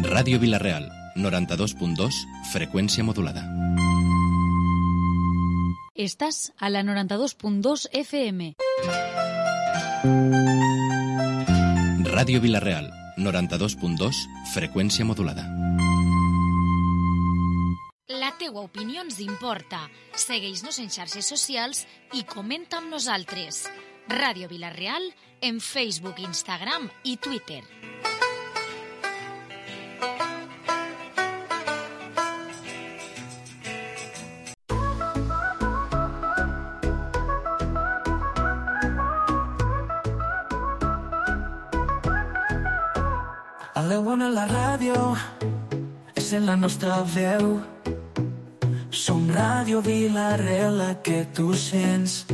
Ràdio Vila-real, 92.2, freqüència modulada. Estàs a la 92.2 FM. Ràdio Vila-real, 92.2, freqüència modulada. La teua opinió ens importa. Segueix-nos en xarxes socials i comenta amb nosaltres. Ràdio Vila-real en Facebook, Instagram i Twitter. A l'Eona la ràdio és en la nostra veu. Som Ràdio Vila-real, la que tu sents.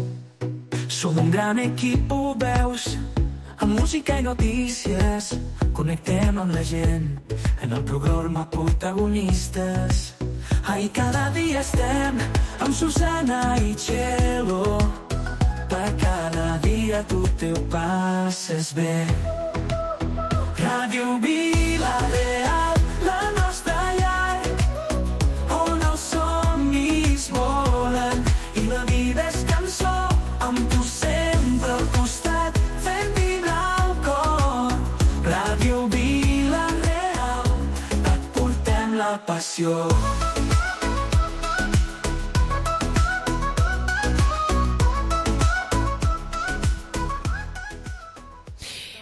Som un gran equip, ho veus, amb música i notícies. Connectem amb la gent en el programa Protagonistes. Ahí cada dia estem amb Susana i Txelo. Per cada dia tu te ho passes bé. Ràdio Vila-real, la nostra llar, on els somnis volen i la vida és cançó, amb tu sempre al costat, fent vibrar el cor. Ràdio Vila-real, et portem la passió.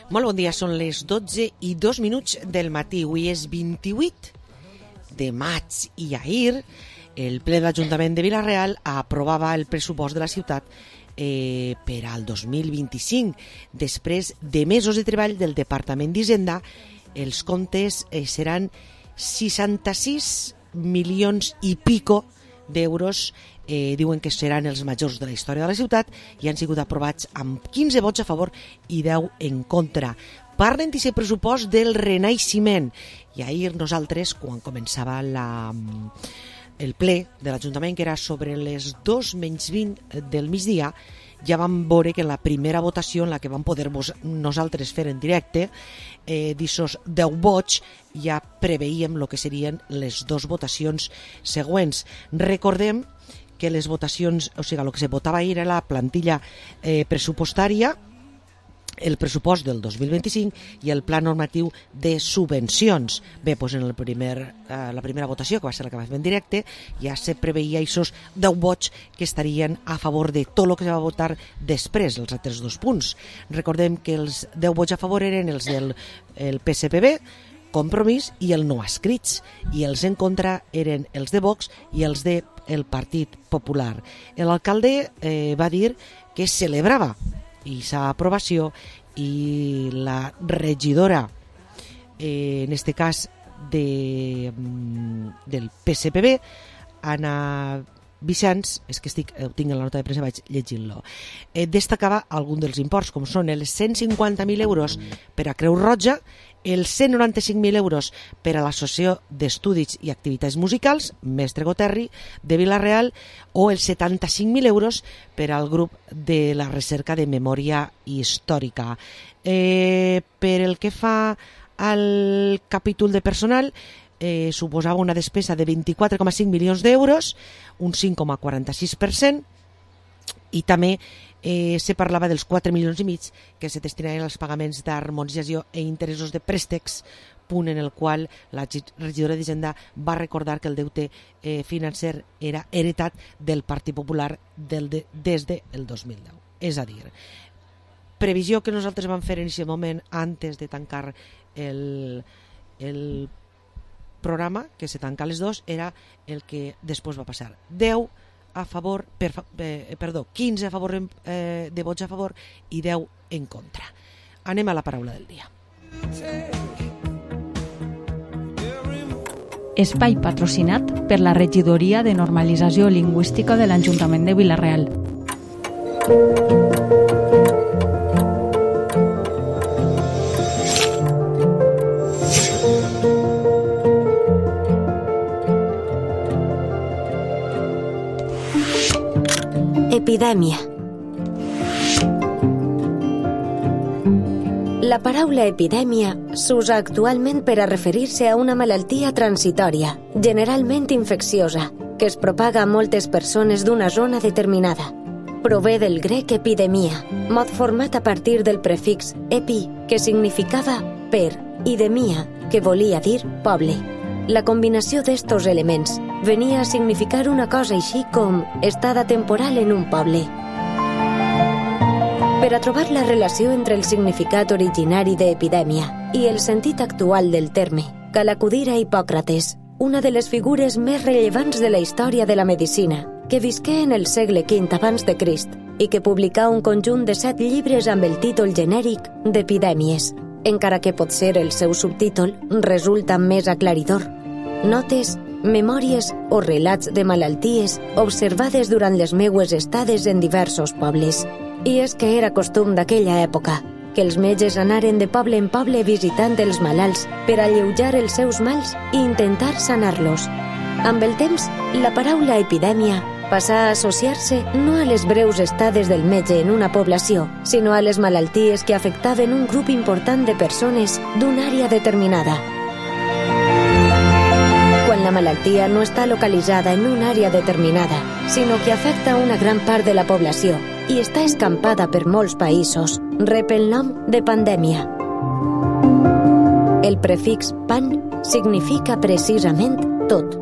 Molt bon dia, són les 12:02 del matí. Avui és 28 de maig i ahir el ple de l'Ajuntament de Vila-real aprovava el pressupost de la ciutat per al 2025. Després de mesos de treball del Departament d'Hisenda, els comptes seran 66 milions i pico d'euros. Diuen que seran els majors de la història de la ciutat i han sigut aprovats amb 15 vots a favor i 10 en contra. Parlen d'aquest pressupost del renaixement. I ahir nosaltres, quan començava el ple de l'Ajuntament, que era sobre les 2:20 del migdia, ja vam veure que en la primera votació, en la que vam poder nosaltres fer en directe, d'aquests 10 vots ja preveíem el que serien les dues votacions següents. Recordem que les votacions, o sigui, el que se votava ahir era la plantilla pressupostària, el pressupost del 2025 i el pla normatiu de subvencions. Bé, doncs en la primera votació, que va ser la que va fer en directe, ja se preveia aquests 10 vots que estarien a favor de tot el que se va votar després, els altres dos punts. Recordem que els 10 vots a favor eren els del PSPB, Compromís i el no escrits, i els en contra eren els de Vox i els del Partit Popular. L'alcalde va dir que celebrava aquesta aprovació i la regidora, en este cas del PSPB, Anna Vicens, és que ho tinc en la nota de premsa, vaig llegint-lo, destacava algun dels imports, com són els 150.000 euros per a Creu Roja, els 195.000 euros per a l'Associació d'Estudis i Activitats Musicals, Mestre Goterri, de Vila-real, o els 75.000 euros per al grup de la recerca de memòria històrica. Per el que fa al capítol de personal, suposava una despesa de 24,5 milions d'euros, un 5,46%, i també se parlava dels 4 milions i mig que se destinaven als pagaments d'harmonització i interessos de préstecs, punt en el qual la regidora d'Hisenda va recordar que el deute financer era heretat del Partit Popular des del 2010. És a dir, previsió que nosaltres vam fer en aquest moment antes de tancar el programa, que se tanca a les 2, era el que després va passar. 10 a favor, 15 a favor de vots a favor i 10 en contra. Anem a la paraula del dia. Espai patrocinat per la Regidoria de Normalització Lingüística de l'Ajuntament de Vila-real. Epidèmia. La paraula epidèmia s'usa actualment per a referir-se a una malaltia transitòria, generalment infecciosa, que es propaga a moltes persones d'una zona determinada. Prové del grec epidemia, mot format a partir del prefix epi, que significava per, i demia, que volia dir poble. La combinació d'estos elements venia a significar una cosa així com estada temporal en un poble. Per a trobar la relació entre el significat originari d'epidèmia i el sentit actual del terme, cal acudir a Hipòcrates, una de les figures més rellevants de la història de la medicina, que visqué en el segle V abans de Crist i que publicà un conjunt de 7 llibres amb el títol genèric d'Epidèmies, encara que potser el seu subtítol resulta més aclaridor. Notes, memòries o relats de malalties observades durant les meues estades en diversos pobles. I és que era costum d'aquella època que els metges anaren de poble en poble visitant els malalts per alleujar els seus mals i intentar sanar-los. Amb el temps, la paraula epidèmia passà a associar-se no a les breus estades del metge en una població, sinó a les malalties que afectaven un grup important de persones d'una àrea determinada. Quan la malaltia no està localitzada en una àrea determinada, sinó que afecta una gran part de la població i està escampada per molts països, rep el nom de pandèmia. El prefix pan significa precisament tot.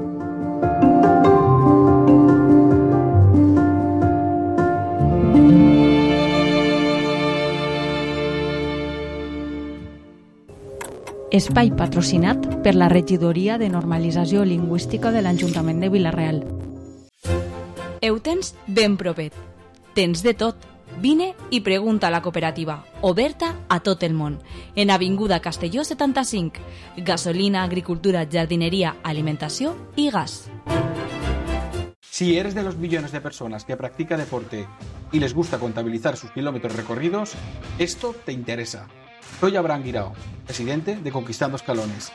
Espai patrocinat per la Regidoria de Normalització Lingüística de l'Ajuntament de Vila-real. Ho tens ben propet. Tens de tot. Vine i pregunta a la cooperativa, oberta a tot el món, en Avinguda Castelló 75. Gasolina, agricultura, jardinería, alimentació i gas. Si eres de los millones de personas que practica deporte y les gusta contabilizar sus kilómetros recorridos, esto te interesa. Soy Abraham Guirao, presidente de Conquistando Escalones.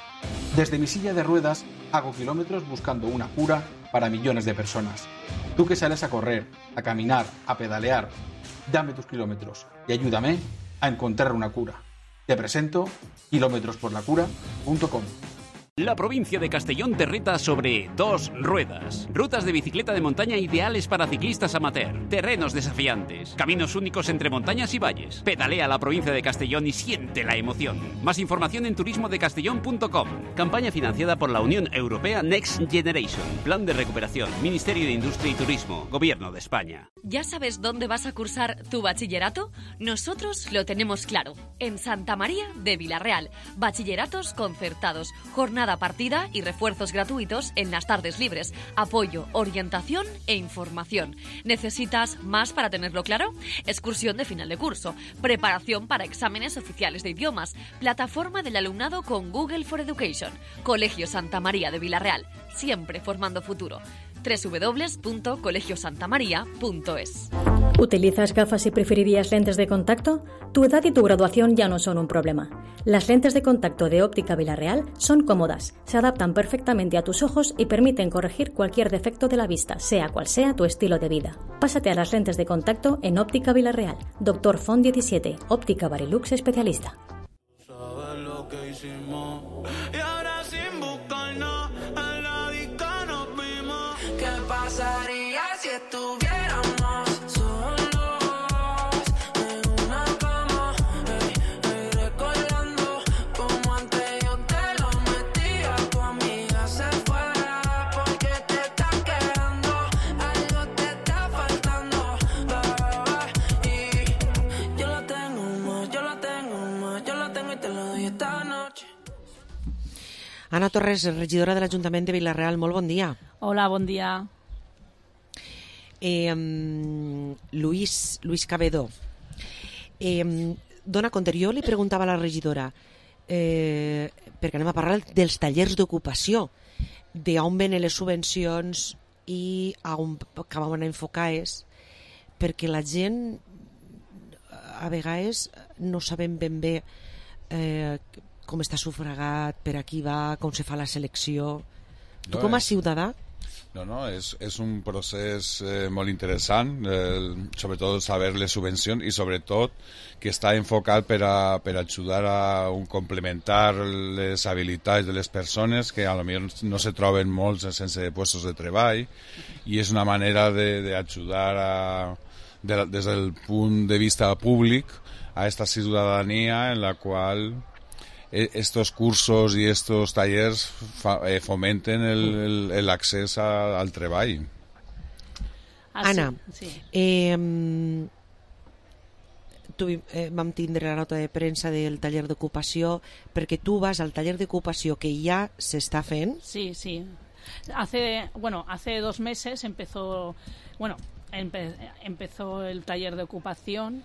Desde mi silla de ruedas hago kilómetros buscando una cura para millones de personas. Tú que sales a correr, a caminar, a pedalear, dame tus kilómetros y ayúdame a encontrar una cura. Te presento kilometrosporlacura.com. La provincia de Castellón te reta sobre 2 ruedas. Rutas de bicicleta de montaña ideales para ciclistas amateur. Terrenos desafiantes. Caminos únicos entre montañas y valles. Pedalea la provincia de Castellón y siente la emoción. Más información en turismodecastellón.com. Campaña financiada por la Unión Europea Next Generation. Plan de recuperación. Ministerio de Industria y Turismo. Gobierno de España. ¿Ya sabes dónde vas a cursar tu bachillerato? Nosotros lo tenemos claro. En Santa María de Vila-real. Bachilleratos concertados. Jornada partida y refuerzos gratuitos en las tardes libres, apoyo, orientación e información. ¿Necesitas más para tenerlo claro? Excursión de final de curso, preparación para exámenes oficiales de idiomas, plataforma del alumnado con Google for Education, Colegio Santa María de Vila-real, siempre formando futuro. www.colegiosantamaria.es. ¿Utilizas gafas y preferirías lentes de contacto? Tu edad y tu graduación ya no son un problema. Las lentes de contacto de Óptica Vila-real son cómodas, se adaptan perfectamente a tus ojos y permiten corregir cualquier defecto de la vista, sea cual sea tu estilo de vida. Pásate a las lentes de contacto en Óptica Vila-real. Dr. Font 17, Óptica Barilux especialista. ¿Sabes lo que hicimos? Y ahora sin buscarnos, en la disco nos vimos. ¿Qué pasaría si estuviéramos solos en una cama? Recordando como antes yo te lo metía. Tu amiga se fue porque te estás quedando. Algo te está faltando, bebé. Y yo la tengo más, yo la tengo más, yo la tengo y te lo doy esta noche. Anna Torres, regidora de l'Ajuntament de Vila-real, molt bon dia. Hola, bon dia. Luis Cabedo, dona compte, jo li preguntava a la regidora, perquè anem a parlar dels tallers d'ocupació, d'on venen les subvencions i on acabaven enfocades, perquè la gent a vegades no sabem ben bé com està sufragat, per a qui va, com se fa la selecció. Tu com a ciutadà, No, és un procés molt interessant, sobretot saber les subvencions i sobretot que està enfocat per ajudar a complementar les habilitats de les persones que a lo millor no se troben molts sense puestos de treball, i és una manera d'ajudar des del punt de vista públic a esta ciudadanía en la cual estos cursos y estos talleres fomenten el accés al treball. Anna, vam tindre la nota de premsa del taller d'ocupació, perquè tu vas al taller d'ocupació que ja s'està fent. Sí. Hace 2 meses empezó el taller de ocupación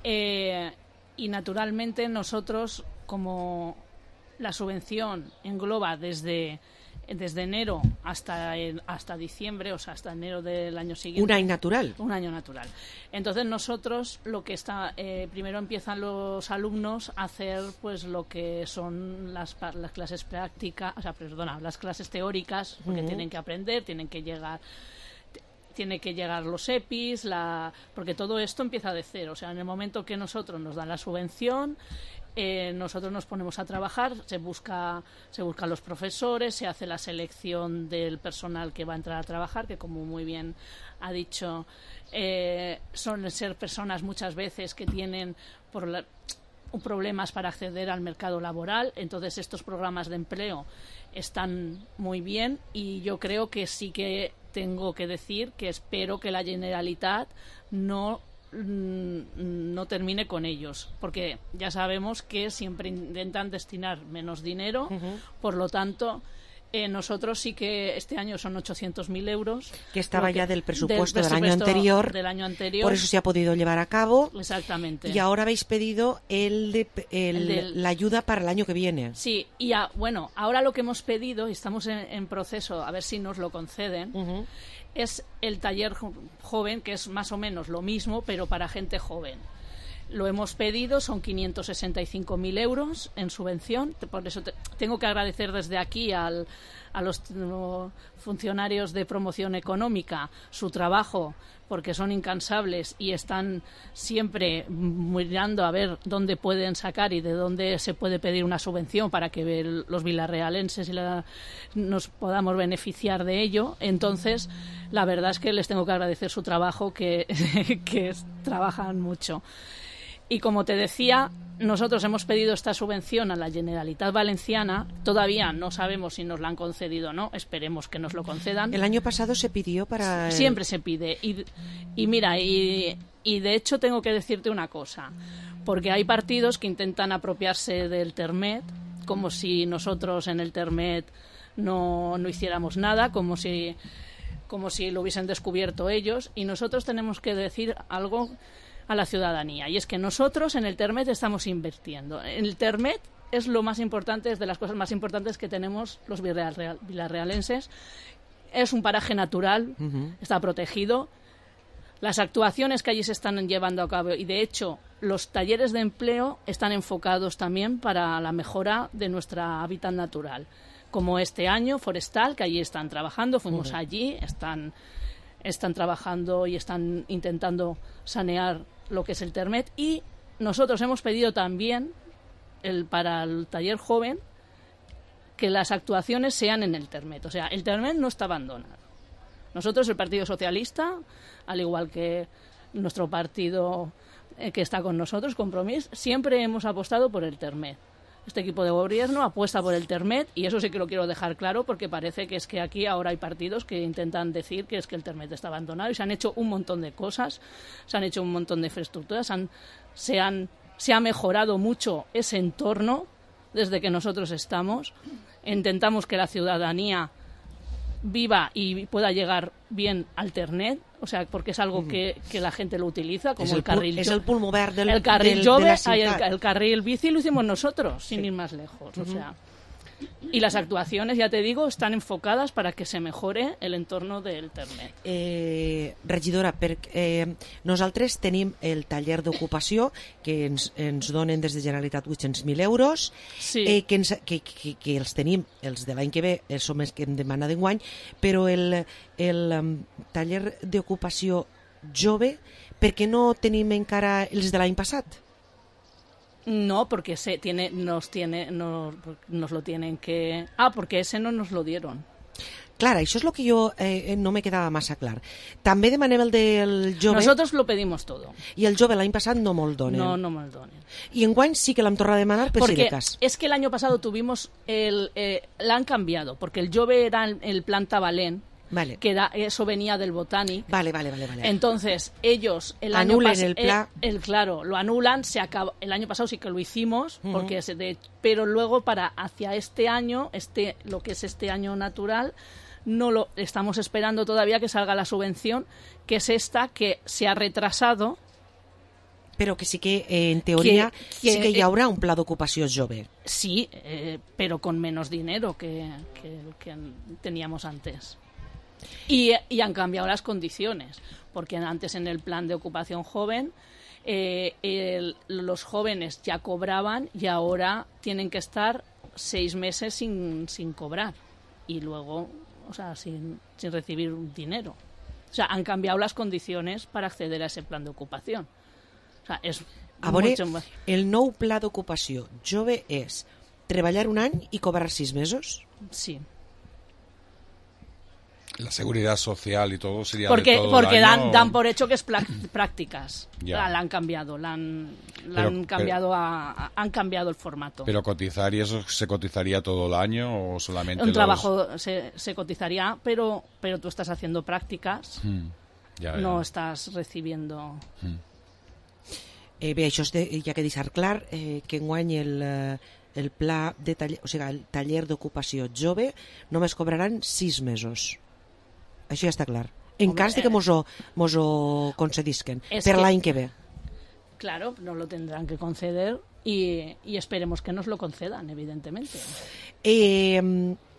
y naturalmente nosotros, como la subvención engloba desde enero hasta diciembre, o sea, hasta enero del año siguiente. Un año natural. Un año natural. Entonces nosotros lo que primero empiezan los alumnos a hacer pues lo que son las clases prácticas, las clases teóricas, porque tienen que aprender, tiene que llegar los EPIs, porque todo esto empieza de cero. O sea, en el momento que nosotros nos dan la subvención, nosotros nos ponemos a trabajar, se buscan los profesores, se hace la selección del personal que va a entrar a trabajar, que como muy bien ha dicho, suelen ser personas muchas veces que tienen problemas para acceder al mercado laboral. Entonces estos programas de empleo están muy bien, y yo creo que sí que tengo que decir que espero que la Generalitat no termine con ellos, porque ya sabemos que siempre intentan destinar menos dinero. Por lo tanto, nosotros sí que este año son 800.000 euros. Que estaba ya del presupuesto del año anterior. Por eso se ha podido llevar a cabo. Exactamente. Y ahora habéis pedido la ayuda para el año que viene. Sí, y ahora lo que hemos pedido, y estamos en proceso, a ver si nos lo conceden, es el taller joven, que es más o menos lo mismo, pero para gente joven. Lo hemos pedido, son 565.000 euros en subvención. Por eso tengo que agradecer desde aquí a los funcionarios de promoción económica su trabajo, porque son incansables y están siempre mirando a ver dónde pueden sacar y de dónde se puede pedir una subvención para que los vilarrealenses nos podamos beneficiar de ello. Entonces, la verdad es que les tengo que agradecer su trabajo, que trabajan mucho. Y como te decía, nosotros hemos pedido esta subvención a la Generalitat Valenciana. Todavía no sabemos si nos la han concedido o no. Esperemos que nos lo concedan. El año pasado se pidió para... Siempre se pide. Y mira, y de hecho tengo que decirte una cosa. Porque hay partidos que intentan apropiarse del Termet, como si nosotros en el Termet no hiciéramos nada, como si lo hubiesen descubierto ellos. Y nosotros tenemos que decir algo a la ciudadanía, y es que nosotros en el Termet estamos invirtiendo. El Termet es lo más importante, es de las cosas más importantes que tenemos los vilarrealenses. Es un paraje natural, está protegido. Las actuaciones que allí se están llevando a cabo, y de hecho los talleres de empleo están enfocados también para la mejora de nuestra hábitat natural, como este año forestal, que allí están trabajando. Fuimos allí, están trabajando y están intentando sanear lo que es el Termet. Y nosotros hemos pedido también para el taller joven que las actuaciones sean en el Termet. O sea, el Termet no está abandonado. Nosotros, el Partido Socialista, al igual que nuestro partido que está con nosotros, Compromís, siempre hemos apostado por el Termet. Este equipo de gobierno apuesta por el Termet, y eso sí que lo quiero dejar claro, porque parece que es que aquí ahora hay partidos que intentan decir que es que el Termet está abandonado, y se han hecho un montón de cosas, se han hecho un montón de infraestructuras, se ha mejorado mucho ese entorno desde que nosotros estamos. Intentamos que la ciudadanía viva y pueda llegar bien al Termet, o sea, porque es algo que la gente lo utiliza, como el carril. Es el pulmón verde el carril jove, el carril bici lo hicimos nosotros, sin ir más lejos. O sea, Y las actuaciones, ya te digo, están enfocadas para que se mejore el entorno del Termet. Regidora, nosaltres tenim el taller d'ocupació que ens donen des de Generalitat 800.000 euros, sí. que els tenim, els de l'any que ve som els que hem demanat d'enguany, però el taller d'ocupació jove, per què no tenim encara els de l'any passat? No, porque nos lo tienen que... porque ese no nos lo dieron. Clar, això és el que jo no me quedava massa clar. També demanem el del jove... Nosotros lo pedimos todo. I el jove l'any passat no me'l donen. No me'l donen. I enguany sí que l'hem tornat a demanar per si de cas. Es que el año pasado tuvimos la han cambiado, porque el jove era el planta valent, vale. Que eso venía del Botanic. Vale. Entonces, ellos el anulan el plan. Claro, lo anulan, se acaba. El año pasado sí que lo hicimos, porque pero luego para hacia este año, lo que es este año natural, no lo estamos esperando todavía que salga la subvención, que es esta que se ha retrasado. Però que sí que, en teoria, sí que hi haurà un pla d'ocupació jove. Sí, pero con menos dinero que teníamos antes. Y han cambiado las condiciones, porque antes en el plan de ocupación joven los jóvenes ya cobraban y ahora tienen que estar 6 meses sin cobrar y luego, o sea, sin recibir dinero. O sea, han cambiado las condiciones para acceder a ese plan de ocupación. O sea, es mucho más... El nou pla d'ocupació jove és treballar un any i cobrar 6 mesos? Sí. La seguridad social y todo sería porque de todo el año, dan por hecho que es prácticas. Ya. La han cambiado, han cambiado el formato. Pero cotizar, ¿y eso se cotizaría todo el año o solamente trabajo se cotizaría, pero tú estás haciendo prácticas, ya. No estás recibiendo. Bé, això ja que deixar clar que enguany el pla de taller, o sigui, el taller d'ocupació jove només cobraran 6 mesos. Això ja està clar. En cas de que mos ho concedisquen per l'any que ve. Claro, nos lo tendrán que conceder y esperemos que nos lo concedan, evidentemente.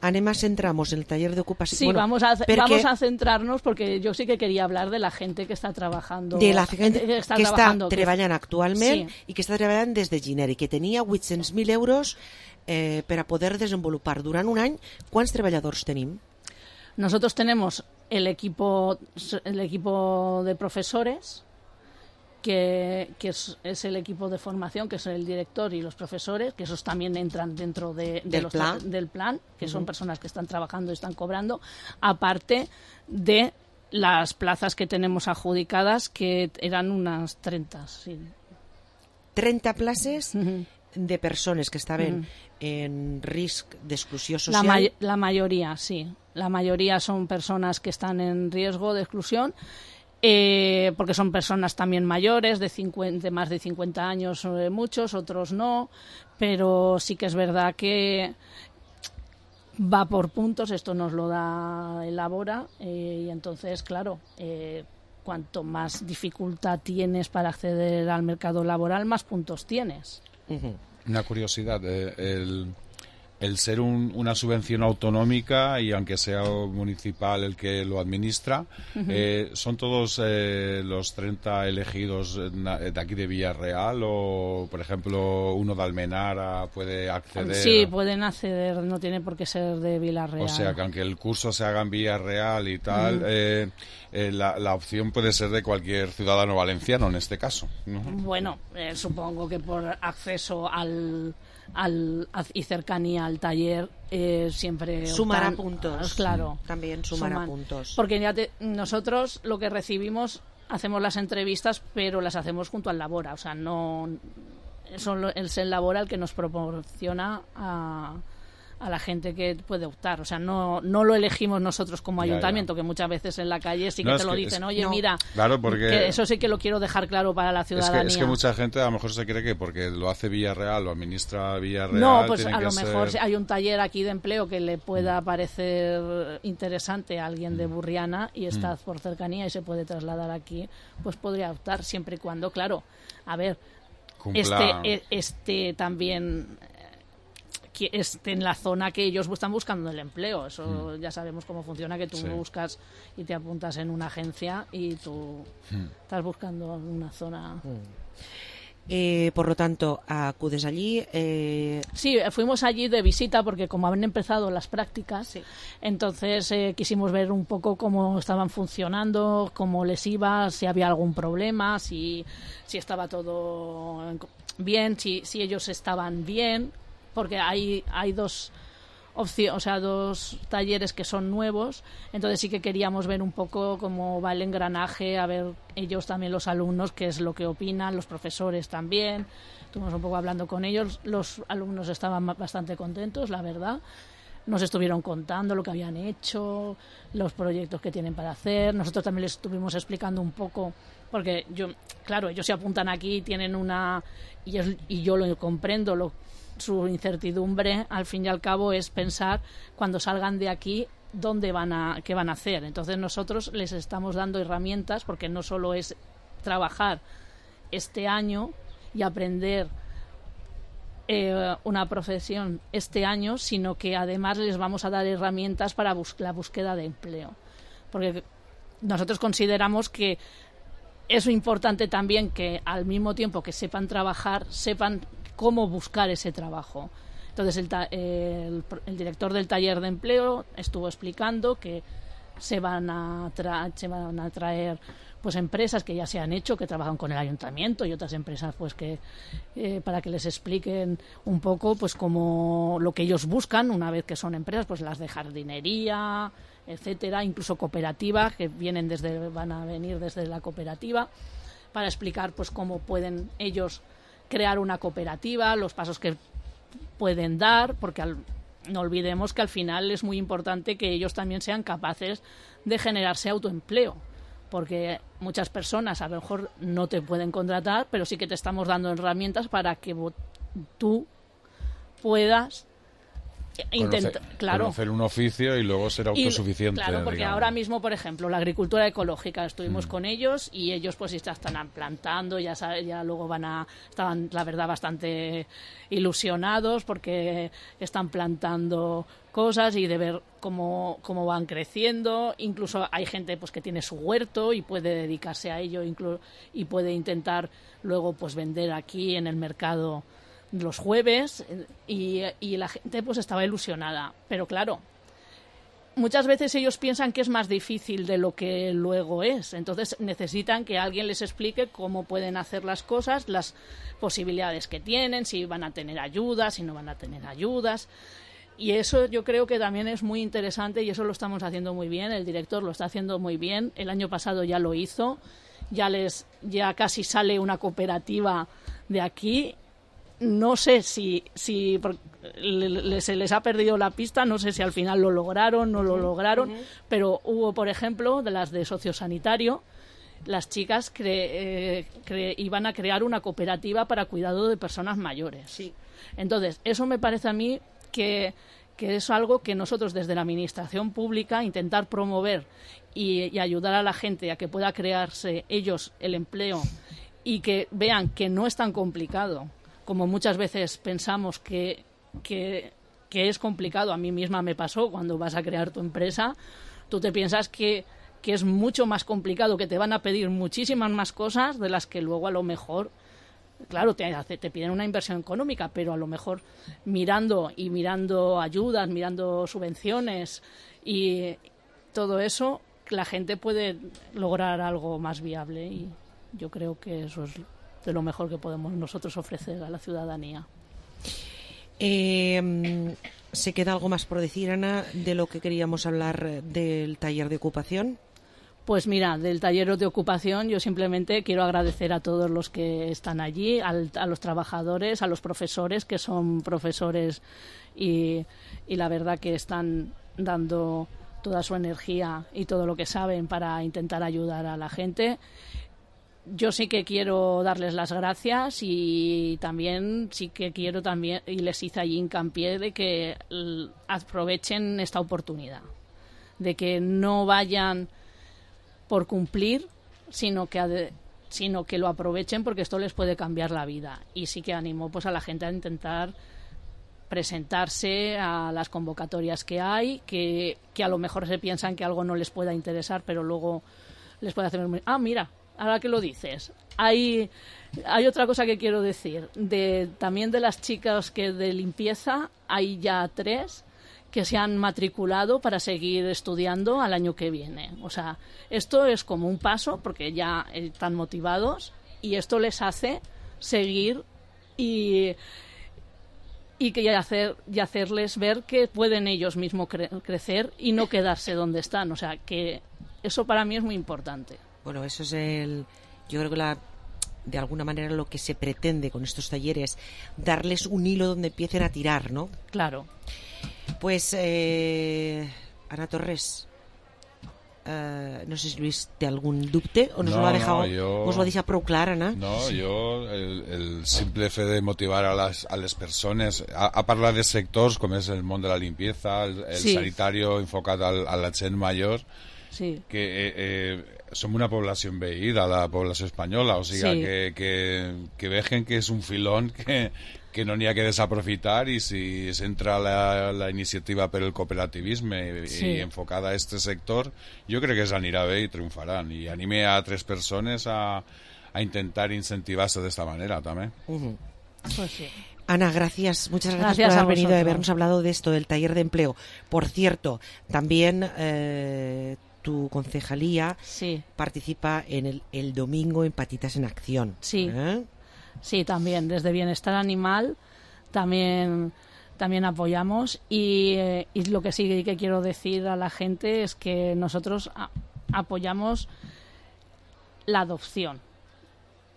Anem a centrarnos en el taller de ocupación. Sí, vamos a centrarnos porque yo sí que quería hablar de la gente que está trabajando. De la gente que está trabajando actualment i que està treballant des de gener i que tenia 800.000 euros per a poder desenvolupar durant un any. Quants treballadors tenim? Nosotros tenemos el equipo de profesores, que es el equipo de formación, que es el director y los profesores, que esos también entran dentro del plan, que son personas que están trabajando y están cobrando, aparte de las plazas que tenemos adjudicadas, que eran unas 30. Sí. 30 places de persones que estaven en risc d'exclusió social. La mayoría, sí. La mayoría son personas que están en riesgo de exclusión, porque son personas también mayores, de más de 50 años, muchos, otros no, pero sí que es verdad que va por puntos, esto nos lo da el Labora, y entonces, claro, cuanto más dificultad tienes para acceder al mercado laboral, más puntos tienes. Una curiosidad, el ser una subvención autonómica y aunque sea municipal el que lo administra, ¿son todos los 30 elegidos de aquí de Villarreal o, por ejemplo, uno de Almenara puede acceder? Sí, pueden acceder, no tiene por qué ser de Villarreal. O sea, que aunque el curso se haga en Villarreal y tal, la opción puede ser de cualquier ciudadano valenciano en este caso, ¿no? Bueno, supongo que por acceso y cercanía al taller siempre sumará puntos. Claro, también sumará puntos. Porque nosotros lo que recibimos, hacemos las entrevistas, pero las hacemos junto al Labora, o sea, no es el Labora el que nos proporciona a la gente que puede optar, o sea, no lo elegimos nosotros como ayuntamiento, que muchas veces en la calle sí que te lo dicen, oye, mira, claro, porque que eso sí que lo quiero dejar claro para la ciudadanía. Es que mucha gente a lo mejor se cree que porque lo hace Villarreal, lo administra Villarreal... No, pues a lo mejor hay un taller aquí de empleo que le pueda parecer interesante a alguien de Burriana y está por cercanía y se puede trasladar aquí, pues podría optar siempre y cuando, claro, a ver, este también... esté en la zona que ellos están buscando el empleo. Eso ya sabemos cómo funciona, que tú buscas y te apuntas en una agencia y tú estás buscando una zona. Por lo tanto, acudes allí. Sí, fuimos allí de visita porque como han empezado las prácticas, entonces quisimos ver un poco cómo estaban funcionando, cómo les iba, si había algún problema, si estaba todo bien, si ellos estaban bien, porque hay dos dos talleres que son nuevos, entonces sí que queríamos ver un poco cómo va el engranaje, a ver ellos también, los alumnos, qué es lo que opinan, los profesores también. Estuvimos un poco hablando con ellos, los alumnos estaban bastante contentos, la verdad. Nos estuvieron contando lo que habían hecho, los proyectos que tienen para hacer. Nosotros también les estuvimos explicando un poco, porque ellos se apuntan aquí, tienen y yo lo comprendo, su incertidumbre, al fin y al cabo, es pensar cuando salgan de aquí qué van a hacer. Entonces nosotros les estamos dando herramientas, porque no solo es trabajar este año y aprender una profesión este año, sino que además les vamos a dar herramientas para la búsqueda de empleo. Porque nosotros consideramos que es importante también que al mismo tiempo que sepan trabajar, sepan cómo buscar ese trabajo. Entonces el director del taller de empleo estuvo explicando que se van a traer pues empresas que ya se han hecho, que trabajan con el ayuntamiento, y otras empresas pues que para que les expliquen un poco pues como lo que ellos buscan una vez que son empresas, pues las de jardinería, etcétera, incluso cooperativas que van a venir desde la cooperativa para explicar pues cómo pueden ellos crear una cooperativa, los pasos que pueden dar, porque no olvidemos que al final es muy importante que ellos también sean capaces de generarse autoempleo, porque muchas personas a lo mejor no te pueden contratar, pero sí que te estamos dando herramientas para que tú puedas conocer un oficio y luego ser autosuficiente. Claro, porque ahora mismo, por ejemplo, la agricultura ecológica, estuvimos con ellos y ellos pues ya están plantando, ya luego estaban, la verdad, bastante ilusionados porque están plantando cosas y de ver cómo van creciendo. Incluso hay gente pues que tiene su huerto y puede dedicarse a ello y puede intentar luego pues vender aquí en el mercado los jueves, y la gente pues estaba ilusionada, pero claro, muchas veces ellos piensan que es más difícil de lo que luego es, entonces necesitan que alguien les explique cómo pueden hacer las cosas, las posibilidades que tienen, si van a tener ayudas, si no van a tener ayudas, y eso yo creo que también es muy interesante y eso lo estamos haciendo muy bien, el director lo está haciendo muy bien, el año pasado ya lo hizo, ya casi sale una cooperativa de aquí. No sé si se les ha perdido la pista, no sé si al final lo lograron, no lo lograron, pero hubo, por ejemplo, de las de sociosanitario, las chicas iban a crear una cooperativa para cuidado de personas mayores. Sí. Entonces, eso me parece a mí que es algo que nosotros desde la administración pública intentar promover y ayudar a la gente a que pueda crearse ellos el empleo y que vean que no es tan complicado como muchas veces pensamos que es complicado. A mí misma me pasó cuando vas a crear tu empresa, tú te piensas que es mucho más complicado, que te van a pedir muchísimas más cosas de las que luego a lo mejor, claro, te piden una inversión económica, pero a lo mejor mirando ayudas, mirando subvenciones y todo eso, la gente puede lograr algo más viable, y yo creo que eso es de lo mejor que podemos nosotros ofrecer a la ciudadanía. ¿Se queda algo más por decir, Ana, de lo que queríamos hablar del taller de ocupación? Pues mira, del taller de ocupación yo simplemente quiero agradecer a todos los que están allí, a los trabajadores, a los profesores, que son profesores y la verdad que están dando toda su energía y todo lo que saben para intentar ayudar a la gente. Yo sí que quiero darles las gracias y también sí que quiero y les hice allí hincapié de que aprovechen esta oportunidad, de que no vayan por cumplir, sino que lo aprovechen, porque esto les puede cambiar la vida. Y sí que animo pues a la gente a intentar presentarse a las convocatorias que hay, que a lo mejor se piensan que algo no les pueda interesar, pero luego les puede hacer... mira, ahora que lo dices, hay otra cosa que quiero decir. También de las chicas que de limpieza, hay ya 3 que se han matriculado para seguir estudiando al año que viene. O sea, esto es como un paso, porque ya están motivados, y esto les hace seguir y hacerles ver que pueden ellos mismos crecer y no quedarse donde están. O sea, que eso para mí es muy importante. Bueno, eso es yo creo que de alguna manera lo que se pretende con estos talleres, darles un hilo donde empiecen a tirar, ¿no? Claro. Pues, Ana Torres, no sé si Luis té algun dubte o nos lo ha dejado, us lo ha deixat prou clar, Ana. No, yo el simple fe de motivar a las personas a parlar de sectors com és el món de la limpieza, el sanitario enfocat a la gent major, que som una població envellida, la població espanyola, o sigui que vejen que és un filón que no n'hi ha que desaprofitar, i si s'entra la iniciativa per el cooperativisme i enfocada a este sector, jo crec que s'anirà bé i triomfaran, i anime a 3 persones a intentar incentivarse de esta manera también. Pues sí. Ana, gracias, muchas gracias por haber venido y habernos hablado de esto, del taller de empleo. Por cierto, también tu concejalía participa en el domingo en Patitas en Acción. Sí. Sí, también desde Bienestar Animal también apoyamos, y lo que sí que quiero decir a la gente es que nosotros apoyamos la adopción.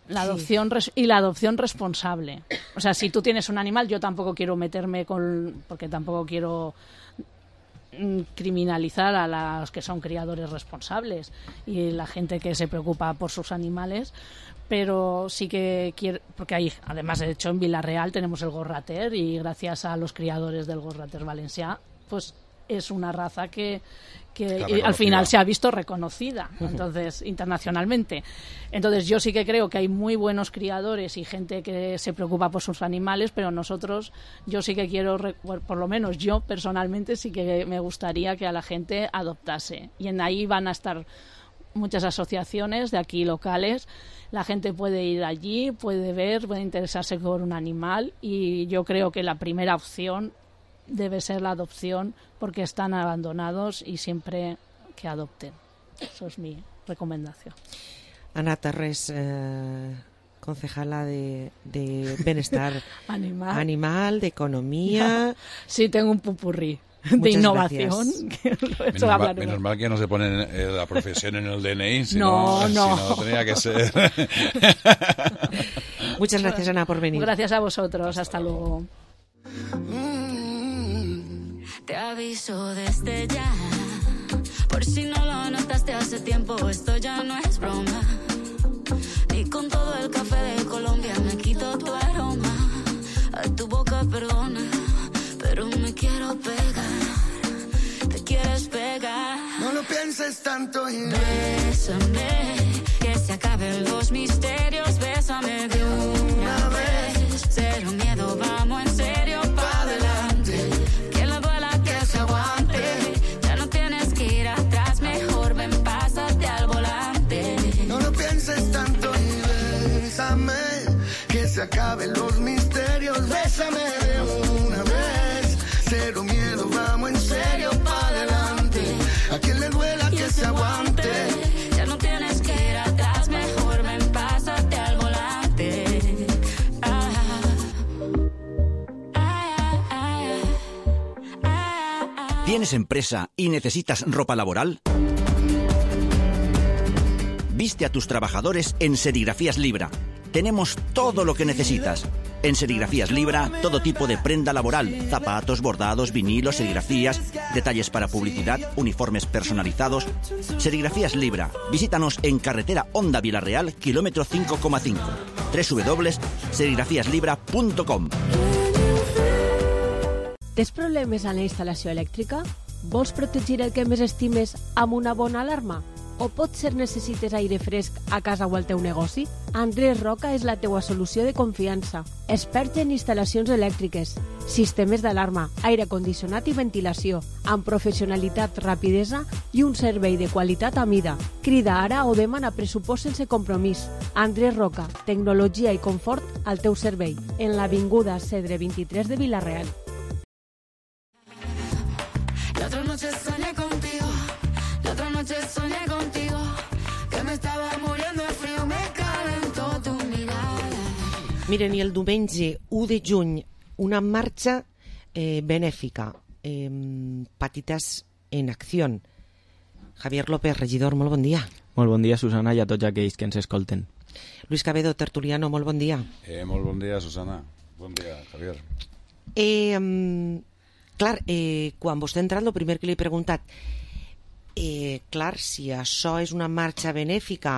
La adopción y la adopción responsable. O sea, si tú tienes un animal, yo tampoco quiero meterme porque tampoco quiero criminalizar a los que son criadores responsables y la gente que se preocupa por sus animales, pero sí que quiero, porque hay, además, de hecho, en Vila-real tenemos el Gorrater, y gracias a los criadores del Gorrater valencià, pues es una raza que al final se ha visto reconocida, entonces, internacionalmente. Entonces yo sí que creo que hay muy buenos criadores y gente que se preocupa por sus animales, pero yo sí que quiero, por lo menos yo personalmente sí que me gustaría que a la gente adoptase, y en ahí van a estar muchas asociaciones de aquí locales. La gente puede ir allí, puede ver, puede interesarse por un animal, y yo creo que la primera opción debe ser la adopción, porque están abandonados, y siempre que adopten. Eso es mi recomendación. Ana Torres, concejala de Bienestar Animal, de Economía. Sí, tengo un pupurrí de innovación. Menos mal que no se pone la profesión en el DNI, si no tendría que ser. Muchas gracias, Ana, por venir. Gracias a vosotros, hasta luego. Te aviso desde ya, por si no lo notaste hace tiempo, esto ya no es broma. Y con todo el café de Colombia me quito tu aroma. A tu boca perdona, pero me quiero pegar. Te quieres pegar. No lo pienses tanto y bésame, que se acaben los misterios. Bésame de una vez, cero miedo, vamos en serio pa' adelante. Que le duela, que se aguante. Ya no tienes que ir atrás, mejor ven, pásate al volante. No lo pienses tanto y bésame, que se acaben los misterios. Bésame de una vez, cero miedo, vamos en serio pa' adelante. A quien le duela, que se aguante. Ya no tienes que ir atrás, mejor ven, pásate al volante. ¿Tienes empresa y necesitas ropa laboral? Viste a tus trabajadores en Serigrafías Libra. Tenemos todo lo que necesitas. En Serigrafías Libra, todo tipo de prenda laboral, zapatos, bordados, vinilos, serigrafías, detalles para publicidad, uniformes personalizados. Serigrafías Libra. Visítanos en carretera Onda Vila-real, kilómetro 5,5. www.serigrafiaslibra.com. Tens problemes en la instal·lació elèctrica? Vols protegir el que més estimes amb una bona alarma? O potser necessites aire fresc a casa o al teu negoci? Andrés Roca és la teua solució de confiança. Expert en instal·lacions elèctriques, sistemes d'alarma, aire condicionat i ventilació, amb professionalitat, rapidesa i un servei de qualitat a mida. Crida ara o demana pressupost sense compromís. Andrés Roca, tecnologia i confort al teu servei, en l'avinguda Cedre 23 de Vila-real. La otra noche soñé contigo, la otra noche soñé contigo, que me estaba muriendo de frío, me calentó tu mirada. Miren, i el diumenge 1 de juny, una marxa benèfica, Patitas en Acció. Javier López, regidor, molt bon dia. Molt bon dia, Susana, i a tots aquells que ens escolten. Luis Cabedo, tertuliano, molt bon dia. Molt bon dia, Susana. Bon dia, Javier. Clar, quan vostè ha entrat, el primer que li he preguntat, clar, si això és una marxa benèfica,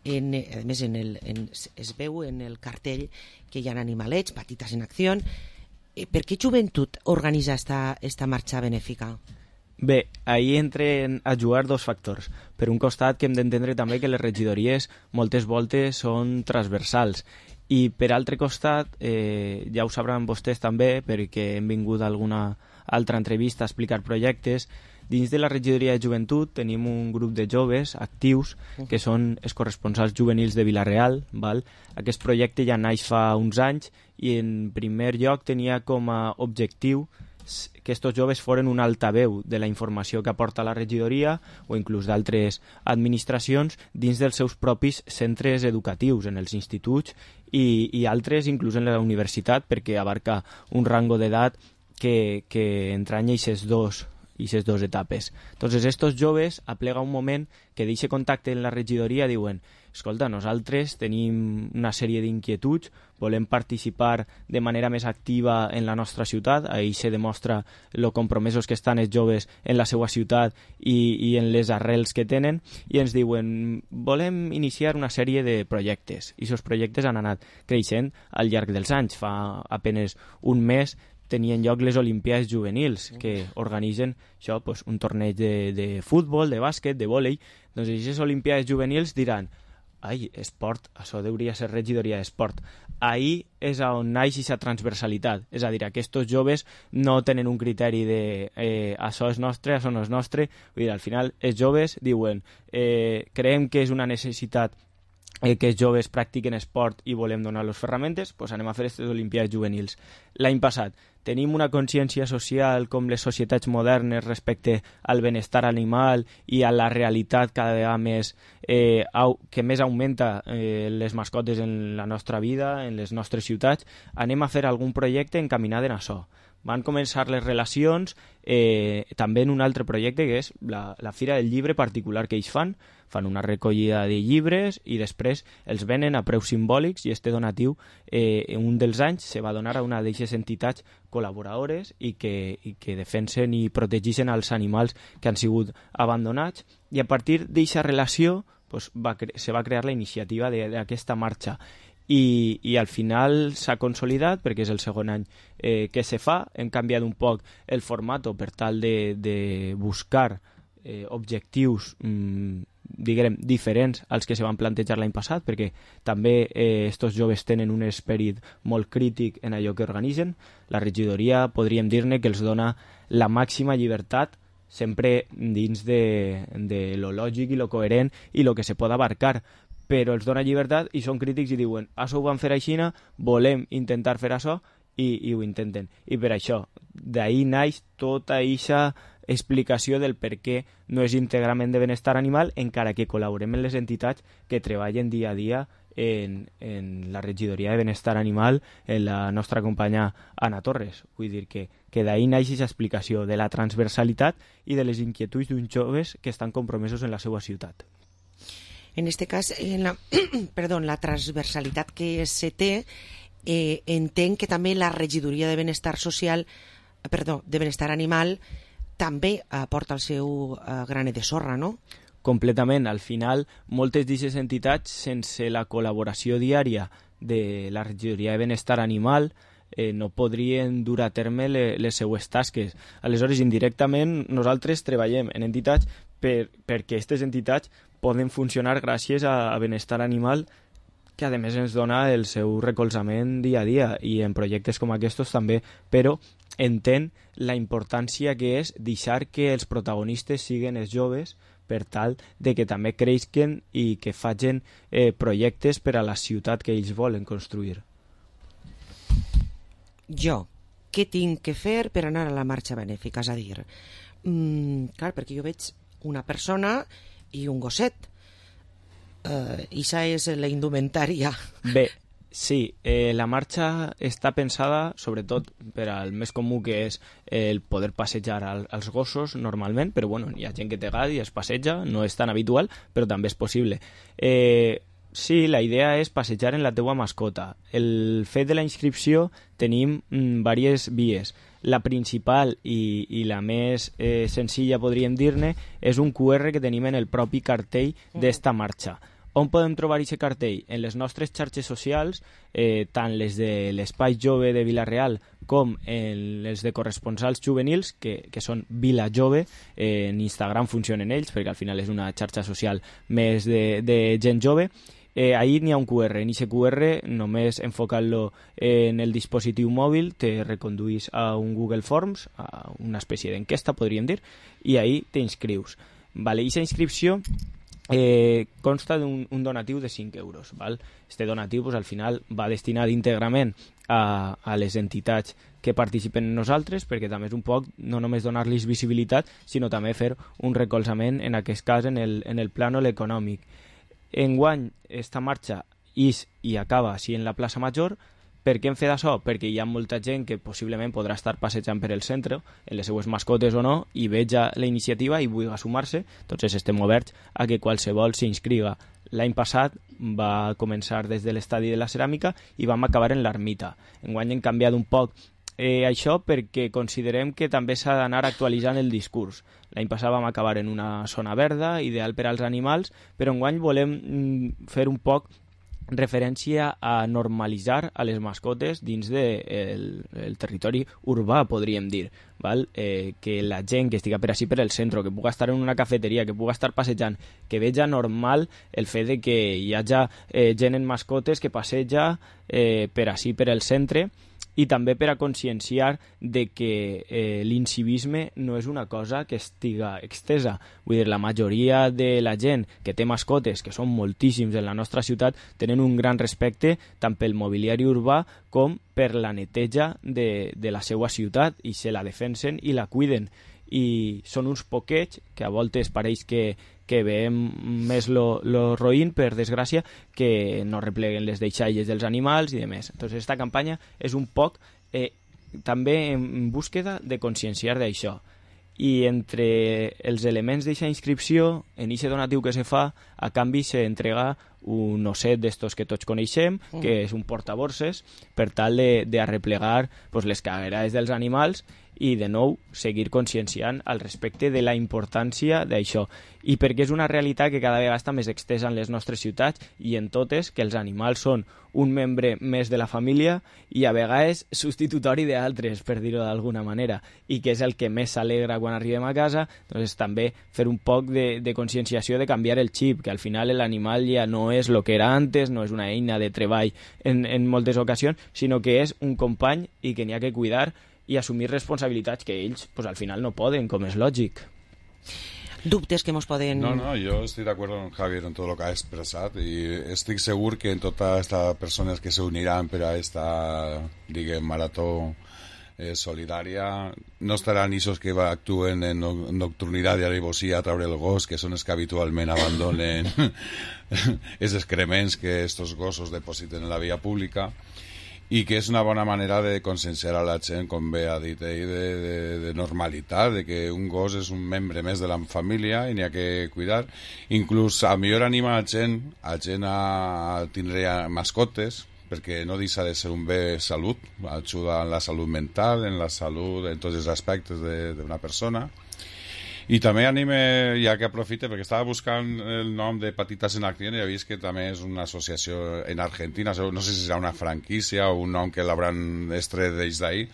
a més es veu en el cartell que hi ha animalets, Patitas en Acció, per què Joventut organitza esta marxa benèfica? Bé, ahir entren a jugar dos factors. Per un costat, que hem d'entendre també que les regidories moltes voltes són transversals, i per altre costat, ja ho sabran vostès també, perquè hem vingut a alguna altra entrevista a explicar projectes, dins de la regidoria de joventut tenim un grup de joves actius que són els corresponsals juvenils de Vila-real. Aquest projecte ja naix fa uns anys i en primer lloc tenia com a objectiu que estos joves foren un altaveu de la informació que aporta la regidoria o inclús d'altres administracions dins dels seus propis centres educatius, en els instituts i altres inclús en la universitat, perquè abarca un rango d'edat que entranya aquestes dos etapes. Entonces, estos joves aplega un moment que d'aquest contacte en la regidoria diuen: escolta, nosaltres tenim una sèrie d'inquietuds, volem participar de manera més activa en la nostra ciutat, ahir se demostra lo compromesos que estan els joves en la seva ciutat i en les arrels que tenen, i ens diuen: volem iniciar una sèrie de projectes, i aquests projectes han anat creixent al llarg dels anys. Fa apenes un mes tenien lloc les Olimpiades Juvenils, que organitzen això, pues, un torneig de futbol, de bàsquet, de vòlei. Doncs aquestes Olimpiades Juvenils diran: ai, esport, això hauria de ser regidoria d'esport. Ahir és on naix aquesta transversalitat, és a dir, aquests joves no tenen un criteri de això és nostre, això no és nostre. Vull dir, al final els joves diuen creiem que és una necessitat que els joves practiquen esport i volem donar-los ferramentes, doncs anem a fer aquestes Olimpiades Juvenils. L'any passat tenim una consciència social com les societats modernes respecte al benestar animal i a la realitat cada vegada més que més augmenta les mascotes en la nostra vida, en les nostres ciutats. Anem a fer algun projecte encaminat en això. Van començar les relacions també en un altre projecte que és la Fira del Llibre particular que ells fan una recollida de llibres i després els venen a preus simbòlics, i este donatiu un dels anys se va donar a una d'aquestes entitats col·laboradores i que defensen i protegeixen els animals que han sigut abandonats, i a partir d'aquesta relació pues, se va crear la iniciativa d'aquesta marxa. I al final s'ha consolidat perquè és el segon any que se fa. Hem canviat un poc el format per tal de buscar objectius diguem diferents als que se van plantejar l'any passat, perquè també estos joves tenen un esperit molt crític en allò que organitzen. La regidoria podríem dir-ne que els dona la màxima llibertat, sempre dins de lo lògic i lo coherent i lo que se pot abarcar, però els dona llibertat i són crítics i diuen: això ho van fer així, volem intentar fer això, i ho intenten. I per això, d'ahir naix tota aquesta explicació del per què no és íntegrament de benestar animal, encara que col·laborem en les entitats que treballen dia a dia en la regidoria de benestar animal, en la nostra companya Anna Torres. Vull dir que d'ahir naix aquesta explicació de la transversalitat i de les inquietuds d'uns joves que estan compromesos en la seva ciutat. En este cas, la transversalitat que se té, entenc que també la regidoria de benestar de benestar animal també aporta el seu granet de sorra, no? Completament. Al final, moltes d'aquestes entitats, sense la col·laboració diària de la regidoria de benestar animal, no podrien dur a terme les seues tasques. Aleshores, indirectament, nosaltres treballem en entitats perquè aquestes entitats poden funcionar gràcies a benestar animal, que a més ens dona el seu recolzament dia a dia, i en projectes com aquests també, però entén la importància que és deixar que els protagonistes siguin els joves per tal de que també creixen i que facin projectes per a la ciutat que ells volen construir. Jo, què tinc que fer per anar a la marxa benèfica? És a dir, clar, perquè jo veig una persona i un gosset. Ixa és la indumentària. Bé, sí, la marxa està pensada sobretot per al més comú, que és el poder passejar als gossos normalment, però bueno, hi ha gent que té gat i es passeja, no és tan habitual, però també és possible. Sí, la idea és passejar en la teua mascota. El fet de la inscripció tenim diverses vies. La principal i la més senzilla, podríem dir-ne, és un QR que tenim en el propi cartell d'esta marxa. On podem trobar aquest cartell? En les nostres xarxes socials, tant les de l'Espai Jove de Vila-real com en les de corresponsals juvenils, que són Vila Jove. En Instagram funcionen ells, perquè al final és una xarxa social més de gent jove. Ahí n'hi ha un QR. En aquest QR, només enfocant-lo en el dispositiu mòbil, te reconduís a un Google Forms, a una espècie d'enquesta, podríem dir, i ahí t'inscrius. Vale, aquesta inscripció consta d'un donatiu de 5 euros. Val? Este donatiu al final va destinat íntegrament a les entitats que participen en nosaltres, perquè també és un poc no només donar-los visibilitat, sinó també fer un recolzament, en aquest cas en el plànol econòmic. Enguany, esta marxa és i acaba així en la plaça Major. Per què hem fet això? Perquè hi ha molta gent que possiblement podrà estar passejant per el centre, en les seues mascotes o no, i veja la iniciativa i vulgui sumar-se. Entonces estem oberts a que qualsevol s'inscriga. L'any passat va començar des de l'estadi de la ceràmica i vam acabar en l'ermita. Enguany hem canviat un poc això perquè considerem que també s'ha d'anar actualitzant el discurs. L'any passat vam acabar en una zona verda, ideal per als animals, però enguany volem fer un poc referència a normalitzar a les mascotes dins del territori urbà, podríem dir. Val? Que la gent que estiga per així per el centre, que puga estar en una cafeteria, que puga estar passejant, que veja normal el fet de que hi hagi gent en mascotes que passeja per així per el centre, i també per a conscienciar de que l'incivisme no és una cosa que estiga extesa. Vull dir, la majoria de la gent que té mascotes, que són moltíssims en la nostra ciutat, tenen un gran respecte tant pel mobiliari urbà com per la neteja de la seva ciutat, i se la defensen i la cuiden. I són uns poquets que a voltes pareix que veiem més lo roïn, per desgràcia, que no repleguen les deixalles dels animals i demés. Entonces, esta campanya és un poc també en búsqueda de conscienciar d'això. I entre els elements d'aquesta inscripció, en aquest donatiu que se fa, a canvi s'entrega un osset d'estos que tots coneixem, que és un portaborses, per tal d'arreplegar les caguerades dels animals, i de nou seguir conscienciant al respecte de la importància d'això, i perquè és una realitat que cada vegada està més extesa en les nostres ciutats i en totes, que els animals són un membre més de la família i a vegades substitutori d'altres, per dir-ho d'alguna manera, i que és el que més s'alegra quan arribem a casa. Doncs també fer un poc de conscienciació, de canviar el xip, que al final l'animal ja no és el que era antes, no és una eina de treball en moltes ocasions, sinó que és un company i que n'hi ha que cuidar i assumir responsabilitats que ells al final no poden, com és lògic. Dubtes que ens poden... No, yo estoy de acuerdo con Javier en todo lo que ha expresado, y estoy seguro que en todas estas personas que se unirán para esta, marató solidària, no estaran esos que actuen en nocturnidad y alevosía a través del gos, que son los que habitualmente abandonen esos excrements que estos gossos depositen en la vía pública, i que és una bona manera de conscienciar a la gent, com bé ha dit ell, de normalitat, de que un gos és un membre més de la família i n'hi ha que cuidar. Inclús a millor anima a gent a tindre mascotes, perquè no deixa de ser un bé salut, ajuda en la salut mental, en la salut, en tots els aspectes d'una persona. I també anime, ja que aprofite, perquè estava buscant el nom de Patitas en Acció i he vist que també és una associació en Argentina, no sé si serà una franquícia o un nom que l'hauran estret des d'ahir,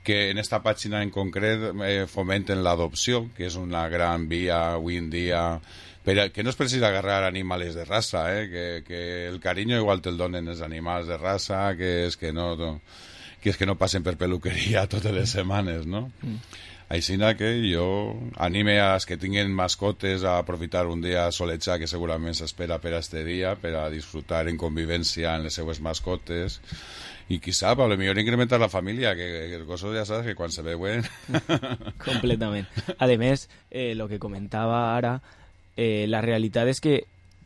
que en esta pàgina en concret fomenten l'adopció, que és una gran via avui en dia, que no es precisa agarrar animals de raça, que el carinyo igual te'l donen els animals de raça, que és que no passen per peluqueria totes les setmanes, no? Aixina que jo anime a els que tinguin mascotes a aprofitar un dia solejar que segurament s'espera per a este dia, per a disfrutar en convivència amb les seues mascotes i qui sap, a lo millor incrementar la família, que el coso ja saps que quan se veuen... Completament. A més, el que comentava ara, la realitat és que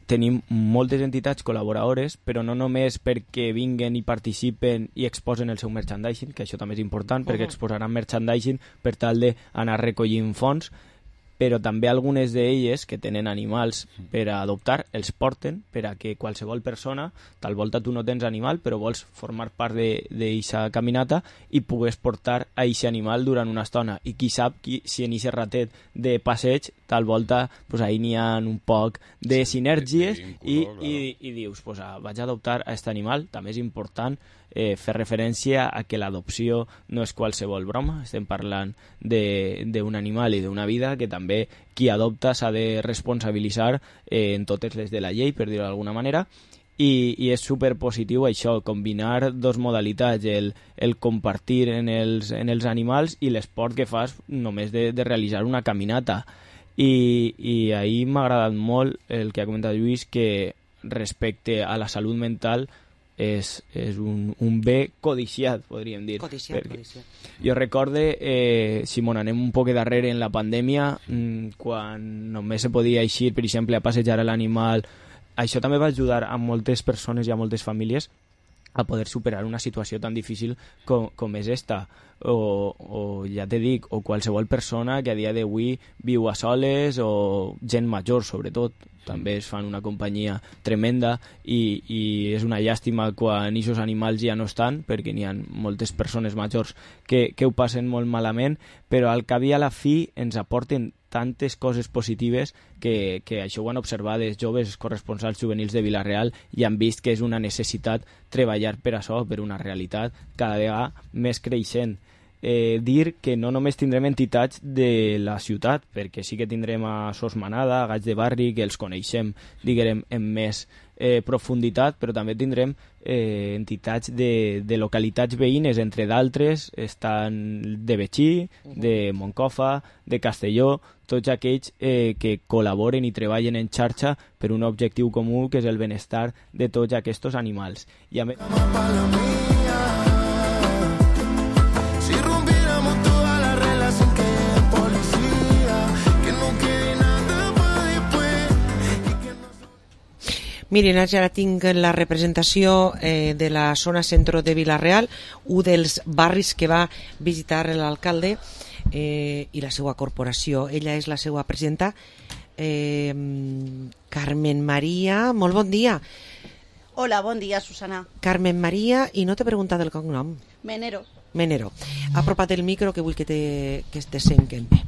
tenim moltes entitats col·laboradores, però no només perquè vinguen i participen i exposen el seu merchandising, que això també és important, perquè exposaran merchandising per tal d'anar recollint fons, però també algunes d'elles que tenen animals per a adoptar els porten per a que qualsevol persona, tal volta tu no tens animal però vols formar part d'eixa caminata i pugues portar a eixe animal durant una estona i qui sap si en eixe ratet de passeig tal volta pues ahí n'hi ha un poc de sinergies i dius pues vaig a adoptar a aquest animal. També és important fer referència a que l'adopció no és qualsevol broma, estem parlant d'un animal i d'una vida que també qui adopta s'ha de responsabilitzar en totes les de la llei, per dir-ho d'alguna manera, i és superpositiu això, combinar dos modalitats, el compartir en els animals i l'esport que fas només de realitzar una caminata. I ahir m'ha agradat molt el que ha comentat Lluís, que respecte a la salut mental és un bé codiciat, podríem dir. Codiciat. Jo recorde, si m'on anem un poc darrere en la pandèmia, quan només se podia eixir, per exemple, a passejar l'animal, això també va ajudar a moltes persones i a moltes famílies a poder superar una situació tan difícil com és esta. O ja te dic, o qualsevol persona que a dia d'avui viu a soles, o gent major sobretot, també es fan una companyia tremenda i és una llàstima quan aquests animals ja no estan, perquè n'hi ha moltes persones majors que ho passen molt malament, però al cap i a la fi ens aporten tantes coses positives que això ho han observat els joves corresponsals juvenils de Vila-real i han vist que és una necessitat treballar per això, per una realitat cada vegada més creixent. Dir que no només tindrem entitats de la ciutat, perquè sí que tindrem a Sos Manada, a Gaig de Barri, que els coneixem, diguem, en més profunditat, però també tindrem entitats de localitats veïnes, entre d'altres estan de Betxí, de Moncofa, de Castelló, tots aquells que col·laboren i treballen en xarxa per un objectiu comú, que és el benestar de tots aquests animals. I a més... Miren, ara tinc la representació de la zona centro de Vila-real, un dels barris que va visitar l'alcalde i la seva corporació. Ella és la seva presidenta, Carmen Maria. Molt bon dia. Hola, bon dia, Susana. Carmen Maria, i no t'he preguntat el cognom. Menero. Apropa't el micro, que vull que te senten bé.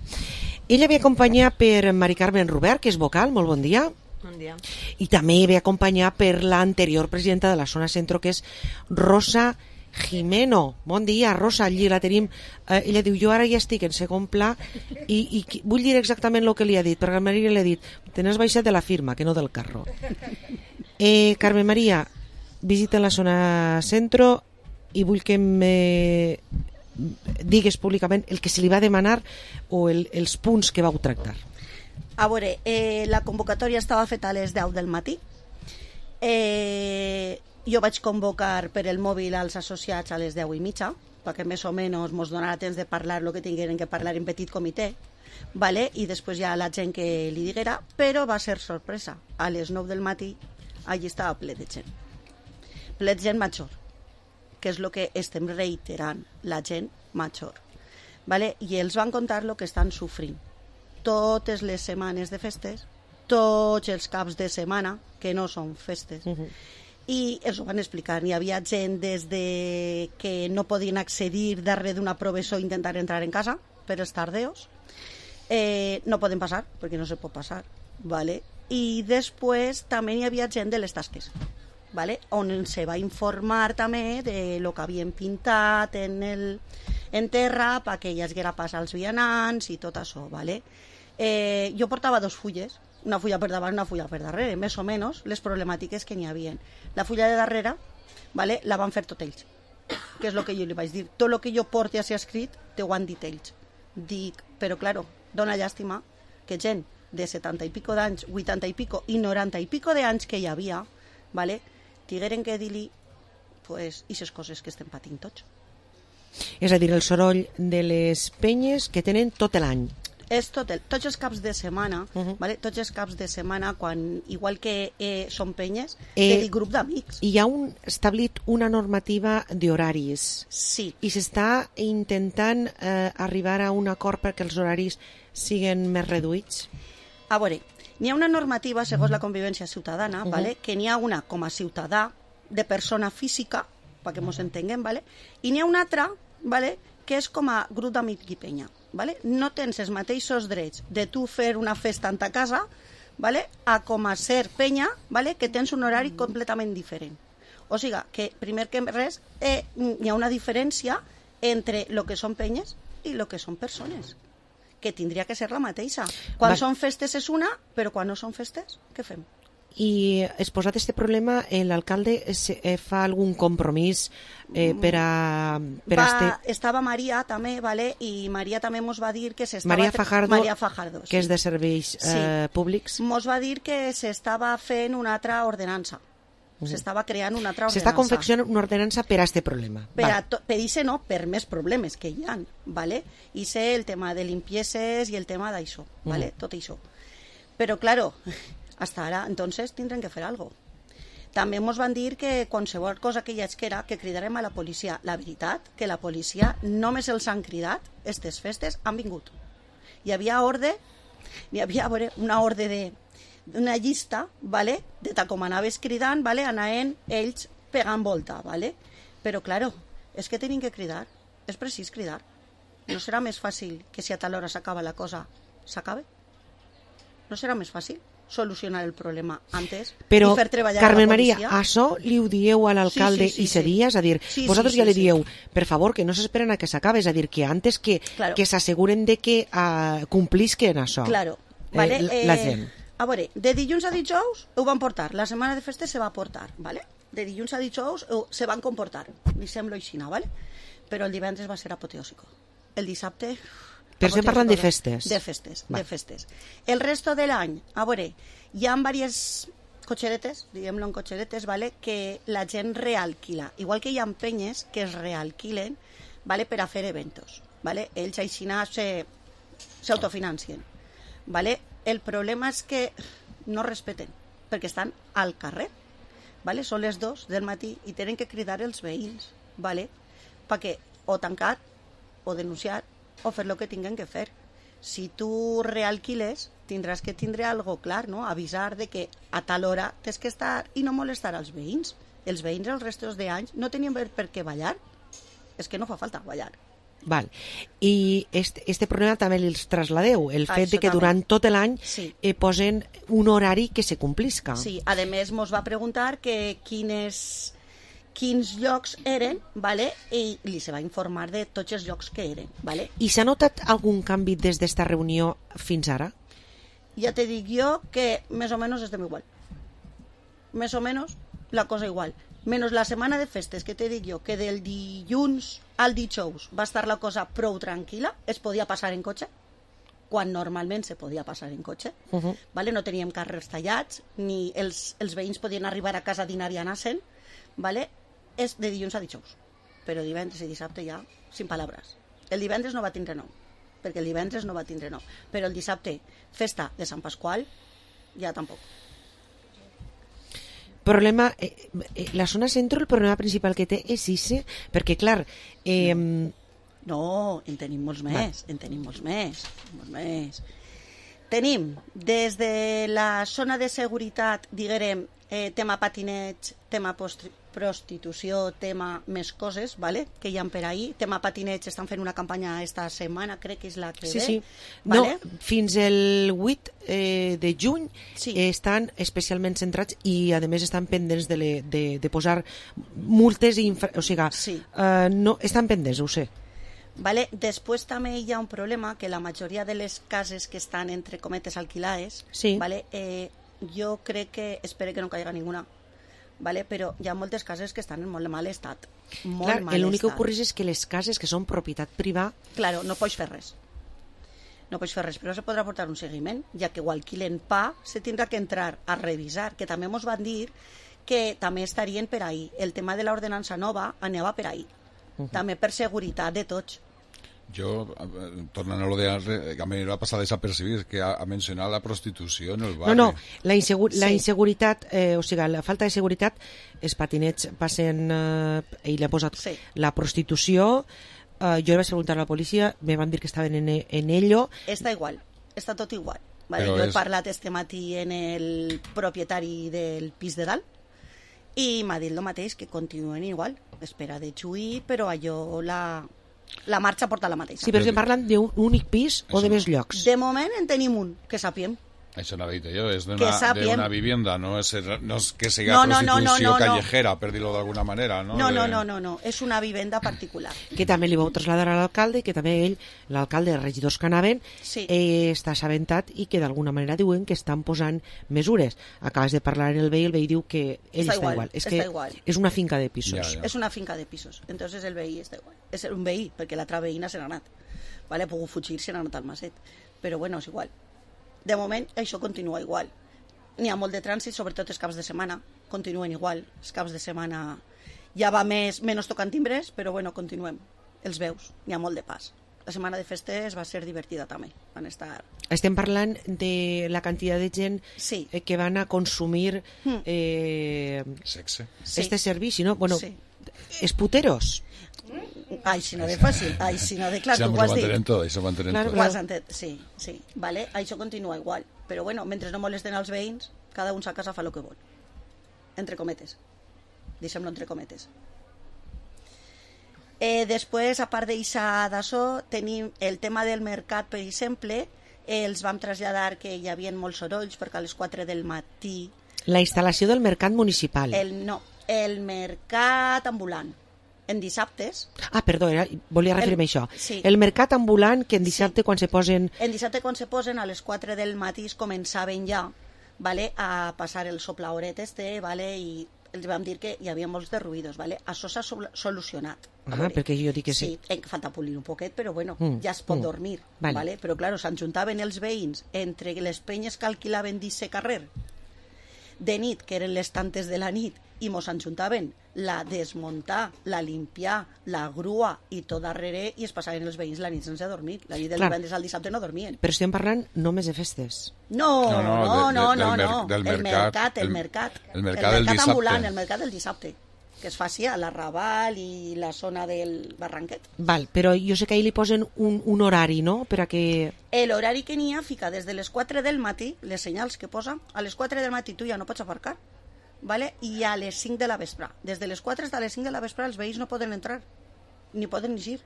Ella ve acompanyada per Mari Carmen Robert, que és vocal. Molt bon dia. Bon dia. I també ve acompanyada per l'anterior presidenta de la zona centro, que és Rosa Jimeno. Bon dia, Rosa. Allí la tenim. Ella diu, jo ara ja estic en segon pla i vull dir exactament el que li ha dit, perquè a Maria li ha dit, te n'has baixat de la firma, que no del carro. Carmen Maria, visita la zona centro i vull que me digues públicament el que se li va demanar o els punts que vau tractar. A veure, la convocatòria estava feta a les 10 del matí. Jo vaig convocar per el mòbil als associats a les 10:30, perquè més o menys mos donarà temps de parlar el que tingueren que parlar en petit comitè, vale? I després ja la gent que li diguera, però va ser sorpresa. A les 9 del matí allí estava ple de gent. Ple de gent major, que és el que estem reiterant, la gent major. Vale? I els van contar el que estan sofrint. Totes les setmanes de festes, tots els caps de setmana, que no són festes, i els ho van explicar. Hi havia gent des de que no podien accedir darrere d'una professor intentar entrar en casa per els tardeos, no poden passar, perquè no se pot passar, ¿vale? I després també hi havia gent de les tasques, ¿vale? On se va informar també de lo que havien pintat en terra perquè hi haguera pas als vianants i tot això, ¿vale? Jo portava 2 fulles, una fulla per davant, una fulla per darrere, més o menys les problemàtiques que n'hi havia. La fulla de darrere, ¿vale? La van fer tot ells, que és el que jo li vaig dir. Tot el que jo porti a ser escrit, te ho han dit ells. Dic, però claro, dona llàstima que gent de 70 i pico d'anys, 80 i pico i 90 i pico d'anys que hi havia, ¿vale? Tigueren que dir-li pues, aquestes coses que estem patint tots. És a dir, el soroll de les penyes que tenen tot l'any. És tots els caps de setmana, ¿vale? Tots els caps de setmana, quan, igual que són penyes, del grup d'amics. Hi ha establit una normativa d'horaris. Sí. I s'està intentant arribar a un acord perquè els horaris siguin més reduïts? A veure, n'hi ha una normativa segons la convivència ciutadana, ¿vale? Que n'hi ha una com a ciutadà de persona física, perquè ens entenguem, ¿vale? I n'hi ha una altra, ¿vale? Que és com a grup d'amic i penya, ¿vale? No tens els mateixos drets de tu fer una festa en ta casa, ¿vale? A com a ser penya, ¿vale? Que tens un horari completament diferent. O sigui, que primer que res hi ha una diferència entre el que són penyes i el que són persones, que tindria que ser la mateixa. Quan són festes és una, però quan no són festes, què fem? I exposat aquest problema, l'alcalde fa algun compromís per a... Estava Maria també, ¿vale? I Maria també ens va dir que s'estava... Maria Fajardo, que és de serveis públics. Ens va dir que s'estava fent una altra ordenança. S'estava creant una altra ordenança. S'està confeccionant una ordenança per a aquest problema. Per això no, per més problemes que hi ha, ¿vale? I sé el tema de limpieses i el tema d'això, ¿vale? Tot això. Però, claro, hasta ara, entonces, tindrem que fer alguna cosa. També ens van dir que qualsevol cosa que hi haguera, que cridarem a la policia. La veritat, que la policia només els han cridat, aquestes festes han vingut. Hi havia una ordre d'una llista, ¿vale? De tal com anaves cridant, ¿vale? Anaven ells pegant volta, ¿vale? Però, claro, és que tenim que cridar. És precís cridar. No serà més fàcil que si a tal hora s'acaba la cosa, s'acabe? No serà més fàcil solucionar el problema antes i fer treballar Carmen la policia? Maria, això li ho dieu a l'alcalde i seria, és a dir, vosaltres ja li dieu, per favor, que no s'esperen a que s'acabe, és a dir, que antes que s'asseguren de que complisquen això, la gent. A veure, de dilluns a dijous ho van portar, la setmana de festes se va portar, ¿vale? De dilluns a dijous se van comportar, li sembla aixina, ¿vale? Però el divendres va ser apoteòsico. El dissabte... Però estem parlant de festes. De festes. El resto de l'any, a veure, hi ha diverses cotxeretes, diguem-lo en cotxeretes, ¿vale? Que la gent realquila. Igual que hi ha penyes que es realquilen, ¿vale? Per a fer eventos, ¿vale? Ells aixina s'autofinancien, ¿vale? El problema és que no respeten, perquè estan al carrer, ¿vale? Són les 2 del matí i tenen que cridar els veïns, ¿vale? Perquè o tancar, o denunciar, o fer el que tinguin que fer. Si tu realquiles, tindràs que tindre algo clar, no? Avisar de que a tal hora tens que estar i no molestar als veïns. Els veïns els restos d'anys no tenien per què ballar. És que no fa falta ballar. Val. I este problema també els trasladeu, el fet de que durant tot l'any posen un horari que se complisca. Sí, a més mos va preguntar que quins llocs eren, ¿vale? I li se va informar de tots els llocs que eren, ¿vale? I s'ha notat algun canvi des d'esta reunió fins ara? Ja te dic jo que més o menys estem igual. Més o menys la cosa igual. Menys la setmana de festes, que te dic jo, que del dilluns al dijous va estar la cosa prou tranquil·la, es podia passar en cotxe, quan normalment se podia passar en cotxe, ¿vale? No teníem carrers tallats, ni els veïns podien arribar a casa a dinar i anar-se'n, ¿vale? És de dilluns a dijous, però divendres i dissabte ja, sin paraules. El divendres no va tindre nom, perquè el divendres no va tindre nom, però el dissabte, festa de Sant Pasqual, ja tampoc. Problema, la zona centro, el problema principal que té és ese, perquè clar... No, en tenim molts més, Tenim, des de la zona de seguretat, diguem, tema patineig, tema prostitució, tema més coses, vale? Que hi ha per ahir. Tema patineig, estan fent una campanya esta setmana, crec que és la que ve. Sí. Vale? No, fins el 8 de juny estan especialment centrats i, a més, estan pendents de posar multes i o sigui, no, estan pendents, ho sé. Vale? Després també hi ha un problema que la majoria de les cases que estan entre cometes alquilades, vale? Jo crec que espero que no caiga ninguna, vale? Però hi ha moltes cases que estan en molt mal estat. Clar, l'únic que ocorre és que les cases que són propietat privada... Claro, no pots fer res. No pots fer res, però se podrà portar un seguiment, ja que ho alquilen pa, se tindrà que entrar a revisar, que també ens van dir que també estarien per ahir. El tema de l'ordenança nova anava per ahir. També per seguretat de tots. Jo, tornant a lo de a mi va passar desapercibit, que ha mencionat la prostitució en el barri. No, la inseguretat, o sigui, la falta de seguretat, els patinets passen, ell ha posat la prostitució, jo vaig preguntar a la policia, me van dir que estaven en ello. Està igual, està tot igual. Vale? Jo he parlat este matí en el propietari del pis de dalt i m'ha dit el mateix, que continuen igual, espera de xuir, però allò la marxa porta la mateixa. Sí, però estem parlant d'un únic pis o de més llocs? De moment en tenim un, que sapiem. Això no ho he dit jo, és d'una vivienda, no és que sigui prostitució callejera, per dir-ho d'alguna manera. No, és una vivenda particular. Que també li vau traslladar a l'alcalde i que també ell, l'alcalde, els regidors que anaven, està assabentat i que d'alguna manera diuen que estan posant mesures. Acabes de parlar amb el veí diu que ell està igual. És que és una finca de pisos. És una finca de pisos, entonces el veí està igual. És un veí, perquè l'altra veïna se n'ha anat. Ha pogut fugir, se n'ha anat al maset. Però bueno, és igual. De moment, això continua igual. N'hi ha molt de trànsit, sobretot els caps de setmana, continuen igual. Els caps de setmana ja va menys tocant timbres, però bueno, continuem. Els veus, n'hi ha molt de pas. La setmana de festes va ser divertida també. Van estar... Estem parlant de la quantitat de gent que van a consumir sexe. Este servici, no? Bueno, els puteros. Ai, si no de fàcil, ai, si no de clar, tu ho has dit. Això ho entenem tot. Sí, vale, això continua igual. Però bueno, mentre no molesten els veïns, cada un a casa fa el que vol. Entre cometes. Deixem-lo entre cometes. Després, a part d'això, tenim el tema del mercat, per exemple, els vam traslladar que hi havia molts sorolls, perquè a les 4 del matí... La instal·lació del mercat municipal. El mercat ambulant. En dissabtes... Ah, perdó, volia referir-me a això. Sí. El mercat ambulant, que en dissabte quan se posen... En dissabte quan se posen, a les 4 del matí començaven ja, vale, a passar el soplaoret vale, i els vam dir que hi havia molts de ruïdos. Vale? Això s'ha solucionat. Perquè jo dic que sí. Sí, falta polir un poquet, però bueno, ja es pot dormir. Vale? Però clar, s'enjuntaven els veïns entre les penyes que alquilaven d'aquest carrer de nit, que eren les tantes de la nit, i mos enjuntaven la desmuntar, la limpiar, la grua i tot darrere, i es passaven els veïns la nit sense dormir. La nit del divendres al dissabte no dormien. Però estem parlant només de festes. No. El mercat ambulant, el mercat del dissabte, que es faci a l'Arrabal i la zona del Barranquet. Val, però jo sé que ahir li posen un horari, no?, per a que... L'horari que n'hi ha fica des de les 4 del matí, les senyals que posa, a les 4 del matí tu ja no pots aparcar, vale? I a les 5 de la vespre. Des de les 4 fins a les 5 de la vespre els veïns no poden entrar, ni poden eixir.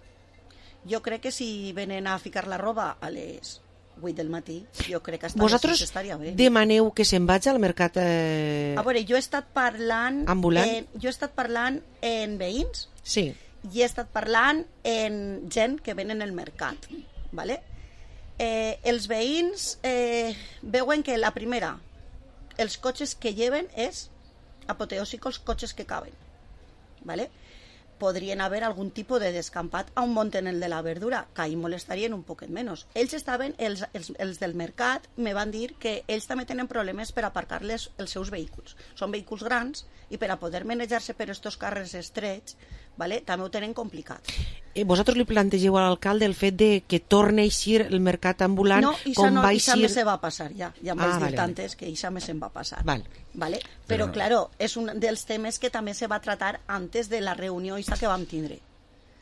Jo crec que si venen a ficar la roba a les 8 del matí, jo crec que vosaltres estaria bé. Demaneu que se'n vagi al mercat A veure, jo he estat parlant ambulant. Jo he estat parlant en veïns, sí, i he estat parlant en gent que venen al mercat, vale? Els veïns veuen que la primera, els cotxes que lleven és apoteòsico, els cotxes que caben, vale? Podrien haver algun tipus de descampat a un monten el de la verdura, que ahí molestarien un poquet menys. Ells estaven, els del mercat me van dir que ells també tenen problemes per aparcar-les els seus vehicles. Són vehicles grans i per a poder manejar-se per estos carrers estrets, vale, també ho tenen complicat. Vosaltres li plantegeu a l'alcalde el fet de que torni a eixir el mercat ambulant com va eixir... No, això se va passar ja em vaig dir tantes que això se'n va passar. Vale? Però claro, és un dels temes que també se va tratar antes de la reunió que vam tindre.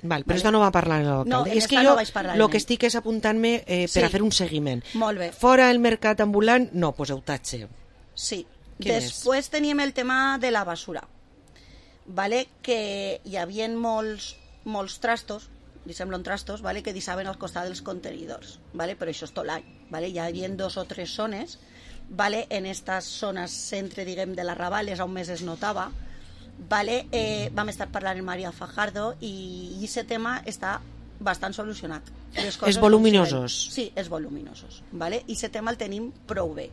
Val, però això no va parlar l'alcalde. No, és que jo el que estic és apuntant-me per a fer un seguiment. Molt bé. Fora el mercat ambulant, no, pues eutatge. Sí. Després teníem el tema de la basura. vale? Que hi havia molts trastos, li semblen trastos, vale? Que deixaven al costat dels contenidors, vale? Però això és tot l'any. Vale? Hi havia 2 o 3 zones, vale? En estas zones centre, diguem, de l'Arrabal és on més es notava. Vale? Vam estar parlant amb Maria Fajardo i aquest tema està bastant solucionat. És voluminosos. Sí, és voluminosos. Vale? I aquest tema el tenim prou bé.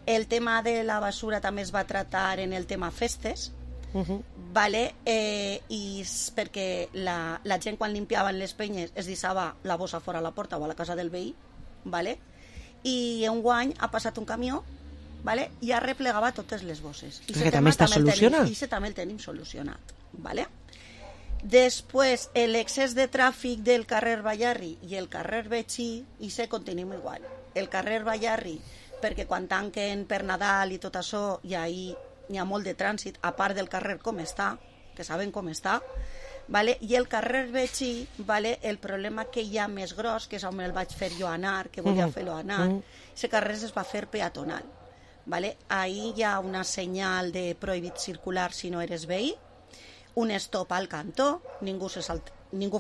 El tema de la basura també es va tractar en el tema festes, vale? I perquè la gent quan limpiaven les penyes es deixava la bossa fora a la porta o a la casa del veí, vale? I enguany ha passat un camió, vale? I ha replegava totes les bosses. I que també està solucionat. I també el tenim solucionat, vale? Després, l'excés de tràfic del carrer Ballarri i el carrer Betxí, i se continuem igual. El carrer Ballarri, perquè quan tanquen per Nadal i tot això, i ahí n'hi ha molt de trànsit, a part del carrer com està, que saben com està, vale? I el carrer Betxí, vale? El problema que hi ha més gros, que és on el vaig fer jo anar, que volia fer-lo anar, aquest carrer es va fer peatonal. Vale? Ahí hi ha una senyal de prohibit circular si no eres veí, un stop al cantó, ningú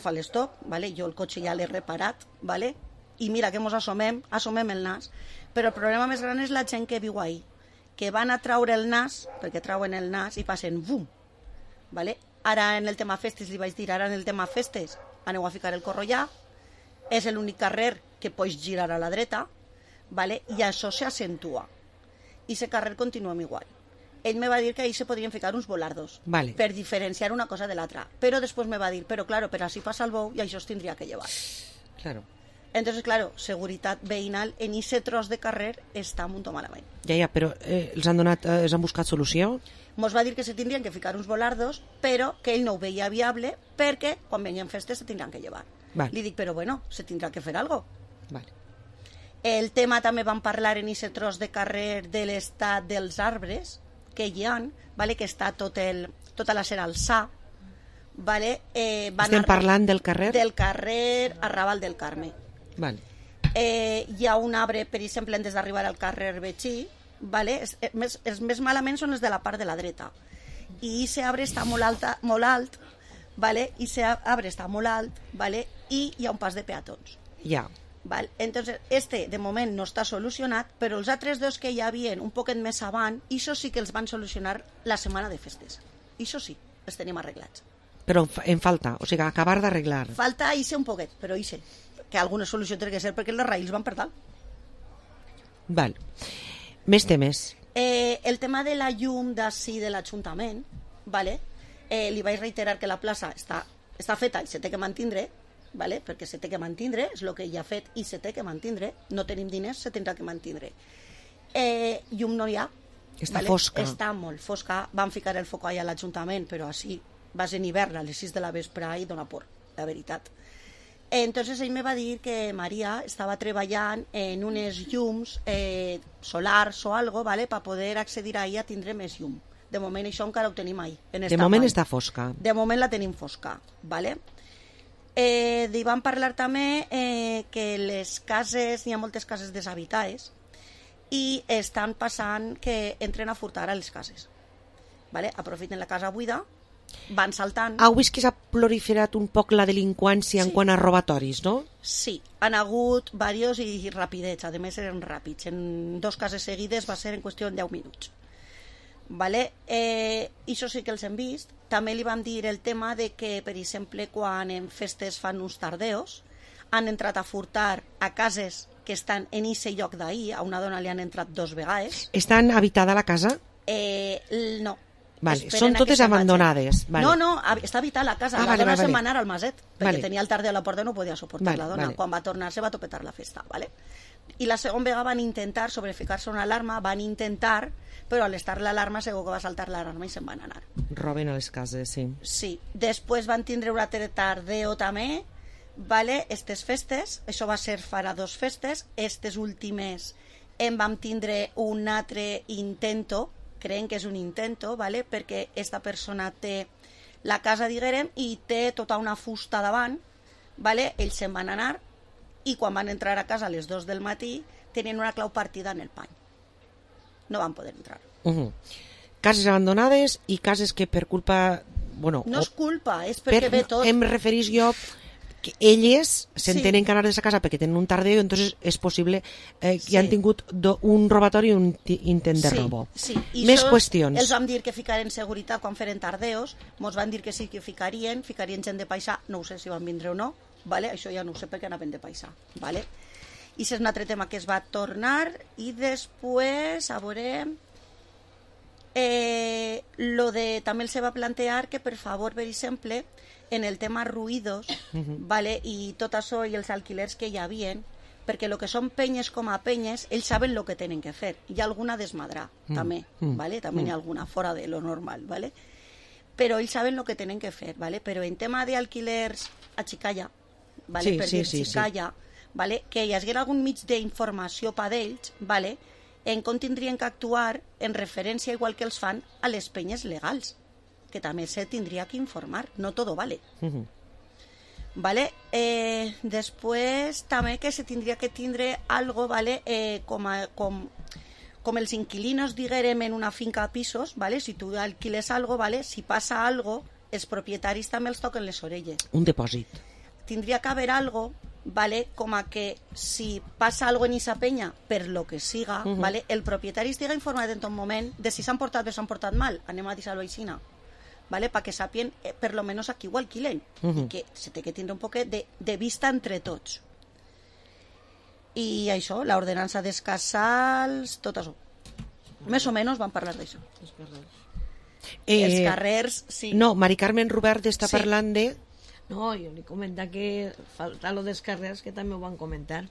fa l'stop, vale? Jo el cotxe ja l'he reparat, vale? I mira que mos assomem el nas, però el problema més gran és la gent que viu ahí, que van a traure el nas, perquè trauen el nas i passen bum, vale? Ara en el tema festes li vaig dir, ara en el tema festes aneu a ficar el corrollà, és l'únic carrer que pots girar a la dreta, vale? I això s'accentua i aquest carrer continuem igual. Ell me va dir que ahí se podrien ficar uns volardos, vale, per diferenciar una cosa de l'altra, però després me va dir, però claro, per així passa el bou i això es tindria que llevar. Claro. Entonces, claro, seguretat veïnal en aquest tros de carrer està molt malament. Ja, però els han buscat solució? Mos va dir que se tindrien que ficar uns volardos, però que ell no ho veia viable perquè quan venien festes se tindran que llevar. Vale. Li dic, però bueno, se tindrà que fer algo. Vale. El tema també vam parlar en aquest tros de carrer de l'estat dels arbres que hi ha, vale? Que està tota la cera alçà. Vale? Estem parlant del carrer? Del carrer Arrabal del Carme. Vale. Hi ha un arbre, per exemple, des d'arribar al carrer Betxí, vale? Els més malament són els de la part de la dreta. I aquest arbre està molt alt, vale? I aquest arbre està molt alt, vale? I hi ha un pas de peatons. Ja. Val? Entonces, de moment no està solucionat, però els altres dos que hi havia un poquet més avant, això sí que els van solucionar la setmana de festes. Això sí, els tenim arreglats. Però en falta, o sigui, acabar d'arreglar. Falta un poquet, però que alguna solució té que ser perquè les raïls van per dalt. Val. Més temes. El tema de la llum d'ací de l'Ajuntament, vale? Li vaig reiterar que la plaça està feta i se té que mantindre, vale? Perquè se té que mantindre, és el que ja ha fet i se té que mantindre, no tenim diners, se tindrà que mantindre. Llum no hi ha. Està fosca. Està molt fosca. Van ficar el foc allà a l'Ajuntament, però així vas en hivern a les 6 de la vespre i dona por, la veritat. Entonces ell me va dir que Maria estava treballant en unes llums solars o algo, vale? Per poder accedir ahí a tindre més llum. De moment això encara ho tenim ahí. De moment està fosca. De moment la tenim fosca, vale? Hi vam parlar també que les cases, hi ha moltes cases deshabitades i estan passant que entren a furtar a les cases, vale? Aprofiten la casa buida, van saltant. Heu vist que s'ha proliferat un poc la delinqüència en quant a robatoris, no? Sí, han hagut diversos i rapidets, a més eren ràpids, en 2 cases seguides va ser en qüestió de 10 minuts. Vale? Això sí que els hem vist. També li vam dir el tema de que, per exemple, quan en festes fan uns tardeos, han entrat a furtar a cases que estan en aquest lloc d'ahir. A una dona li han entrat 2 vegades. Estan habitada la casa? No. Vale. Són totes abandonades. Vale. No, està habitada la casa. La dona se'n va anar al maset, perquè tenia el tardeu a la porta i no podia suportar la dona. Quan va tornar se va topetar la festa. Vale? I la segona vegada van intentar sobreficar-se una alarma, però a l'estar l'alarma segur que va saltar l'alarma i se'n van anar. Roben a les cases, sí. Sí. Després van tindre un altre tardeo també, vale? Estes festes, això va ser farà 2 festes, estes últimes en vam tindre un altre intento, creiem que és un intento, vale? Perquè esta persona té la casa, diguem, i té tota una fusta davant, vale? Ells se'n van anar i quan van entrar a casa a les 2 del matí tenien una clau partida en el pany. No van poder entrar. Cases abandonades i cases que per culpa Bueno, no és culpa, és perquè ve tot. Em referís jo que elles s'entenen que anar de sa casa perquè tenen un tardeo, entonces és possible que han tingut un robatori i un intent de robo. Sí. Més qüestions. Els vam dir que ficaren seguretat quan feren tardeos, mos van dir que sí que ficarien gent de paisà, no ho sé si van vindre o no, vale? Això ja no ho sé perquè anaven de paisà. Vale? I és un altre tema que es va tornar i després, a veure... també els va plantear que, per favor, per exemple, en el tema ruïdos, vale, i tot això i els alquilers que hi havien, perquè el que són penyes com a penyes, ells saben el que tenen que fer. Hi ha alguna desmadrà, també, vale? També hi ha alguna fora de lo normal, vale? Però ells saben el que tenen que fer, vale? Però en tema d'alquilers a Xicalla, vale? Per dir Xicalla, vale? Que hi hagués algun mig d'informació per d'ells, vale? En com tindrien que actuar en referència, igual que els fan, a les penyes legals, que també se tindria que informar, no todo vale. Vale? Després també que se tindria que tindre algo, vale? Com els inquilinos diguérem en una finca a pisos, vale? Si tu alquiles algo, vale? Si passa algo, els propietaris també els toquen les orelles. Un depòsit. Tindria que haver algo, vale? Com a que si passa algo en esa penya, per lo que siga, vale? El propietari estiga informat en tot moment de si s'han portat bé o s'han portat mal, anem a dir-ho així, vale? Perquè sàpien per lo menos a qui ho alquilen, i que se té que tindre un poquet de vista entre tots. I això, l'ordenança dels casals, tot això. Més o menys van parlar d'això. Els carrers, sí. No, Mari Carmen Robert està parlant de... No, jo li comenta que falta lo dels carrers, que també ho van comentar.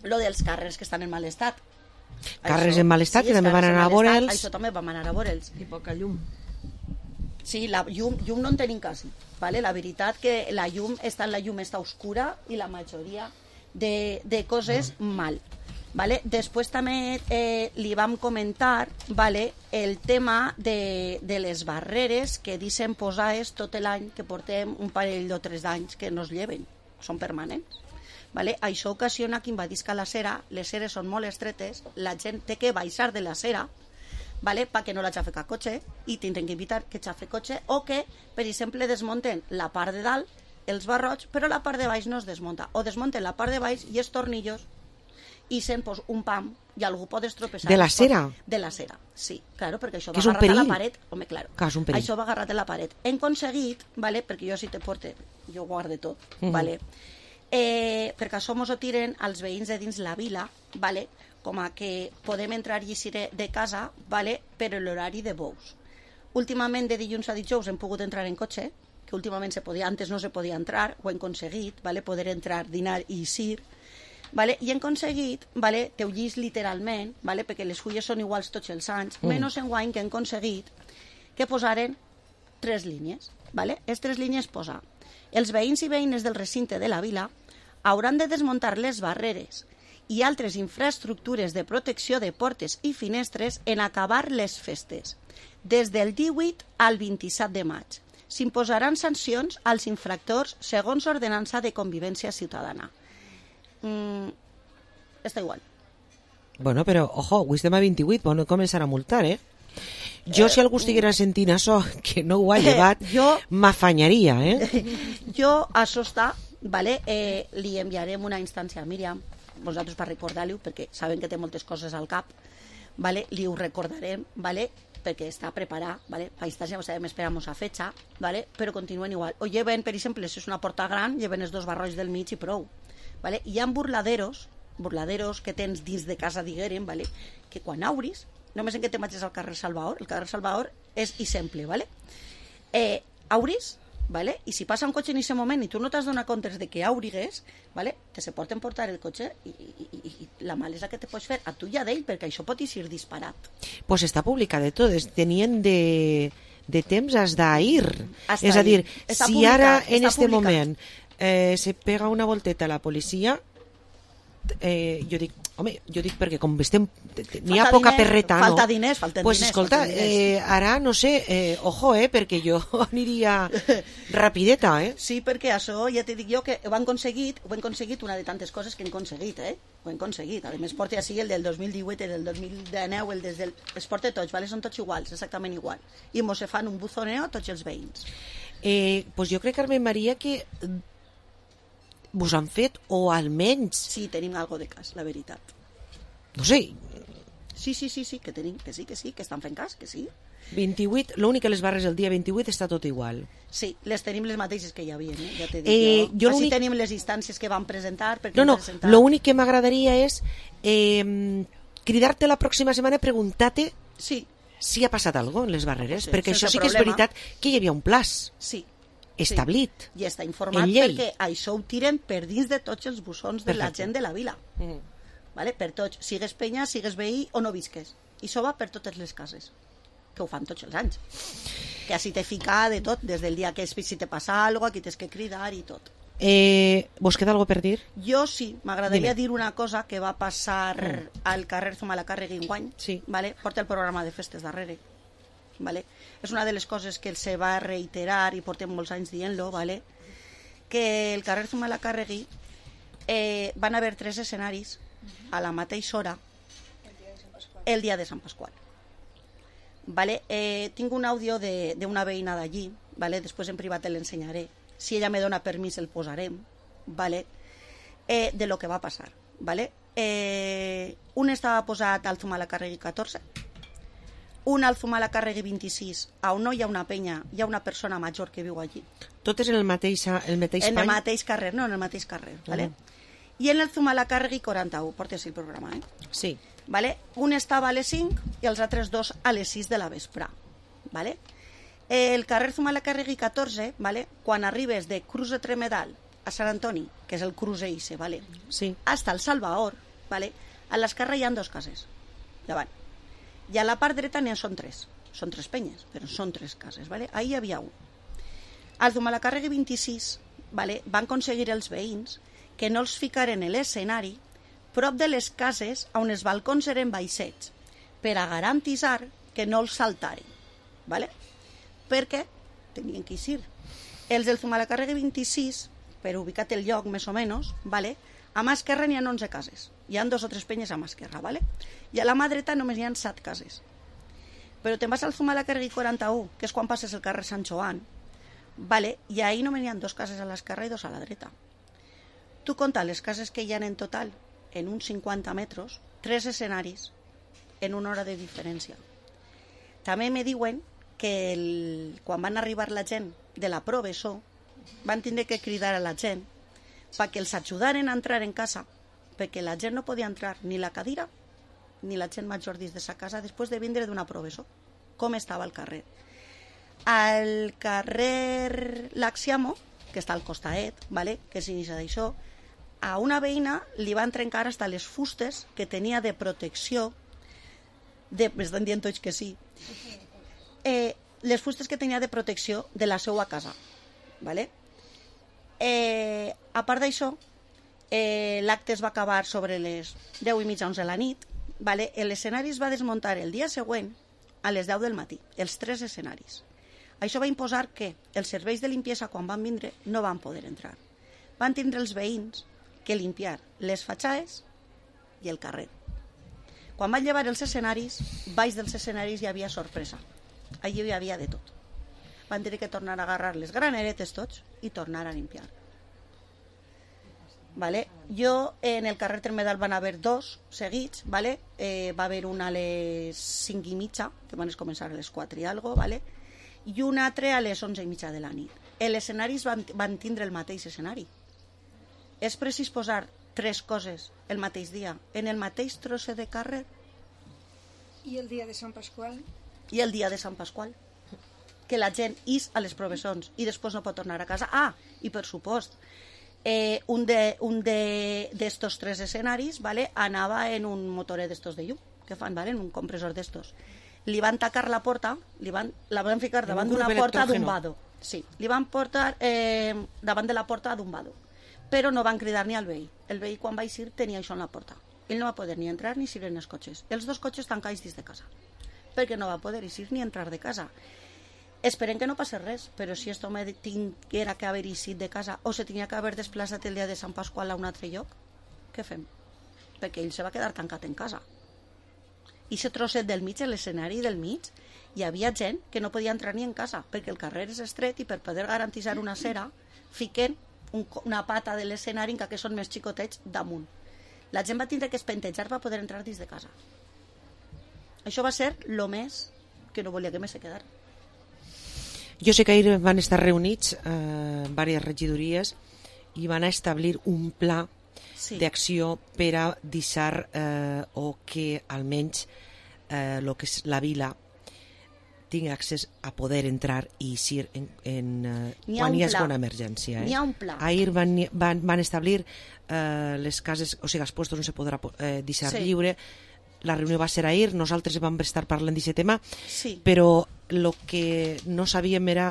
Lo dels carrers que estan en mal estat. Carrers en mal estat, que també van anar a veure'ls. Això també vam anar a veure'ls. I poca llum. Sí, la llum no en tenim quasi. Vale? La veritat que la llum està oscura i la majoria de coses mal. Vale? Després també li vam comentar, vale, el tema de les barreres que dicen posades tot l'any, que portem un parell o 3 anys que no es lleven, són permanents. Vale? Això ocasiona que invadisca la cera, les ceres són molt estretes, la gent té que baixar de la cera, vale? Perquè no la xafe cap cotxe, i tindrem que evitar que xafe cotxe, o que, per exemple, desmunten la part de dalt, els barrots, però la part de baix no es desmunta, o desmunten la part de baix i els tornillos, i sent pues, un pam i algú pot estropeçar. De la cera? De la cera, sí, claro, perquè això va agarrat a la paret. Home, claro. Això va agarrat a la paret. Hem aconseguit, vale, perquè jo si te porte, jo guarde tot, vale, perquè això mos ho tiren als veïns de dins la vila, vale, com a que podem entrar i eixir de casa, vale, per l'horari de bous. Últimament, de dilluns a dijous, hem pogut entrar en cotxe, que últimament antes no se podia entrar, ho hem aconseguit, vale, poder entrar, dinar i eixir, vale? I hem aconseguit, vale, teu llis literalment, vale, perquè les fulles són iguals tots els anys, menys en guany que hem aconseguit que posaren 3 línies. Vale? Les 3 línies posa: els veïns i veïnes del recinte de la vila hauran de desmuntar les barreres i altres infraestructures de protecció de portes i finestres en acabar les festes, des del 18 al 27 de maig. S'imposaran sancions als infractors segons ordenança de convivència ciutadana. Està igual. Bueno, però, ojo, avui estem a 28, bueno, començar a multar, Jo, si algú estiguera sentint això, que no ho ha llevat, m'afanyaria, Jo, això està, vale? Li enviarem una instància a Míriam, vosaltres per recordar-li-ho, perquè saben que té moltes coses al cap, vale? Li ho recordarem, vale? Perquè està preparat, vale? Per instància, sabem, esperamos a fecha, vale? Però continuen igual. O lleven, per exemple, si és una porta gran, lleven els 2 barrots del mig i prou. Vale? Hi ha burladeros que tens dins de casa, diguérem, vale? Que quan obris, només en que te marxes al carrer Salvador, el carrer Salvador és exemple, vale? Obris, vale? I si passa un cotxe en aquest moment i tu no t'has donat compte de que obrigues, vale? Te se porten portar el cotxe i la malesa que te pots fer a tu i a d'ell, perquè això pot ir disparat. Pues està publicat de tot, tenien de temps has d'ahir. És a dir, si ara en este moment se pega una volteta a la policia, jo dic, Home, jo dic perquè com estem... N'hi ha poca perreta, no? Falta diners, pues escolta, ara, no sé, ojo, perquè jo aniria rapideta, Sí, perquè això, ja t'he dit jo, que ho hem aconseguit una de tantes coses que hem aconseguit, Ho hem aconseguit. A més, porta així el del 2018, el del 2019, el des del... Es porta tots, ¿vale? Són tots iguals, exactament igual. I mos se fan un buzoneo tots els veïns. Pues jo crec, Carmen Maria, que vos han fet, o almenys... Sí, tenim algo de cas, la veritat. No sé. Sí, que tenim, que sí, que estan fent cas, que sí. 28, l'únic que les barres el dia 28 està tot igual. Sí, les tenim les mateixes que hi havia, ja t'he dit jo. Així tenim les instàncies que van presentar. L'únic que m'agradaria és cridar-te la pròxima setmana i preguntar-te si ha passat alguna cosa en les barreres, perquè això sí que és veritat que hi havia un plaç. Sí. Establit. I està informat perquè això ho tiren per dins de tots els bussons de la gent de la vila. Vale? Per tots, sigues penya, sigues veí o no visques. I això va per totes les cases, que ho fan tots els anys. Que així te fica de tot, des del dia que si te passa alguna cosa, aquí tens que cridar i tot. Vos queda alguna per dir? Jo sí, m'agradaria dir una cosa que va passar al carrer Zumalacárregui enguany. Vale? Porta el programa de festes darrere. Vale? És una de les coses que se va reiterar i portem molts anys dient-lo, vale? Que el carrer Zumalacárregui van haver 3 escenaris a la mateixa hora el dia de Sant Pasqual. Vale? Tinc un àudio d'una veïna d'allí, vale? Després en privat l'ensenyaré. Si ella me dona permís el posarem, vale? De lo que va passar. Vale? Un estava posat al Zumalacárregui 14, un al Zumalacárregui 26, on no hi ha una penya, hi ha una persona major que viu allí. Totes en el mateix En el mateix carrer, no, en el mateix carrer, vale? I en el Zumalacárregui 41, porta així el programa, Sí. Vale? Un estava a les 5 i els altres 2 a les 6 de la vespre, vale? El carrer Zumalacárregui 14, vale? Quan arribes de Cruz de Tremedal a Sant Antoni, que és el cruce Ice, vale? Sí. Hasta el Salvador, vale? A l'esquerra hi ha 2 cases, davant. I a la part dreta n'hi són 3. Són 3 penyes, però són 3 cases, vale? Ahí hi havia un. Al Zumalacárregui 26, vale? Van aconseguir els veïns que no els ficaren a l'escenari prop de les cases on els balcons eren baixets, per a garantitzar que no els saltaren, vale? Perquè tenien que eixir. Els del Zumalacárregui 26, per ubicar el lloc més o menys, vale? A mà esquerra n'hi ha 11 cases. Hi ha 2 o 3 penyes a mà esquerra, vale? I a la mà dreta només hi ha 7 cases. Però te'n vas al Zumalacárregui 41, que és quan passes el carrer Sant Joan, vale? I ahí només hi ha 2 cases a l'esquerra i 2 a la dreta. Tu compta les cases que hi ha en total, en uns 50 metres, 3 escenaris, en una hora de diferència. També me diuen que quan van arribar la gent de la Proveso, van tindre que cridar a la gent perquè els ajudaren a entrar en casa, perquè la gent no podia entrar ni la cadira ni la gent major dins de sa casa després de vindre d'una Proveso, com estava el carrer. Al carrer Laxiamo, que està al costaet, vale? Que és inici d'això, a una veïna li van trencar hasta les fustes que tenia de protecció, m'estan dient tots que sí, les fustes que tenia de protecció de la seva casa, vale? A part d'això, l'acte es va acabar sobre les 10:30, 11 de la nit, vale? L'escenari es va desmuntar el dia següent a les 10 del matí, els 3 escenaris. Això va imposar que els serveis de limpiesa, quan van vindre, no van poder entrar. Van tindre els veïns que limpiar les fatxades i el carrer. Quan van llevar els escenaris, baix dels escenaris hi havia sorpresa. Allí hi havia de tot. Van tenir que tornar a agarrar les graneretes tots i tornar a limpiar. Vale? Jo, en el carrer Tremedal van haver 2 seguits, vale? Va haver una a les 5:30, que van començar a les 4 i algo, vale? I un altre a les 11:30 de la nit. Els escenaris van tindre el mateix escenari. És precís posar 3 coses el mateix dia, en el mateix trosset de carrer. I el dia de Sant Pasqual? I el dia de Sant Pasqual. Que la gent is a les provessons i després no pot tornar a casa. Ah, i per supost, un d'estos 3 escenaris, vale, anava en un motoret d'estos de llum, que fan, vale, en un compressor d'estos. Li van tacar la porta, la van ficar davant d'una porta d'un vado. Sí, li van portar davant de la porta d'un vado. Però no van cridar ni al veí. El veí, quan va eixir, tenia això en la porta. Ell no va poder ni entrar ni eixir en els cotxes. Els dos cotxes tancats dins de casa, perquè no va poder eixir ni entrar de casa. Esperem que no passi res, però si aquest home tinguera que haver eixit de casa o se tenia que haver desplaçat el dia de Sant Pasqual a un altre lloc, què fem? Perquè ell se va quedar tancat en casa. I aquest trosset del mig, l'escenari del mig, hi havia gent que no podia entrar ni en casa, perquè el carrer és estret i per poder garantitzar una cera fiquen una pata de l'escenari que són més xicotets damunt. La gent va tindre que espentejar per poder entrar dins de casa. Això va ser el més que no volia que més se quedara. Jo sé que ahir van estar reunits diverses regidories i van establir un pla d'acció per a deixar o que almenys el que és la vila tingui accés a poder entrar i eixir quan hi ha una emergència. N'hi ha un pla. Ahir van establir les cases, o sigui, els puestos no se podrà deixar lliure. La reunió va ser ahir, nosaltres vam estar parlant d'aquest tema, però el que no sabíem era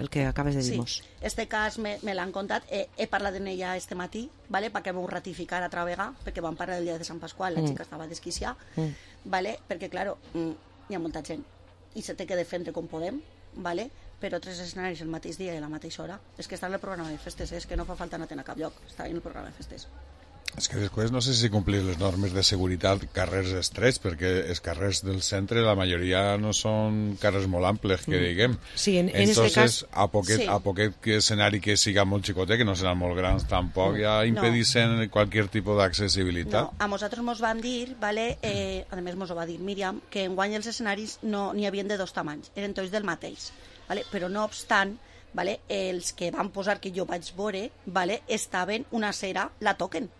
el que acabes de dir-nos. Sí, este cas me l'han contat, he parlat amb ella este matí, perquè m'ho ratificar altra vegada, perquè vam parlar del dia de Sant Pasqual, la xica estava desquiciada, perquè, clar, hi ha molta gent i se té que defendre com podem, però 3 escenaris el mateix dia i a la mateixa hora. És que està en el programa de festes, és que no fa falta anar a cap lloc, està en el programa de festes. És que després no sé si complir les normes de seguretat carrers estrets, perquè els carrers del centre la majoria no són carrers molt amples, que diguem. Sí, en Entonces, este cas... a poquet escenari que siga molt xicotet, que no seran molt grans tampoc, ja impedissin qualsevol tipus d'accessibilitat. No, a nosaltres mos van dir, a més mos ho va dir Míriam, que enguany els escenaris no n'hi havien de 2 tamanys, eren tots del mateix, però no obstant, els que van posar que jo vaig veure, estaven una cera, la toquen,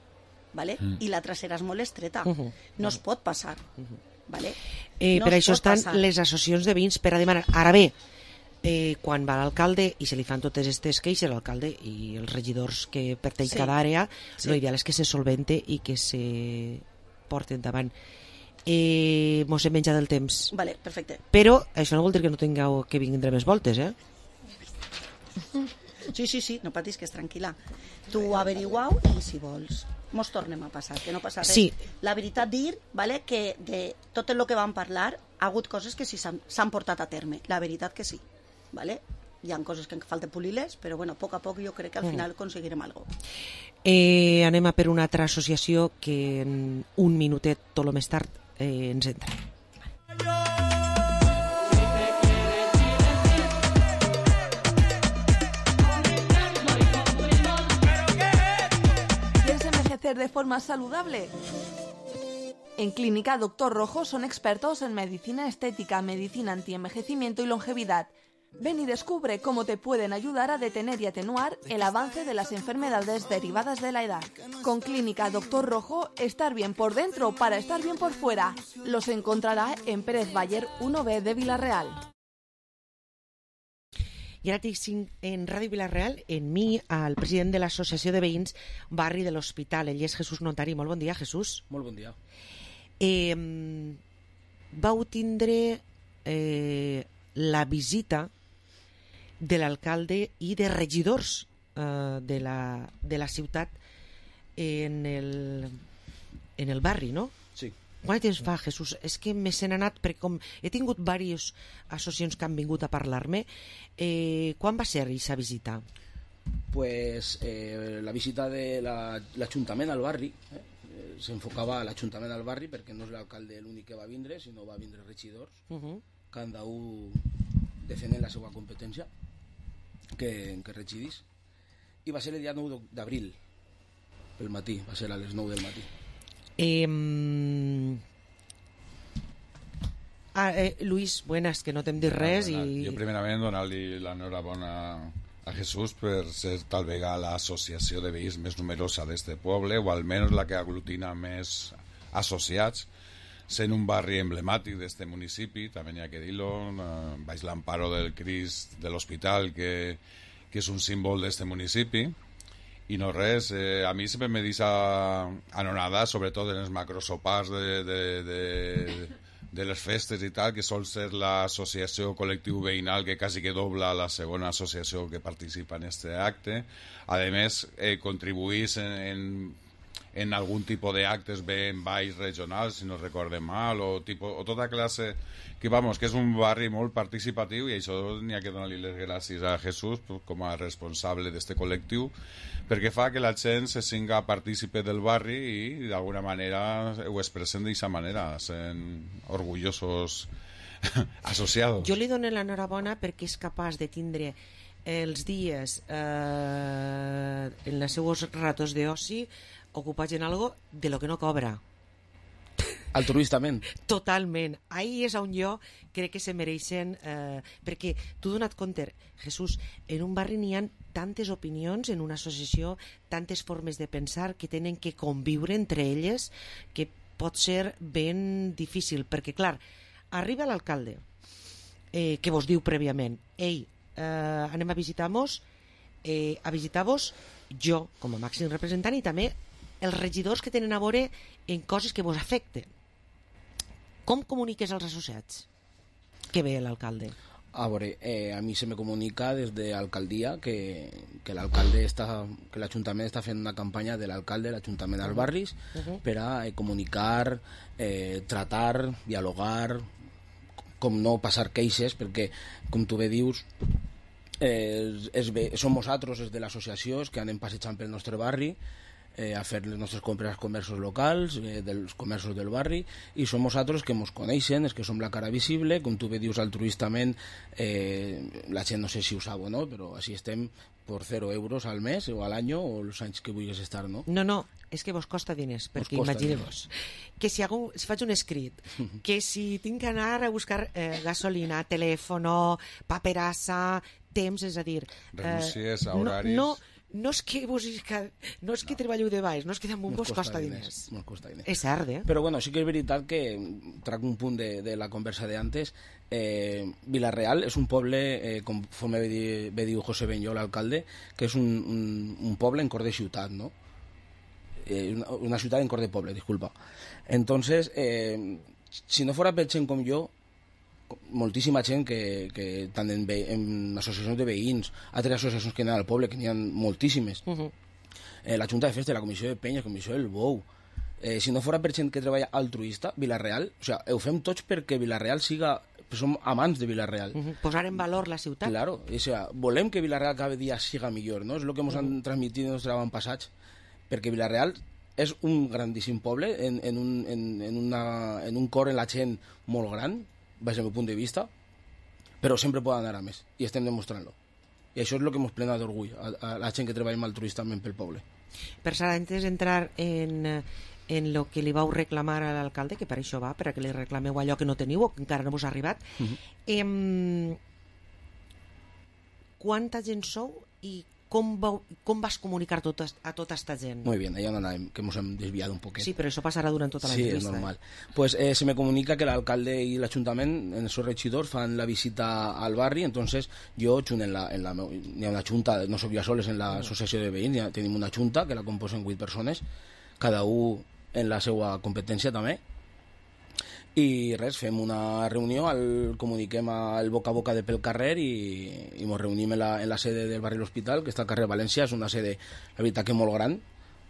i la trasera és molt estreta, no es pot passar. Per això estan les associacions de veïns per a demanar. Ara bé, quan va l'alcalde i se li fan totes aquestes queixes, l'alcalde i els regidors que pertany cada àrea, l'ideal és que se solvente i que se porti endavant. Mos hem menjat el temps. Perfecte. Però això no vol dir que no tingueu que vindre més voltes, Sí, no patis, que és tranquil·la. Tu averiguau i si vols mos tornem a passar, que no passa res. La veritat dir que de tot el que vam parlar ha hagut coses que sí s'han portat a terme, la veritat que sí. Hi ha coses que falta polir-les, però a poc a poc jo crec que al final aconseguirem alguna cosa. Anem a per una altra associació que en un minutet, tot el més tard, ens entra. De forma saludable. En Clínica Doctor Rojo son expertos en medicina estética, medicina antienvejecimiento y longevidad. Ven y descubre cómo te pueden ayudar a detener y atenuar el avance de las enfermedades derivadas de la edad. Con Clínica Doctor Rojo, estar bien por dentro para estar bien por fuera. Los encontrará en Pérez Baller 1B de Vila-real. I ara tinc en Ràdio Vila-real en mi al president de l'Associació de Veïns Barri de l'Hospital. Ell és Jesús Notari. Molt bon dia, Jesús. Molt bon dia. Vau tindre la visita de l'alcalde i de regidors de la ciutat en el barri, no? Sí. Quant temps fa, Jesús? És que me se n'ha anat, perquè com he tingut diverses associacions que han vingut a parlar-me. Quan va ser aquesta visita? Pues la visita de l'Ajuntament al barri, s'enfocava a l'Ajuntament al barri, perquè no és l'alcalde l'únic que va vindre, sinó va vindre regidors, cada un defendent la seva competència que regidís. I va ser el dia 9 d'abril, pel matí, va ser a les 9 del matí. Luis, buenas, que no t'hem dit res. Jo primerament donar-li l'enhorabona a Jesús per ser tal vegada l'associació de veïns més numerosa d'este poble, o almenys la que aglutina més associats, sent un barri emblemàtic d'este municipi, també n'hi ha que dir-lo, baix l'amparo del Crist de l'Hospital, que és un símbol d'este municipi. I no res, a mi sempre me deixa anonada, sobretot en els macrosopars de les festes i tal, que sol ser l'associació col·lectiu veïnal que quasi que dobla la segona associació que participa en este acte. A més, contribuís en en algun tipus d'actes ben balls regionals, si no recordem mal, o tota classe, que és un barri molt participatiu, i això n'hi ha que donar-li les gràcies a Jesús com a responsable d'este col·lectiu, perquè fa que la gent se singa partícipe del barri i d'alguna manera ho expressen d'aquesta manera, sent orgullosos associados. Jo li dono l'enhorabona perquè és capaç de tindre els dies en els seus ratos d'oci ocupats en algo de lo que no cobra. Altruistament. Totalment. Ahí és on jo crec que se mereixen, perquè tu donat compte, Jesús, en un barri n'hi ha tantes opinions, en una associació, tantes formes de pensar que tenen que conviure entre elles, que pot ser ben difícil, perquè clar, arriba l'alcalde, que vos diu prèviament, ei, anem a visitar-vos, jo com a màxim representant, i també els regidors que tenen a veure en coses que vos afecten. Com comuniques als associats que ve l'alcalde? A veure, a mi se me comunica des de l'alcaldia que l'Ajuntament està fent una campanya de l'alcalde, l'Ajuntament als barris, per a comunicar, tratar, dialogar, com no passar queixes, perquè, com tu bé dius, som nosaltres de l'associació que anem passejant pel nostre barri a fer les nostres compres als comerços locals, dels comerços del barri, i som nosaltres que ens coneixen, és que som la cara visible, com tu bé dius altruistament, la gent no sé si ho sap o no, però així estem per 0 euros al mes o a l'any o els anys que vulguis estar, no? No, és que vos costa diners, perquè imagineu-vos que si faig un escrit, que si tinc que anar a buscar gasolina, telèfono, paperassa, temps, és a dir... renúncies a horaris... No és que treballeu de baix, no és que damunt vos costa diners. És cert, Però bueno, sí que és veritat que trac un punt de la conversa d'antes. Vila-real és un poble, conforme bé diu José Benyó, l'alcalde, que és un poble en cor de ciutat, no? Una ciutat en cor de poble, disculpa. Entonces, si no fora per gent com jo, moltíssima gent que tant en associacions de veïns, altres associacions que n'hi ha al poble, que n'hi ha moltíssimes, la Junta de Festa, la Comissió de Penyes, la Comissió del Bou, si no fora per gent que treballa altruista, Vila-real, o sea, ho fem tots perquè Vila-real siga, som amants de Vila-real. Posar en valor la ciutat. Claro, o sea, volem que Vila-real cada dia siga millor, no? És el que ens han transmitit en els avantpassats, perquè Vila-real és un grandíssim poble, en un cor en la gent molt gran, des del meu punt de vista, però sempre pot anar a més, i estem demostrant-lo. I això és el que ens plena d'orgull, a la gent que treballem altruistament pel poble. Per Sara, antes d'entrar en lo que li vau reclamar a l'alcalde, que per això va, per a que li reclameu allò que no teniu o que encara no vos ha arribat, quanta gent sou i com vas comunicar a tota esta gent? Muy bien, allà on anàvem, que ens hem desviat un poquet. Sí, però això passarà durant tota l'entrevista. Sí, és normal. Pues se me comunica que l'alcalde i l'Ajuntament, en els seus regidors, fan la visita al barri, entonces jo, n'hi ha una junta, no soc jo sols en l'associació de veïns, tenim una junta que la composen 8 persones, cada un en la seva competència també, i res, fem una reunió, comuniquem el boca a boca de pel carrer i ens reunim en la sede del barri L'Hospital, que està al carrer València. És una sede, la veritat, que molt gran,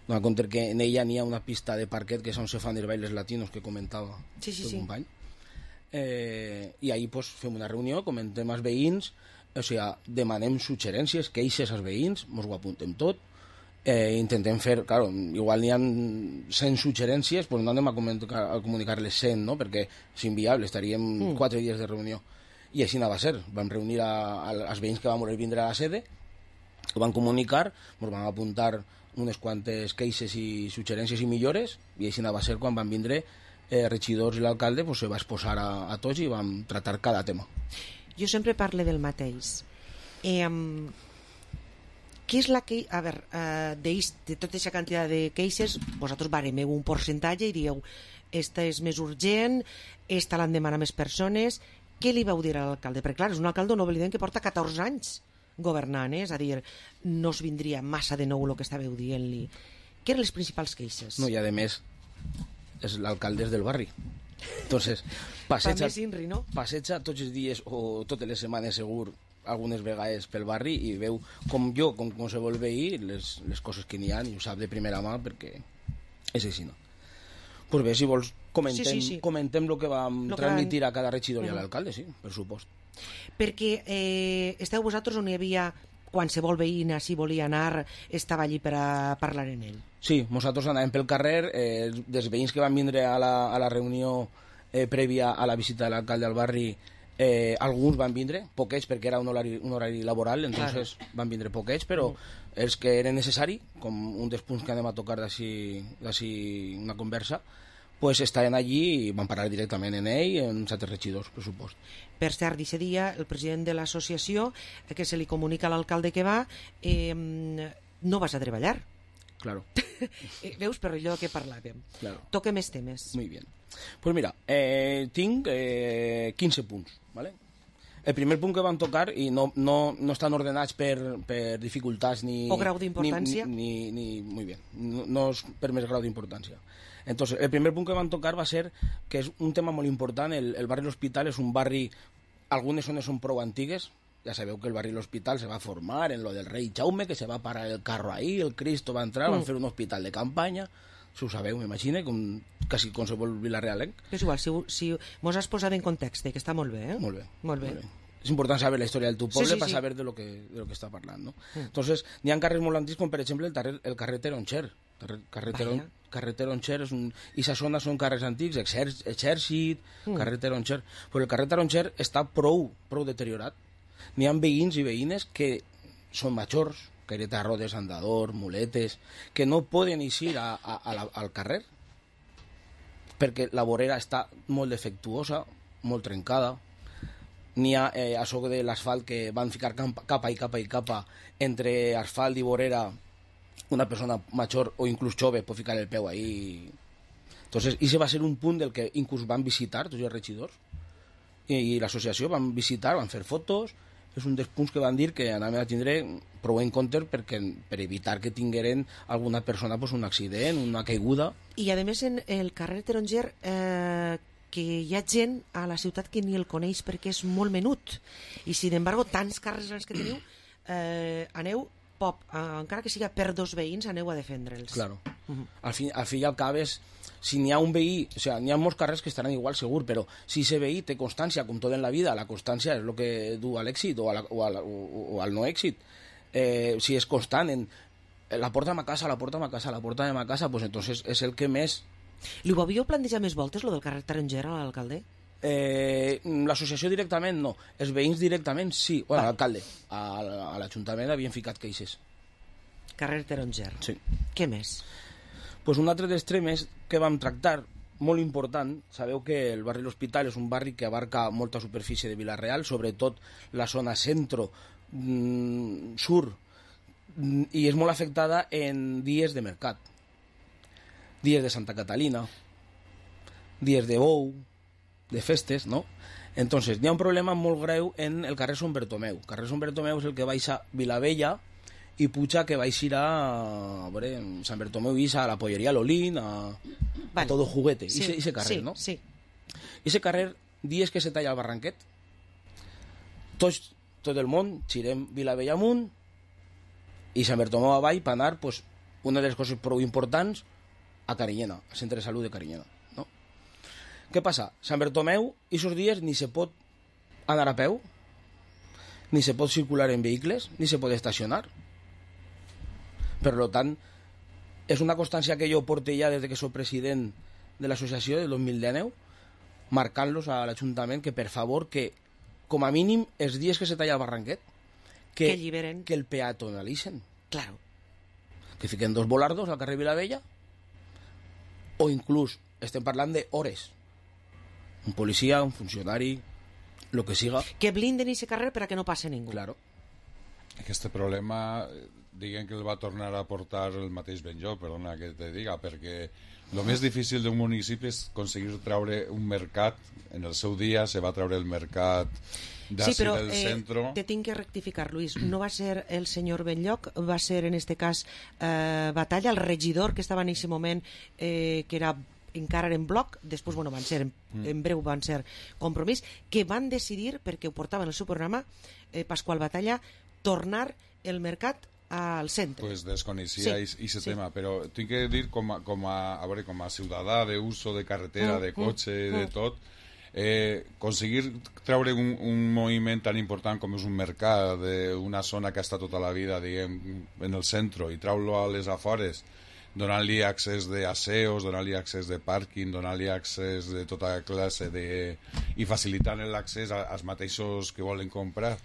donant compte que en ella n'hi ha una pista de parquet que és on se fan els bailes latinos que comentava el company. I ahir pues, fem una reunió, comentem als veïns, o sigui, demanem suggerències, queixes als veïns, ens ho apuntem tot, intentem fer, claro, igual n'hi ha 100 suggerències, pues no anem a comunicar-les 100, no? Perquè és inviable, estaríem 4 dies de reunió. I així va ser, vam reunir als veïns que vam voler vindre a la sede, ho van comunicar, ens van apuntar unes quantes queixes i suggerències i millores, i així va ser quan van vindre regidors i l'alcalde, pues se va exposar a tots i vam tratar cada tema. Jo sempre parlo del mateix. Què és la que... A veure, de tota aquesta quantitat de queixes, vosaltres baremeu un percentatge i dieu esta és més urgent, esta l'han demanat més persones. Què li vau dir a l'alcalde? Perquè clar, és un alcalde, no oblidem, que porta 14 anys governant, és a dir, no es vindria massa de nou el que estàveu dient-li. Què eren les principals queixes? No, i a més, és l'alcalde del barri. Entonces, passeja tots els dies o totes les setmanes segur algunes vegades pel barri i veu com jo, com qualsevol veí, les coses que n'hi ha, i ho sap de primera mà perquè És així, no? Pues bé, si vols, comentem el que vam transmitir a cada regidor i a l'alcalde, sí, per supost. Perquè esteu vosaltres on hi havia qualsevol veïna, si volia anar, estava allí per a parlar en ell? Sí, nosaltres anàvem pel carrer, dels veïns que van vindre a la reunió prèvia a la visita de l'alcalde al barri, alguns van vindre, poquets perquè era un horari laboral, entonces van vindre poquets, però els que eren necessari, com un dels punts que anem a tocar d'ací una conversa, pues estaven allí i van parlar directament en ell, en els altres regidors, per supost. Per cert, d'aquest dia, el president de l'associació, que se li comunica a l'alcalde que va, no vas a treballar. Claro. Veus, per allò que parlàvem. Claro. Toque més temes. Muy bien. Pues mira, tinc 15 punts, ¿vale? El primer punt que vam tocar, i no estan ordenats per dificultats ni... O grau d'importància. Muy bien, no és per més grau d'importància. Entonces, el primer punt que vam tocar va ser que és un tema molt important. El barri L'Hospital és un barri... Algunes zones són prou antigues. Ja sabeu que el barri L'Hospital se va formar en lo del rei Jaume, que se va parar el carro ahí, el Cristo va entrar, van fer un hospital de campanya. Si ho sabeu, m'imagine, quasi qualsevol vilarealenc. És igual, si mos has posat en context, que està molt bé, eh? Molt bé. Molt bé. És important saber la història del teu poble per saber de lo que està parlant, no? Entonces, n'hi ha carrers molt antics, com per exemple el carrer Teronxer. Carrer Teronxer és un... I sa zona són carrers antics, Exèrcit, carrer Teronxer. Però el carrer Teronxer està prou deteriorat. N'hi ha veïns i veïnes que són majors, caireta de rodes, andador, muletes, que no poden eixir al carrer perquè la vorera està molt defectuosa, molt trencada. N'hi ha això de l'asfalt que van ficar capa i capa entre asfalt i vorera. Una persona major o inclús jove pot ficar el peu ahí. Entonces, ese va ser un punt del que inclús van visitar tots els regidors i l'associació van visitar, van fer fotos. És un dels punts que van dir que anàvem a tindre prou en compte per evitar que tingueren alguna persona un accident, una caiguda. I a més en el carrer Teronxer que hi ha gent a la ciutat que ni el coneix perquè és molt menut, i sin embargo tants carrers grans que teniu, aneu encara que siga per dos veïns, aneu a defendre'ls. Claro. Al fi i al cap és, si n'hi ha un veí, o sea, n'hi ha molts carrers que estaran igual segur, però si ese veí té constància, com tot en la vida, la constància és el que du a l'èxit o al no èxit. Si és constant en la porta de ma casa, pues entonces és el que més... Li ho havíeu plantejat més voltes, lo del carrer Teronxer, a l'alcalde? L'associació directament no, els veïns directament sí, bueno, l'alcalde a l'Ajuntament havien ficat queixes. Carrer Teronxer. Sí. Què més? Pues un altre dels temes que vam tractar, molt important, sabeu que el barri L'Hospital és un barri que abarca molta superfície de Vila-real, sobretot la zona centro, sur, i és molt afectada en dies de mercat, dies de Santa Catalina, dies de bou, de festes, ¿no? Entonces, hi ha un problema molt greu en el carrer Sant Bertomeu. El carrer Sant Bertomeu és el que baixa Vilavella i puja que baixir a Sant Bertomeu i a la polleria Lolín, a Todo Juguete, ese carrer, ¿no? Sí. Ese carrer, dies que se talla el barranquet, tot el món girem Vilavella amunt i Sant Bertomeu avall per anar, pues, una de les coses prou importants, a Carinyena, al centre de salut de Carinyena. Què passa? Sant Bertomeu, aquests dies ni se pot anar a peu, ni se pot circular en vehicles, ni se pot estacionar. Per tant, és una constància que jo porto ja des que soc president de l'associació del 2019, marcant-los a l'Ajuntament que, per favor, que com a mínim els dies que se talla el barranquet, que el peatonalitzen. Claro. Que fiquen dos volardos al carrer Vilavella, o inclús estem parlant d'hores. Un policia, un funcionari, lo que siga. Que blinden ese carrer per a que no passe ningú. Claro. Aquest problema, diguem que el va tornar a portar el mateix Benjó, perdona que te diga, perquè el més difícil d'un municipi és aconseguir treure un mercat. En el seu dia se va treure el mercat d'ací del centre. Te tinc que rectificar, Luis. No va ser el senyor Benlloc, va ser en este cas Batalla, el regidor que estava en aquest moment, que era encara en bloc, després van ser en breu van ser Compromís, que van decidir, perquè ho portaven al seu programa, Pasqual Batalla, tornar el mercat al centre. Pues desconeixia aquest tema, però tinc que dir com a ciutadà d'uso de carretera, de cotxe, de tot, conseguir treure un moviment tan important com és un mercat d'una zona que ha estat tota la vida, diguem, en el centre, i treure-lo a les afores, donant-li accés d'aseos, donant-li accés de pàrquing, donant-li accés de tota classe i facilitant l'accés als mateixos que volen comprar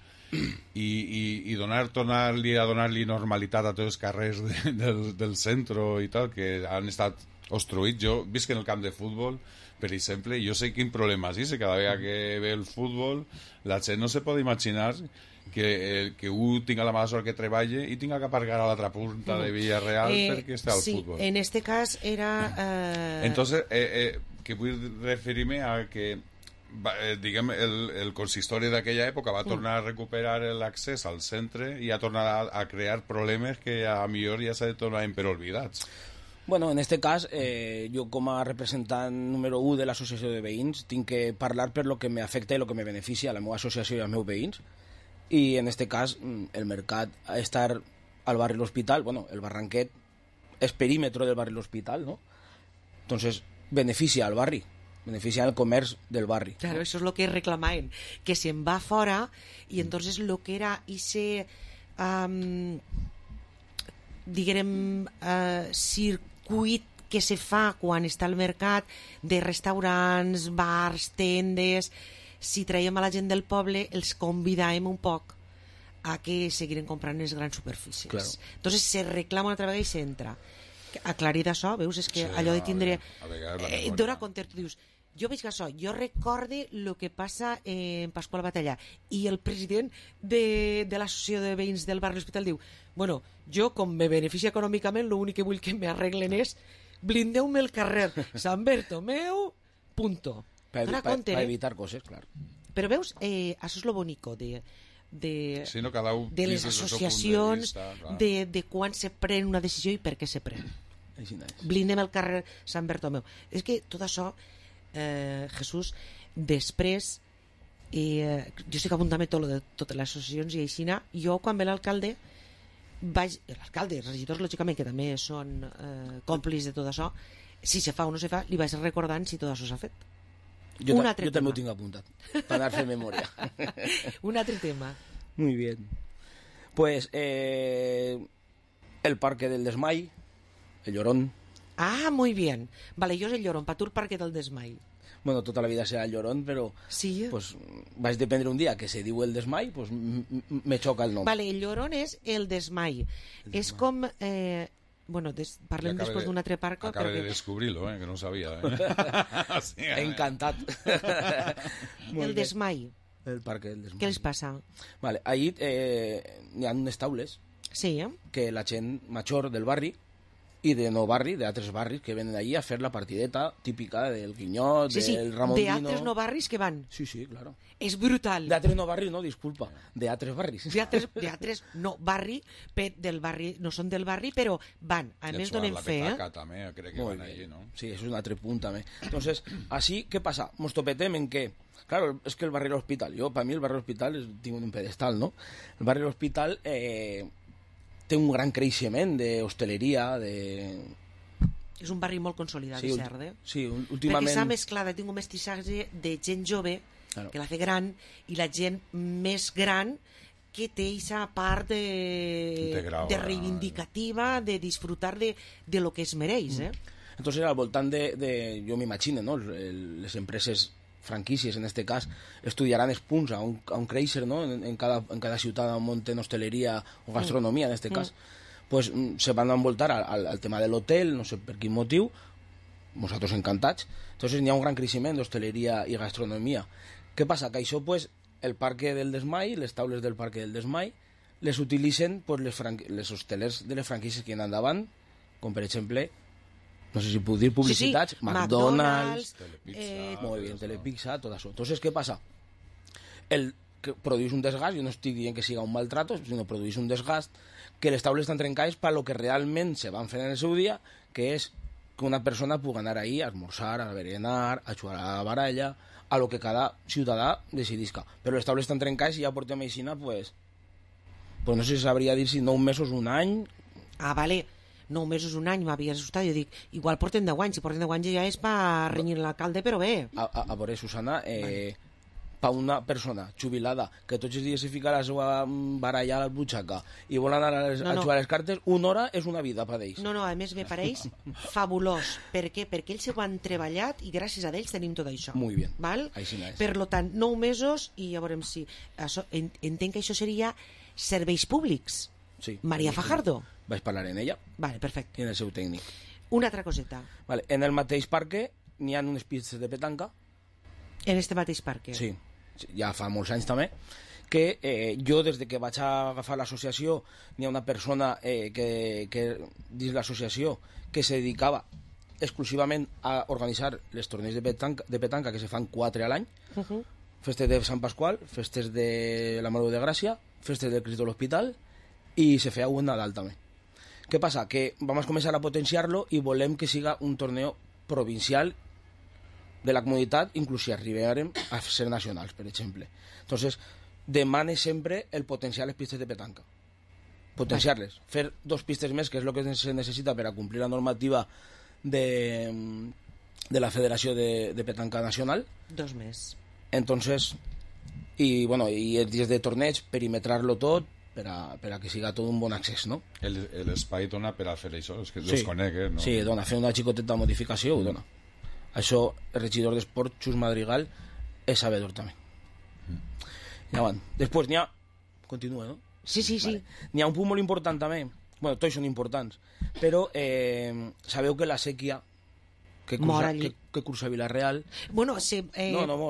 i tornar-li a donar-li normalitat a tots els carrers del centre i tal, que han estat obstruïts. Jo visc en el camp de futbol, per exemple, jo sé quin problema és, cada vegada que ve el futbol la gent no se pot imaginar que un tinga la mala sort que treballa i tinga que aparcar a l'altra punta de Villarreal perquè està al futbol. Sí, en este cas era... Entonces, que vull referir-me a que diguem, el consistori d'aquella època va tornar a recuperar l'accés al centre i a tornar a crear problemes que a millor ja se tornaven per oblidats. Bueno, en este cas, jo com a representant número 1 de l'associació de veïns tinc que parlar per lo que m'afecta i lo que me beneficia a la meva associació i als meus veïns, i en este cas el mercat a estar al barri L'Hospital, bueno, el Barranquet és perímetro del barri L'Hospital, ¿no? Entonces beneficia al barri, beneficia al comerç del barri. Claro, eso es lo que reclamaven, que se'n va fora y entonces lo que era ese diguem circuit que se fa quan està al mercat de restaurants, bars, tendes, si traiem a la gent del poble els convidàvem un poc a que seguiren comprant les grans superfícies. Claro. Entonces se reclama una altra vegada i s'entra. Aclarit això, veus? És que allò de tindre... Dora compte, tu dius, jo veig que això, jo recorde el que passa en Pasqual Batalla, i el president de l'associació de veïns del barri L'Hospital diu, bueno, jo com me beneficia econòmicament, l'únic que vull que m'arreglen és blindeu-me el carrer Sant Bertomeu, punto. Per evitar coses, clar. Però veus, això és lo bonico de les associacions, de quan se pren una decisió i per què se pren. Blindem el carrer Sant Bertomeu. És que tot això, Jesús, després jo estic apuntant-me tot de totes les associacions i així, jo quan ve l'alcalde, els regidors lògicament que també són còmplices de tot això, si se fa o no se fa, li vaig recordant si tot això s'ha fet. Jo també ho tinc apuntat, per anar a fer memòria. Un altre tema. Muy bien. Pues el Parque del Desmai, el Llorón. Ah, muy bien. Vale, yo es el Llorón, para tu el Parque del Desmai. Bueno, tota la vida serà el Llorón, però sí. Pues, vaig dependre un dia que se diu el Desmai, pues me xoca el nom. Vale, el Llorón és el Desmai. És com... bueno, parlem després d'un altre parc. Acaba de descobrir-lo, que no ho sabia. Sí, encantat. El Desmai. El Parque del Desmai. Què els passa? Vale, ahí hi ha unes taules que la gent major del barri i de no barri, d'altres barris que venen allí a fer la partideta típica del Guinyot, del Ramondino... d'altres no barris que van. Sí, claro. És brutal. D'altres no barris, no, disculpa, d'altres barris. D'altres no barri, del barri, no són del barri, però van. A més donen fe, Petaca, també, crec que van allí, ¿no? Sí, eso es un altre punt, també. Entonces, así, ¿qué pasa? Nos topetem en que... Claro, es que el barri L'Hospital, para mí el barri L'Hospital tiene un pedestal, ¿no? El barri L'Hospital té un gran creixement d'hostaleria, És un barri molt consolidat, sí, cert, Sí, últimament... Perquè s'ha mesclat, tinc un mestissatge de gent jove, que la fe gran, i la gent més gran que té aquesta part de reivindicativa, de disfrutar de lo que es mereix, Entonces, al voltant de jo m'imagino, ¿no? Les empreses franquícies, en este cas, estudiaran els punts a un créixer, ¿no? En cada ciutat on monten hosteleria o gastronomia, en este cas, pues se van a envoltar al tema de l'hotel, no sé per quin motiu, nosaltres encantats. Entonces n'hi ha un gran creixement d'hostaleria i gastronomia. Què passa? Que això, pues, el Parque del Desmai, les taules del Parque del Desmai, les utilitzen pues, les hostelers de les franquícies que hi ha endavant, com per exemple... No sé si puc dir publicitats, sí. McDonald's, molt bé, Telepizza, tot això. Entonces, què passa? El que produeix un desgast, jo no estic dient que siga un maltrato, sinó produeix un desgast, que les taules estan trencades per lo que realment se van fer en el seu dia, que és que una persona pugui anar ahí a esmorzar, a berenar, a jugar a la baralla, a lo que cada ciutadà decidisca. Però les taules estan trencades i ja portem aixina, pues, Pues no sé si sabria dir si 9 mesos, un any... Ah, vale, 9 mesos, un any, m'havia assustat. Jo dic, igual porten 10 anys, si porten 10 anys ja és per renyir l'alcalde, però bé. A veure, Susana, per una persona jubilada que tots els dies se fica la seva baralla a la butxaca i vol anar a jugar les cartes, una hora és una vida per ells. No, a més me pareix fabulós. Per què? Perquè ells ho han treballat i gràcies a ells tenim tot això. Muy bien. Val? Així no és. Per lo tant, 9 mesos i ja veurem si... Entenc que això seria serveis públics. Sí. Maria Fajardo. Vaig parlar en ella. Vale, perfecte. I en el seu tècnic. Una altra coseta. Vale. En el mateix parque n'hi ha unes pistes de petanca. En este mateix parque? Sí. Ja fa molts anys també, que jo des de que vaig agafar l'associació n'hi ha una persona que dins l'associació que se dedicava exclusivament a organitzar les torneigs de petanca que se fan 4 a l'any, festes de Sant Pasqual, festes de la Mare de Gràcia, festes del Crist de l'Hospital i se feia un Nadal també. Què passa? Que vam començar a potenciar-lo i volem que siga un torneo provincial de la comunitat, inclús si arribarem a ser nacionals, per exemple. Entonces, demane sempre el potenciar les pistes de petanca. Potenciar-les. Fer 2 pistes més, que és el que se necessita per a complir la normativa de la Federació de Petanca Nacional. 2 més. Entonces, i els dies de torneig, perimetrar-lo tot, per a que siga tot un bon accés, no? L'espai dona per a fer això, és que desconec, no? Sí, dona, fer una xicoteta modificació, ho dona. Això, el regidor d'Esport, Xus Madrigal, és sabedor també. Ja van. Després n'hi ha... Continua, no? Sí. Vale. N'hi ha un punt molt important també. Bueno, tots són importants. Però sabeu que la sèquia que cursa Vilareal... Bueno,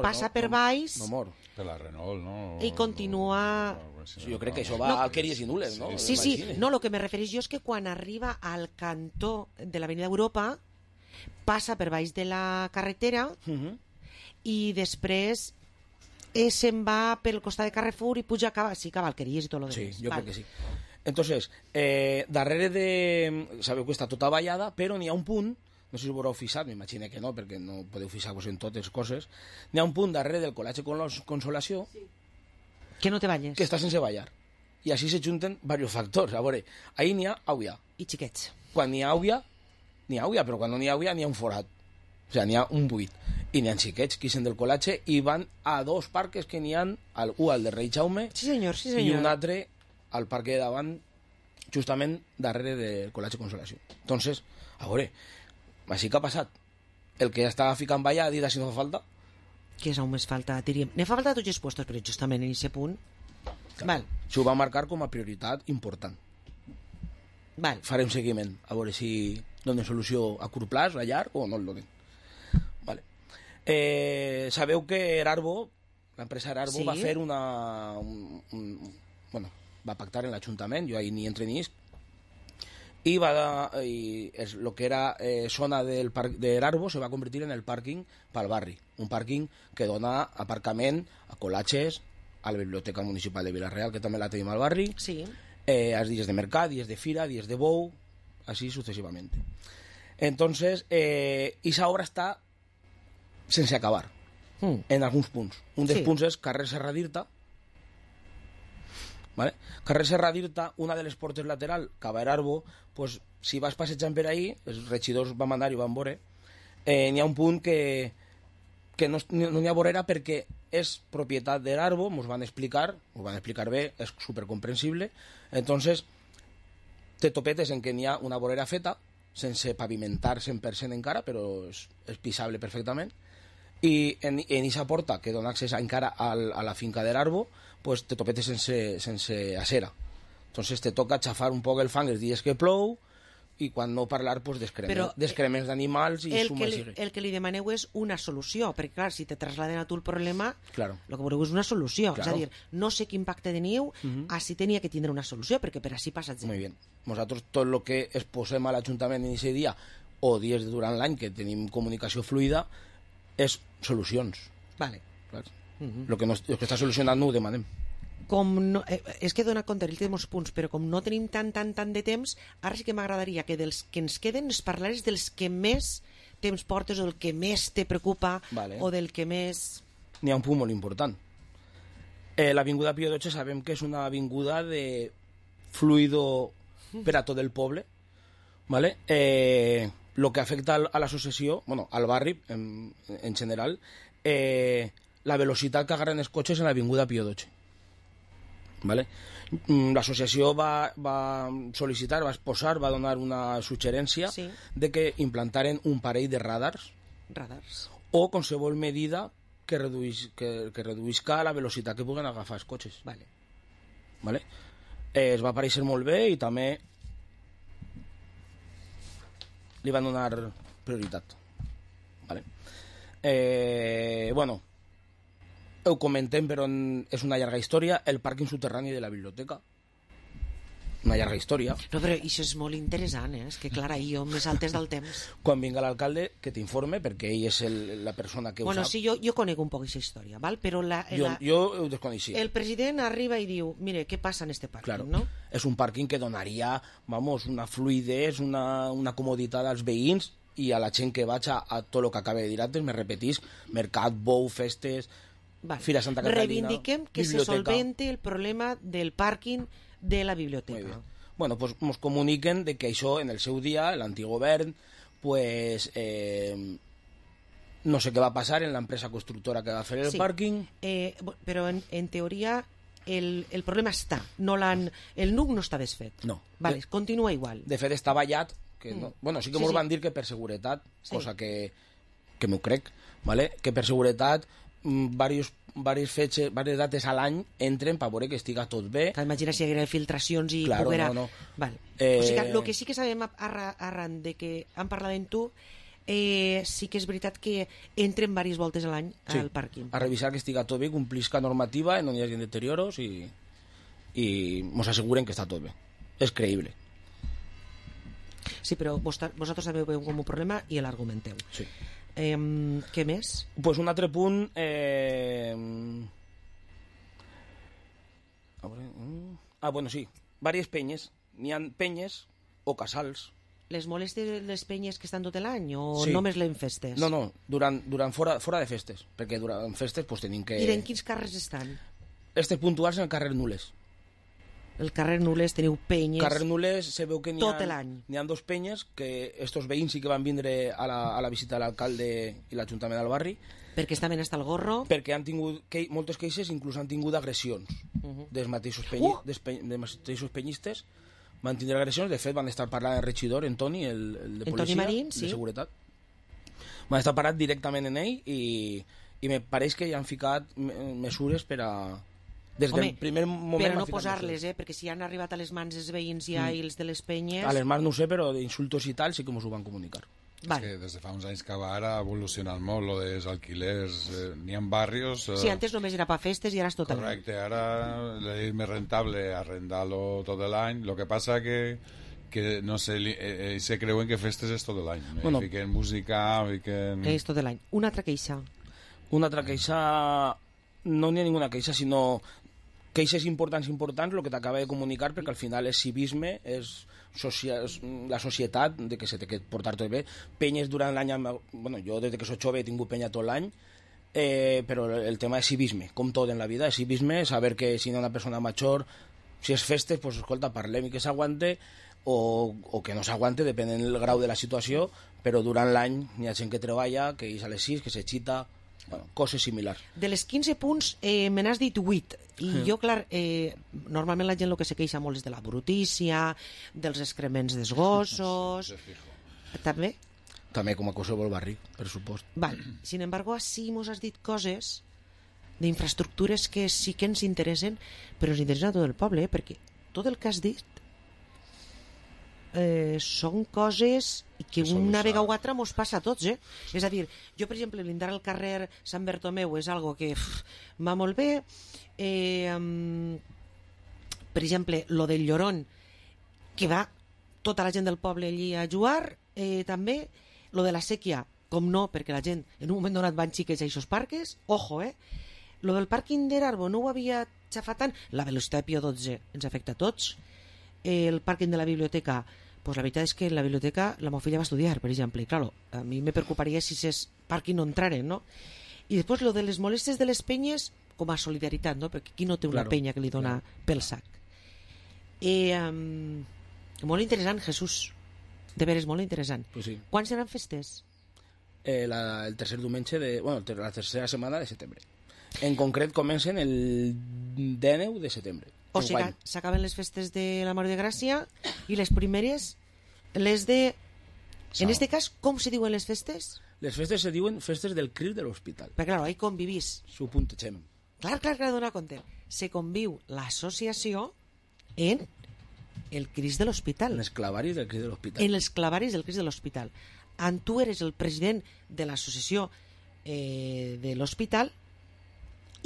passa per baix... No mor. Per la Renault, no? I continua... Jo crec que això va a Queries i Nules, no? Sí. No, el que me refereix jo és que quan arriba al cantó de l'Avenida Europa passa per baix de la carretera i després se'n va pel costat de Carrefour i puja a Cavalqueries i tot el demás. Sí, jo crec que sí. Entonces, darrere de... Sabeu que està tota vallada, però n'hi ha un punt, no sé si ho haureu fixat, m'imagino que no, perquè no podeu fixar-vos en totes coses, n'hi ha un punt darrere del Col·legi Consolació que no te balles. Que està sense ballar. I així se junten diversos factors. A veure, ahir n'hi ha àuia. I xiquets. Quan n'hi ha àuia, però quan no n'hi ha àuia n'hi ha un forat. O sigui, n'hi ha un buit. I n'hi ha xiquets que ixen del col·legi i van a 2 parques que n'hi ha, un al de Rei Jaume i un altre al parc de davant, justament darrere del Col·legi Consolació. Entonces, a veure, així que ha passat. El que ja estava ficant ballar ha dit si no fa falta. Que és on més falta, diríem. Ne fa falta a tots els puestos, però justament en aquest punt... Val. S'ho va marcar com a prioritat important. Val. Farem seguiment, a veure si donen solució a curt plaç, a llarg, o no el donen. Vale. Sabeu que Erarbo, l'empresa Erarbo, va fer va pactar en l'Ajuntament, jo ahir ni entre ni i el que era zona del parc d'Erarbo se va convertir en el pàrquing pel barri, un pàrquing que dona aparcament a col·latges, a la Biblioteca Municipal de Vilareal, que també la tenim al barri, als dies de mercat, dies de fira, dies de bou, así sucesivamente. Entonces, esa obra està sense acabar, en alguns punts. Un dels punts és carrer Serra d'Irta, ¿vale? Carrer Serra d'Irta, una de les portes lateral, cap a Erarbo, pues, si vas passejant per ahí, els regidors van anar i van veure, n'hi ha un punt que no n'hi ha vorera perquè és propietat d'Erarbo, ens van explicar bé, és supercomprensible. Entonces, te topetes en que n'hi ha una vorera feta, sense pavimentar 100% encara, però és pisable perfectament, i en aquesta porta que dona accés encara a la finca d'Erarbo, pues te topetes sense acera. Entonces te toca xafar un poc el fang els dies que plou, i quan no parlar, pues, d'excrements d'animals i el que li demaneu és una solució, perquè clar, si te trasladen a tu el problema, claro, el que voleu és una solució, claro. És a dir, no sé quin pacte teniu, així tenia que tindre una solució, perquè per així passa gent. Muy bien. Nosaltres tot el que exposem a l'Ajuntament en aquest dia, o dies durant l'any que tenim comunicació fluida, és solucions. Vale. Clar. El que està solucionant no ho demanem. Com no, és que dona compte, el té molts punts, però com no tenim tant de temps, ara sí que m'agradaria que dels que ens queden es parlares dels que més temps portes, o del que més te preocupa, vale, o del que més... N'hi ha un punt molt important. L'avinguda Pío XII sabem que és una avinguda de fluido per a tot el poble, ¿vale? Lo que afecta a l'associació, bueno, al barri en general, la velocitat que agarren els cotxes en l'avinguda Pío XII. ¿Vale? L'associació va sol·licitar, va exposar, va donar una suggerència de que implantaren un parell de radars o qualsevol medida que reduïsca la velocitat que puguen agafar els cotxes. Vale? Es va aparèixer molt bé i també li van donar prioritat. Vale? Bueno, ho comentem, però és una llarga història. El pàrquing soterrani de la biblioteca. Una llarga història. No, però això és molt interessant, És que, clar, ahir jo me saltes del temps. Quan vinga l'alcalde, que t'informe, perquè ell és la persona que ho sap. Sí, jo conec un poc aquesta història, val? Però jo ho desconeixia. El president arriba i diu, mire, què passa en este pàrquing, claro. no? És un pàrquing que donaria, una fluidesa, una comoditat als veïns i a la gent que vaig a tot el que acaba de dir antes, me repetís, mercat, bou, festes, Fira Santa Catalina, reivindiquem que biblioteca. se solvente el problema del pàrquing de la biblioteca. Bueno, pues nos comuniquen de que això en el seu dia, l'antic govern, pues no sé què va passar en l'empresa constructora que va fer el pàrquing. Però en teoria el problema està, el nuc no està desfet. No. Vale, continua igual. De fet està ballat, que no. Bueno, sí que ens van dir que per seguretat, cosa que m'ho crec, vale? Que per seguretat diverses dates a l'any entren per veure que estiga tot bé. Imagina si hi haguera filtracions i claro, poguera... no. Vale. O sigui, el que sí que sabem arran de que han parlat amb tu, sí que és veritat que entren diverses voltes a l'any al pàrquing. A revisar que estiga tot bé, complisca normativa, no hi hagi deterioros i ens asseguren que està tot bé. És creïble. Sí, però vosaltres també ho veu com un problema i l'argumenteu. Sí. Què més? Pues un altre punt... bueno, sí. Vàries penyes. N'hi ha penyes o casals. Les molestes les penyes que estan tot l'any o sí. només en festes? No, durant fora de festes. Perquè durant festes pues, tenim que... I en quins carrers estan? Estes puntuals en el carrer Nules. El carrer Nules teniu penyes... Carrer Nules se veu que tot l'any. N'hi ha dos penyes que estos veïns sí que van vindre a la visita de l'alcalde i l'Ajuntament del barri. Perquè estaven hasta el gorro? Perquè han tingut moltes queixes, inclús han tingut agressions dels mateixos penyistes. Van tindre agressions, de fet van estar parlant el regidor, en Toni, el de policia, Marín, sí. De seguretat. Van estar parlant directament en ell i me pareix que ja han ficat mesures per a... Des del primer moment... Però no posar-les, perquè si han arribat a les mans dels veïns ja i els de les penyes... A les mans no ho sé, però d'insultos i tal sí que ens ho van comunicar. Vale. És que des de fa uns anys que ara ha evolucionat molt lo dels alquilers, n'hi ha barrios... Sí, antes només era per festes i ara és tot l'any. Correcte, ara és més rentable arrendar-lo tot l'any, el que passa que no sé, se creuen que festes és tot l'any. Bueno, fiquen música, fiquen... És tot l'any. Una altra queixa. Una altra queixa... No n'hi ha ninguna queixa, sinó queixes importants, el que t'acaba de comunicar, perquè al final és civisme, és la societat, de que se té que portar tot bé. Penyes durant l'any, bueno, jo des que soc jove he tingut penya tot l'any, però el tema és civisme, com tot en la vida, és civisme, saber que si no una persona major, si és festes, pues escolta, parlem i que s'aguante, o que no s'aguante, depèn del grau de la situació, però durant l'any hi ha gent que treballa, que és a les 6, que s'excita, bueno, coses similars. De les 15 punts me n'has dit 8 i jo, clar, normalment la gent el que se queixa molt és de la brutícia, dels excrements dels gossos... També? També, com a qualsevol barri, per supost. Val. Sin embargo, sí mos has dit coses d'infraestructures que sí que ens interessen, però ens interessa a tot el poble, perquè tot el que has dit són coses que una vegada o altra mos passa a tots, És a dir, jo, per exemple, blindar el carrer Sant Bertomeu és algo que va molt bé. Per exemple, lo del Llorón, que va tota la gent del poble allí a jugar, també. Lo de la sèquia, com no, perquè la gent en un moment donat van xiques a aquests parques, ojo, Lo del pàrquing d'Erarbo no ho havia xafat tant. La velocitat de Pío XII ens afecta a tots. El pàrquing de la biblioteca, pues la veritat és que en la biblioteca la meva filla va estudiar, per exemple, i claro, a mi me preocuparia si ces pàrquing no entraren, no? I després lo de les molestes de les penyes com a solidaritat, no? Perquè aquí no té una penya que li dona pel sac. Molt interessant, Jesús. De veres, molt interessant. Pues sí. Quan seran festes? El tercer diumenge la tercera setmana de setembre. En concret comencen el 19 de setembre. O sigui, s'acaben les festes de la Mare de Gràcia i les primeres, les de... En este cas, com se diuen les festes? Les festes se diuen festes del CRIL de l'hospital. Perquè, clar, ahí convivís. S'ho puntegem. Clar, donar compte. Se conviu l'associació en el CRIS de l'hospital. En els clavaris del CRIS de l'hospital. En els clavaris del CRIS de l'hospital. Tu eres el president de l'associació de l'hospital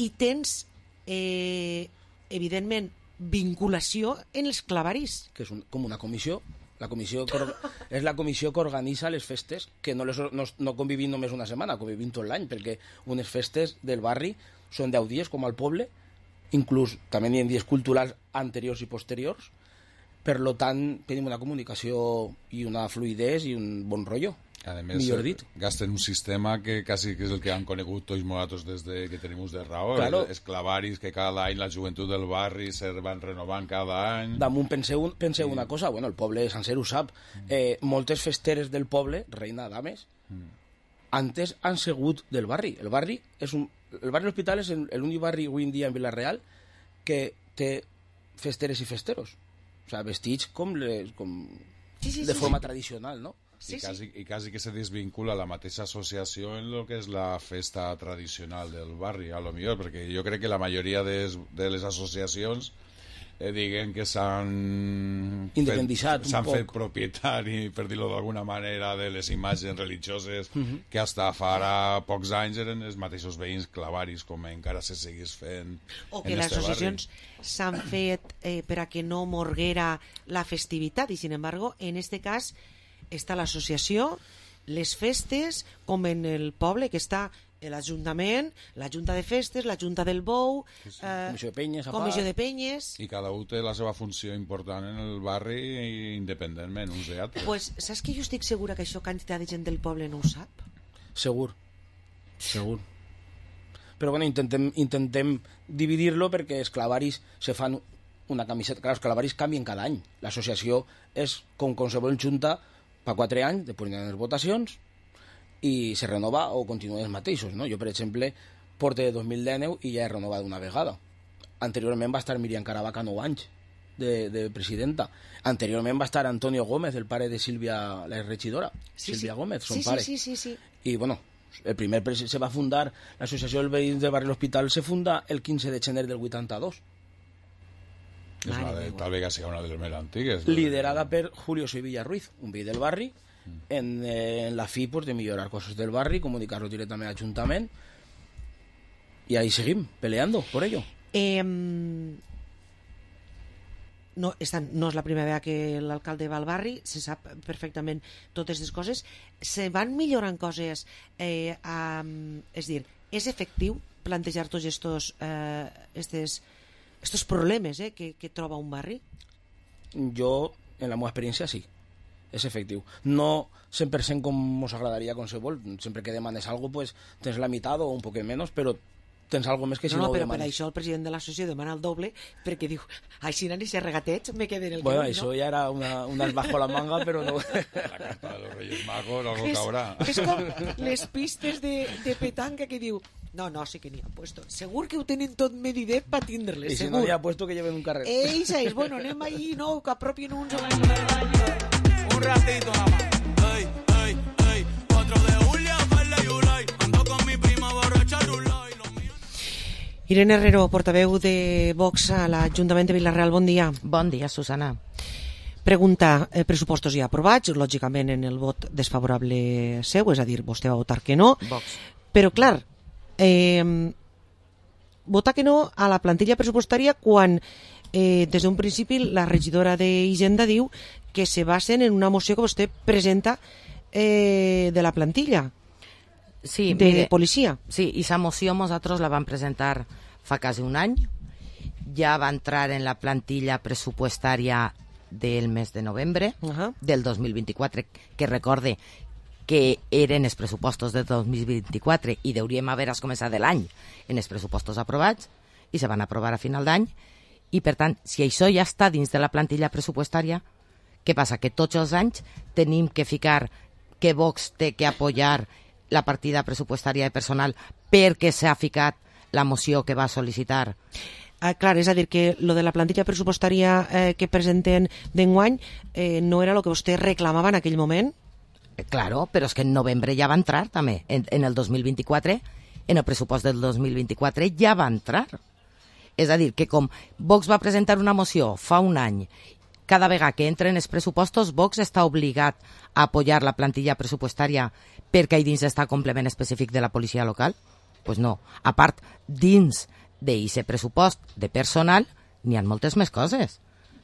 i tens, evidentment, vinculació en els clavaris. Que és com una comissió. La comissió és la comissió que organitza les festes, que no convivim només una setmana, convivim tot l'any, perquè unes festes del barri són 10 dies, com al poble, inclús també hi ha dies culturals anteriors i posteriors. Per tant, tenim una comunicació i una fluidesa i un bon rotllo. A més, gasten un sistema que quasi que és el que han conegut tots nosaltres des que tenim ús de raó. Claro. Els clavaris que cada any la joventut del barri se van renovant cada any. Damunt penseu una cosa, el poble sencer ho sap. Moltes festeres del poble, Reina Dames, antes han sigut del barri. El barri Hospital és l'únic barri avui en dia en Vila-real que té festeres i festeros. O sigui, vestits de forma tradicional, no? I quasi que se desvincula la mateixa associació en el que és la festa tradicional del barri, a lo millor, perquè jo crec que la majoria de les associacions diguen que s'han fet propietari, per dir-ho d'alguna manera, de les imatges religioses que hasta farà pocs anys eren els mateixos veïns clavaris, com encara se seguís fent o que les associacions s'han fet per a que no morguera la festivitat, i sin embargo, en este cas està l'associació, les festes, com en el poble, que està l'Ajuntament, la Junta de Festes, la Junta del Bou, Comissió de Penyes... I cada un té la seva funció important en el barri independentment, uns i altres. Pues, saps que jo estic segura que això quantitat de gent del poble no ho sap? Segur. Però intentem dividir-lo perquè els clavaris se fan una camiseta. Clar, els clavaris canvien cada any. L'associació és com qualsevol junta per 4 anys, després hi ha les votacions i se renova o continuen els mateixos, no? Jo, per exemple, porto de 2019 i ja he renovat una vegada. Anteriorment va estar Miriam Caravaca 9 anys de presidenta. Anteriorment va estar Antonio Gómez, el pare de Sílvia, la regidora. Sílvia Gómez, son pare. Sí. I, el primer se va fundar, l'associació del veïns del barri l'Hospital se funda el 15 de gener del 82. Tal vez sea una de las más antiguas. Liderada per Julio Sevilla Ruiz, un veí del barri, en la fi de millorar cosas del barri, comunicarlo directamente al Ayuntament, y ahí seguim peleando por ello. No és la primera vegada que l'alcalde va al barri, se sap perfectament totes les coses. Se van millorant coses, és dir, és efectiu plantejar tots estos problemes que troba un barri? Jo, en la meva experiència, sí. És efectiu. No 100% com ens agradaria qualsevol. Sempre que demanes algo, pues tens la meitat o un poc menys, però tens algo més que si no ho però demanes. Per això el president de l'associació demana el doble, perquè diu, així n'hi ha regatets, me queden el bueno, això ja era unas bajo la manga, però no. La carta de los Reyes Magos, algo caurà. És com les pistes de petanca que diu, no, sí que n'hi ha puesto. Segur que ho tenen tot medidet per tindre-les, segur. I si no n'hi ha puesto que lleven un carrer. Eixa és, bueno, anem ahí, no, que apropien uns... Un ratito nada más. Ey, 4 de julio, Farley y Ulay. Ando con mi prima borracha Rulay. Irene Herrero, portaveu de Vox a l'Ajuntament de Vila-real, bon dia. Bon dia, Susana. Pregunta, pressupostos ja aprovats, lògicament en el vot desfavorable seu, és a dir, vostè va votar que no. Vox. Però, clar, votar que no a la plantilla pressupostària quan des d'un principi la regidora d'Hisenda diu que se basen en una moció que vostè presenta de la plantilla de policia. Sí, i esa moció nosaltres la vam presentar fa quasi un any, ja va entrar en la plantilla pressupostària del mes de novembre del 2024, que recorde que eren els pressupostos de 2024 i hauríem haver començat l'any en els pressupostos aprovats i se van aprovar a final d'any I, per tant, si això ja està dins de la plantilla pressupostària, què passa? Que tots els anys tenim que ficar que Vox té que apoyar la partida pressupostària de personal perquè s'ha ficat la moció que va sol·licitar. Clar, és a dir, que lo de la plantilla pressupostària que presenten d'enguany no era el que vostè reclamava en aquell moment? Claro, però és que en novembre ja va entrar també. En el 2024, en el pressupost del 2024 ja va entrar. És a dir, que com Vox va presentar una moció fa un any, cada vegada que entren els pressupostos, Vox està obligat a apoyar la plantilla pressupostària perquè ahí dins està complement específic de la policia local? Pues no. A part, dins d'aquest pressupost de personal, n'hi ha moltes més coses.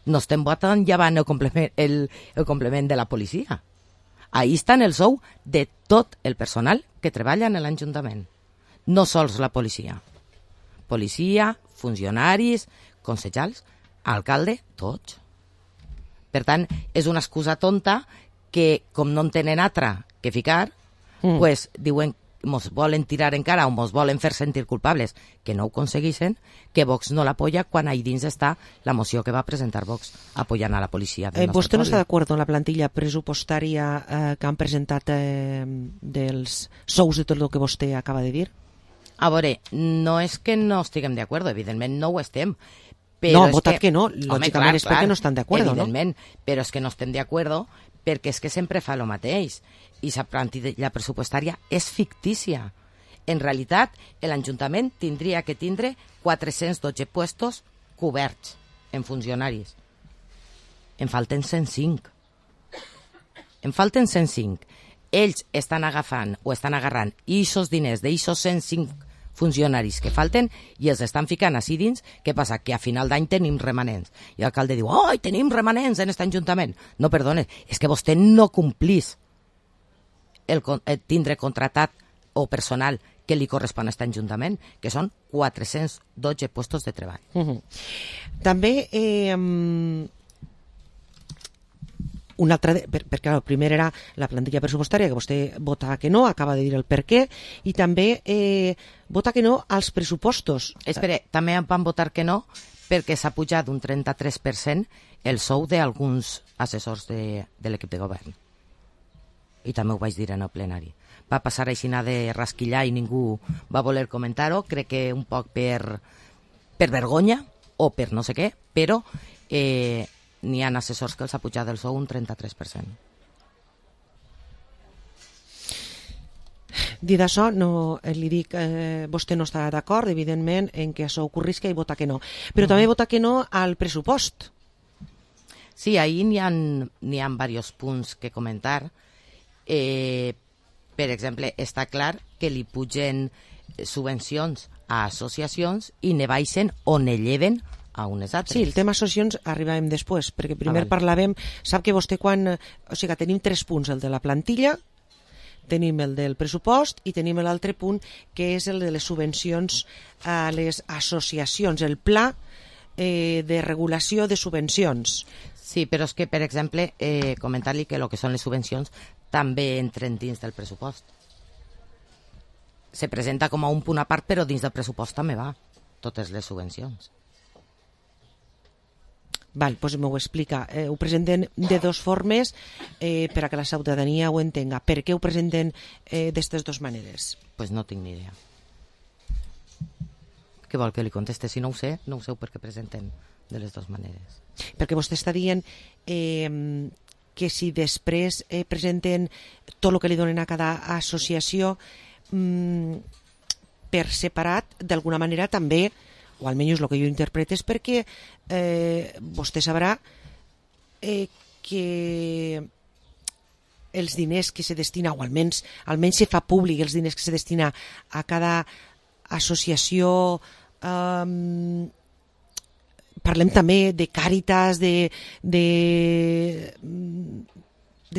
No estem votant llevant el complement de la policia. Ahí està el sou de tot el personal que treballa en l'Ajuntament. No sols la policia. Policia, funcionaris, consellers, alcalde, tots. Per tant, és una excusa tonta que, com no en tenen altra que ficar, pues diuen mos volen tirar en cara o mos volen fer sentir culpables, que no ho aconsegueixen, que Vox no l'apoya quan ahí dins està la moció que va presentar Vox apoyant a la policia del nostre ¿Vostè no poble. està d'acord amb la plantilla pressupostària que han presentat dels sous de tot el que vostè acaba de dir? A veure, no és que no estiguem d'acord, evidentment no ho estem. No, han votat que no, lògicament és perquè no estan d'acord, no? Evidentment, però és que no estem d'acord perquè és que sempre fa el mateix. I la plantilla pressupostària és fictícia. En realitat, l'Ajuntament tindria que tindre 412 puestos coberts en funcionaris. En falten 105. En falten 105. Ells estan agafant o estan agarrant aquests diners d'aquests 105 funcionaris que falten i els estan ficant així dins. Què passa? Que a final d'any tenim remanents. I l'alcalde diu, oi, tenim remanents en aquest Ajuntament. No, perdone, és que vostè no complís el tindre contratat o personal que li correspon a aquest Ajuntament, que són 412 puestos de treball. També un altre, perquè el primer era la plantilla pressupostària, que vostè vota que no, acaba de dir el per què, i també vota que no als pressupostos. Espera, també van votar que no perquè s'ha pujat un 33% el sou d'alguns assessors de l'equip de govern. I també ho vaig dir en el plenari. Va passar així de rasquillar i ningú va voler comentar-ho, crec que un poc per vergonya o per no sé què, però n'hi ha assessors que els ha pujat el sou un 33%. Dit això, no, li dic, vostè no està d'acord, evidentment, en que això ocorrisca i vota que no. Però també vota que no al pressupost. Sí, ahí n'hi ha diversos punts que comentar. Per exemple, està clar que li pugen subvencions a associacions i ne baixen o ne lleven a unes altres. Sí, el tema associacions arribàvem després, perquè primer parlàvem, sap que vostè quan... O sigui, tenim 3 punts, el de la plantilla, tenim el del pressupost i tenim l'altre punt que és el de les subvencions a les associacions, el pla de regulació de subvencions. Sí, però és que, per exemple, comentar-li que el que són les subvencions també entren dins del pressupost. Se presenta com a un punt a part, però dins del pressupost també va, totes les subvencions. Val, doncs m'ho explica. Ho presenten de 2 formes per a que la ciutadania ho entenga. Per què ho presenten d'aquestes 2 maneres? Pues no tinc ni idea. Què vol que li conteste? Si no ho sé per què presenten de les 2 maneres. Perquè vostè està dient que si després presenten tot el que li donen a cada associació per separat, d'alguna manera també, o almenys el que jo interpreto, és perquè vostè sabrà que els diners que se destina, o almenys se fa públic els diners que se destina a cada associació, parlem també de Càritas, de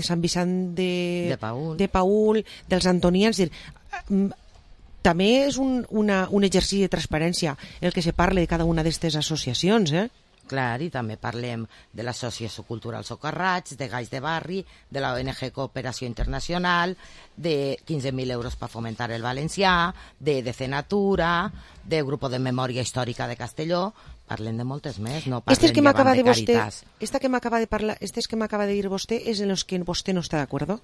Sant Vicent de Paül, dels Antonians. També és un exercici de transparència el que se parla de cada una d'aquestes associacions, Clar, i també parlem de l'Associació Cultural Socarrats, de Gais de Barri, de la ONG Cooperació Internacional, de 15.000 euros per fomentar el valencià, de Decenatura, del Grupo de Memòria Històrica de Castelló. Parlen de moltes més, no Estes parlen que m'acaba de de vostè, Caritas. estes que m'acaba de dir vostè és en los que vostè no està d'acord?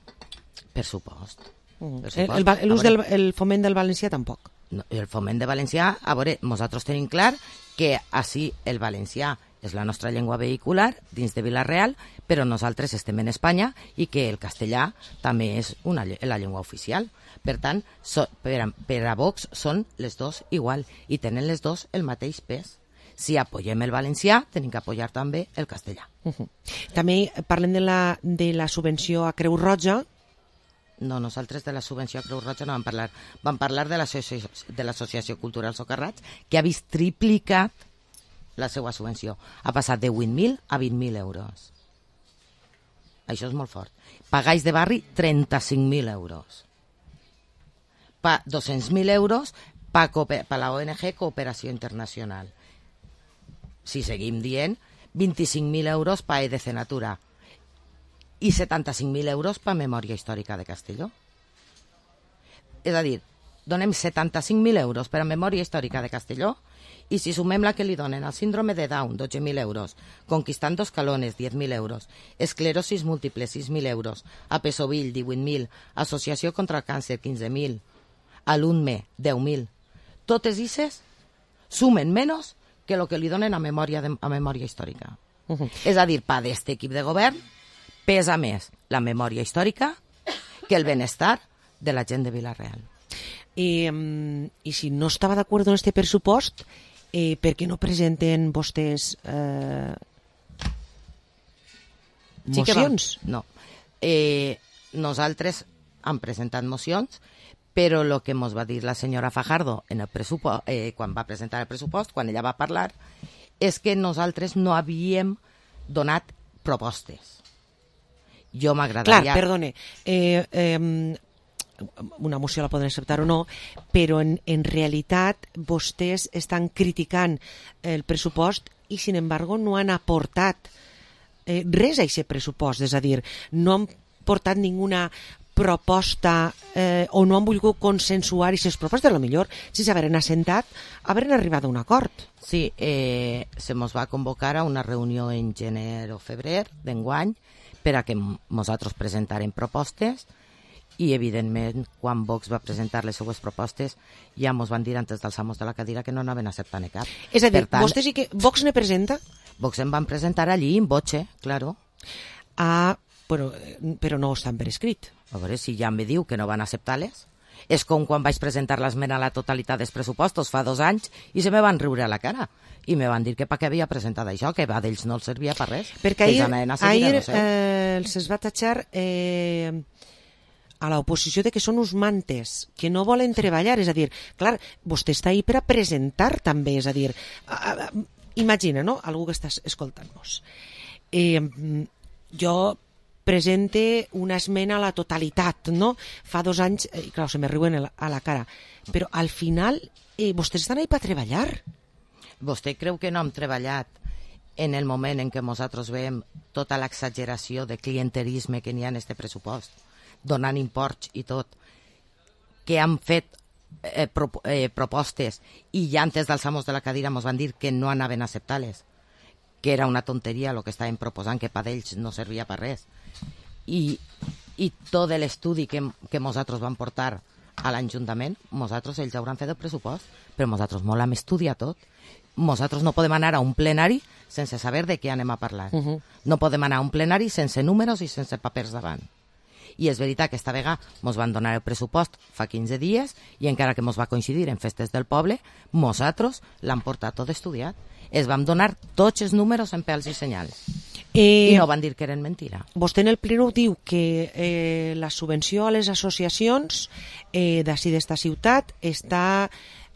Per supost. El foment del valencià tampoc. No, el foment de valencià, a veure, nosaltres tenim clar que així el valencià és la nostra llengua vehicular dins de Vila-real, però nosaltres estem en Espanya i que el castellà també és la llengua oficial. Per tant, per a Vox són les dos igual i tenen les dos el mateix pes. Si apoyem el valencià, tenim que apoyar també el castellà. També parlem de la subvenció a Creu Roja. No, nosaltres de la subvenció a Creu Roja no vam parlar. Vam parlar de l'Associació Cultural Socarrats, que ha vist triplicat la seva subvenció. Ha passat de 8.000 a 20.000 euros. Això és molt fort. Pagais de barri, 35.000 euros. 200.000 euros per la ONG Cooperació Internacional. Si seguim dient, 25.000 euros per EDC Natura i 75.000 euros per Memòria Històrica de Castelló. És a dir, donem 75.000 euros per a Memòria Històrica de Castelló i si sumem la que li donen al síndrome de Down, 12.000 euros, Conquistando Escalones, 10.000 euros, Esclerosis Múltiple, 6.000 euros, a Pesovill, 18.000, Associació contra el Càncer, 15.000, a l'UNME, 10.000. Totes aquestes sumen menys que el que li donen a memòria històrica. És a dir, per d'aquest equip de govern pesa més la memòria històrica que el benestar de la gent de Vila-real. I si no estava d'acord amb aquest pressupost, per què no presenten vostès mocions? No. Nosaltres hem presentat mocions, però el que ens va dir la senyora Fajardo en el quan va presentar el pressupost, quan ella va parlar, és que nosaltres no havíem donat propostes. Jo m'agradaria... Clar, perdone, una moció la poden acceptar o no, però en realitat vostès estan criticant el pressupost i, sin embargo, no han aportat res a aquest pressupost. És a dir, no han portat ninguna proposta o no han volgut consensuar aquestes propostes. A lo millor, si s'haveren assentat, haveren arribat a un acord. Sí, se mos va convocar a una reunió en gener o febrer d'enguany per a que nosaltres presentarem propostes i, evidentment, quan Vox va presentar les seues propostes ja mos van dir antes d'alçar-nos de la cadira que no anaven a acceptar cap. És a dir, vostès sí que... Vox ne presenta? Vox en van presentar allí, en voce, claro. Ah, però no estan per escrit. A veure, si ja me diu que no van acceptar-les. És com quan vaig presentar l'esmena a la totalitat dels pressupostos fa 2 anys i se me van riure a la cara. I me van dir que per què havia presentat això, que a d'ells no els servia per res. Perquè ahir se'ls va tatxar a l'oposició de que són uns mantes, que no volen treballar. És a dir, clar, vostè està ahí per a presentar també. És a dir, imagina, no?, algú que estàs escoltant-nos. Jo presente una esmena a la totalitat, no? Fa 2 anys, clar, se me riuen a la cara, però al final vostès estan ahí per treballar. Vostè creu que no hem treballat en el moment en què nosaltres veiem tota l'exageració de clientelisme que n'hi ha en aquest pressupost, donant imports i tot, que han fet propostes i ja antes d'alçar-nos de la cadira ens van dir que no anaven a acceptar-les, que era una tonteria el que estaven proposant, que per ells no servia per res. I tot l'estudi que nosaltres vam portar a l'Ajuntament, ells hauran fet el pressupost, però nosaltres molt hem estudiat tot. Nosaltres no podem anar a un plenari sense saber de què anem a parlar. No podem anar a un plenari sense números i sense papers davant. I és veritat que esta vegada ens van donar el pressupost fa 15 dies i encara que ens va coincidir en festes del poble, nosaltres l'hem portat tot estudiat. Es vam donar tots els números en pèls i senyals. I no van dir que eren mentira. Vostè en el pleno diu que la subvenció a les associacions d'ací d'esta ciutat està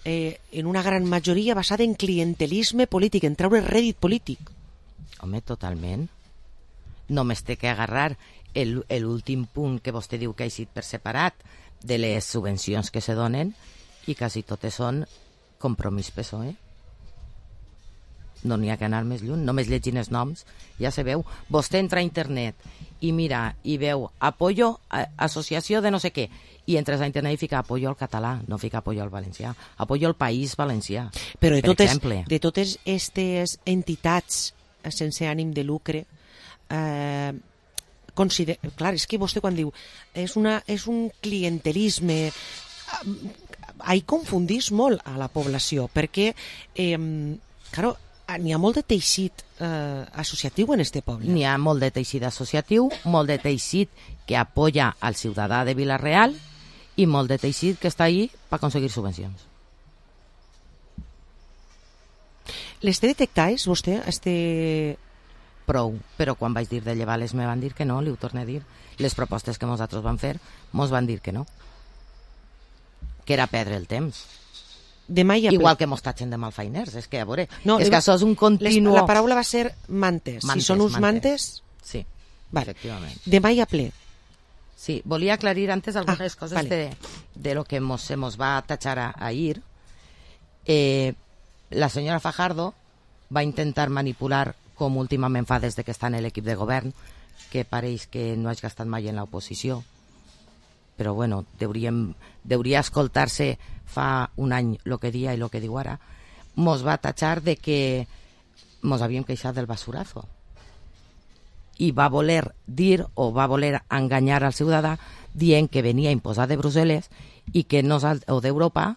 en una gran majoria basada en clientelisme polític, en treure rèdit polític. Home, totalment. Només té que agarrar l'últim punt que vostè diu que ha eixit per separat de les subvencions que se donen i quasi totes són compromís PSOE. No n'hi ha que anar més lluny, només llegint els noms, ja se veu. Vostè entra a internet i mira, i veu apoyo, associació de no sé què, i entres a internet i fica apoyo al català, no fica apoyo al valencià, apoyo al País Valencià, però per exemple. De totes aquestes entitats sense ànim de lucre, clar, és que vostè quan diu és un clientelisme, confundís molt a la població, perquè claro, n'hi ha molt de teixit associatiu en este poble. N'hi ha molt de teixit associatiu, molt de teixit que apoya al ciutadà de Vila-real i molt de teixit que està ahí per aconseguir subvencions. Les té detectats, vostè? Prou, però quan vaig dir de llevar-les me van dir que no, li ho torno a dir. Les propostes que nosaltres vam fer mos van dir que no. Que era perdre el temps. Igual que mos tatxen de malfeiners, és que a veure, és que això és un continu... La paraula va ser mantes. Si són uns mantes... Sí, vale. Efectivament. Demà hi ha ple. Sí, volia aclarir antes algunes coses vale. de lo que se mos va tatxar ahir. La senyora Fajardo va intentar manipular, com últimament fa des que està en l'equip de govern, que pareix que no hagi estat mai en l'oposició, però bueno, deuria escoltar-se fa un any el que dia i el que diu ara. Mos va tatxar de que mos havíem queixat del basurazo i va voler dir o va voler enganyar al ciutadà dient que venia imposat de Brussel·les i que o d'Europa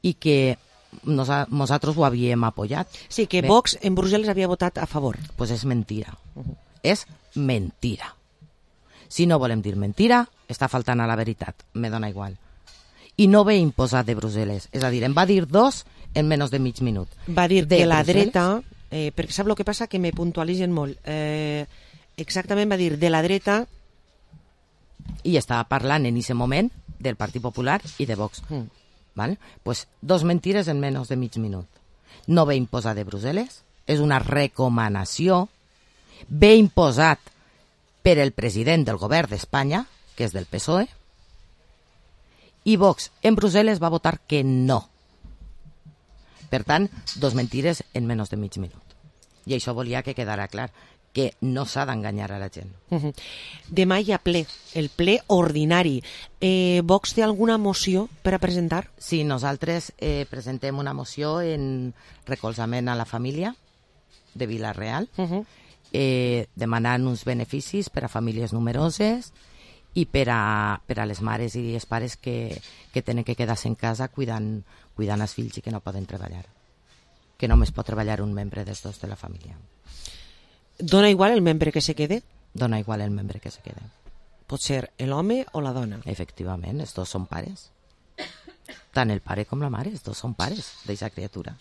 i que nosaltres ho havíem apoyat. Sí, que Vox en Brussel·les havia votat a favor. Pues és mentira. És mentira. Si no volem dir mentira, està faltant a la veritat, me dona igual. I no ve imposat de Brussel·les, és a dir, em va dir 2 en menys de mig minut. Va dir de la dreta, perquè sap el que passa? Que me puntualitzen molt. Exactament va dir de la dreta... I estava parlant en aquest moment del Partit Popular i de Vox. ¿Vale? Pues 2 mentires en menys de mig minut. No ve imposat de Brussel·les, és una recomanació, ve imposat per el president del govern d'Espanya, que és del PSOE, i Vox en Brussel·les va votar que no. Per tant, 2 mentires en menys de mig minut. I això volia que quedara clar, que no s'ha d'enganyar a la gent. Demà hi ha ple, el ple ordinari. Vox té alguna moció per a presentar? Sí, nosaltres presentem una moció en recolzament a la família de Vila-real, demanant uns beneficis per a famílies numeroses i per a les mares i els pares que tenen que quedar-se en casa cuidant els fills i que no poden treballar. Que només pot treballar un membre dels dos de la família. Dona igual el membre que se quede? Dona igual el membre que se quede. Pot ser l'home o la dona? Efectivament, els dos són pares. Tant el pare com la mare, els dos són pares d'aquesta criatura.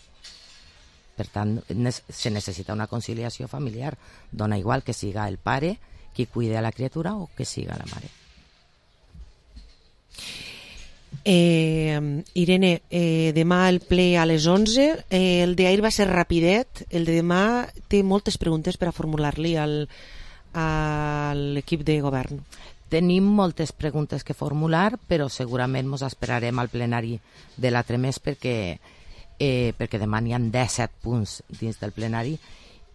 Per tant, se necessita una conciliació familiar. Dona igual que siga el pare qui cuide a la criatura o que siga la mare. Irene, demà el ple a les 11, el d'ahir va ser rapidet, el de demà té moltes preguntes per a formular-li a l'equip de govern. Tenim moltes preguntes que formular, però segurament ens esperarem al plenari de l'altre mes perquè demà n'hi ha 17 punts dins del plenari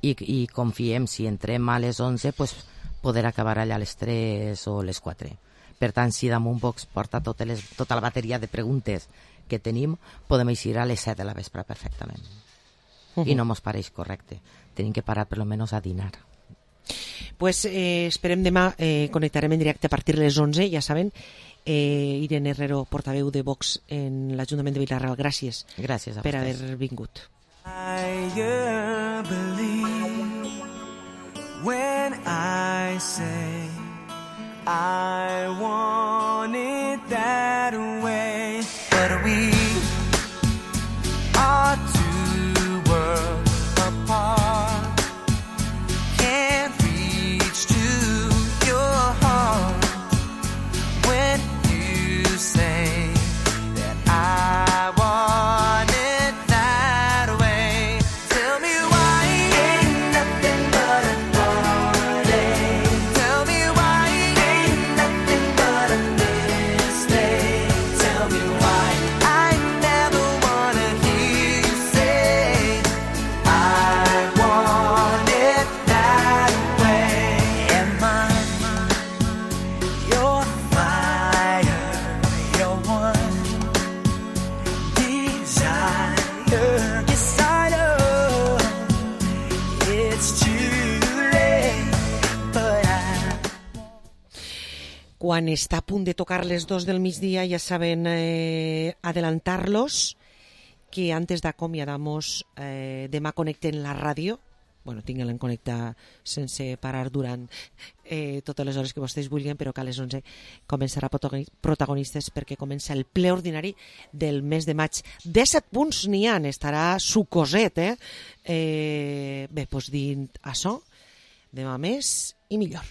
i confiem, si entrem a les 11, pues, poder acabar allà a les 3 o les 4. Per tant, si damunt Vox porta tota la bateria de preguntes que tenim, podem eixir a les 7 de la vespre perfectament. I no mos pareix correcte. Tenim que parar per lo menos a dinar. Pues esperem demà, connectarem en directe a partir de les 11, ja saben. Irene Herrero, portaveu de Vox en l'Ajuntament de Vila-real. Gràcies. Gràcies a per vostès. haver vingut. I believe when I say I want it that way, but we are two worlds apart. Can't reach to your heart when you say that I want it that way. Tell me why ain't nothing but a party. Tell me why ain't nothing but a quan està a punt de tocar les 2 del migdia, ja saben adelantar-los que antes d'acomiadamos demà connecten la ràdio. Bueno, tinguin-la en connectar sense parar durant totes les hores que vostès vulguin, però que a les 11 començarà protagonistes perquè comença el ple ordinari del mes de maig. 17 punts n'hi ha, estarà sucoset, bé, doncs dint això, demà més i millor.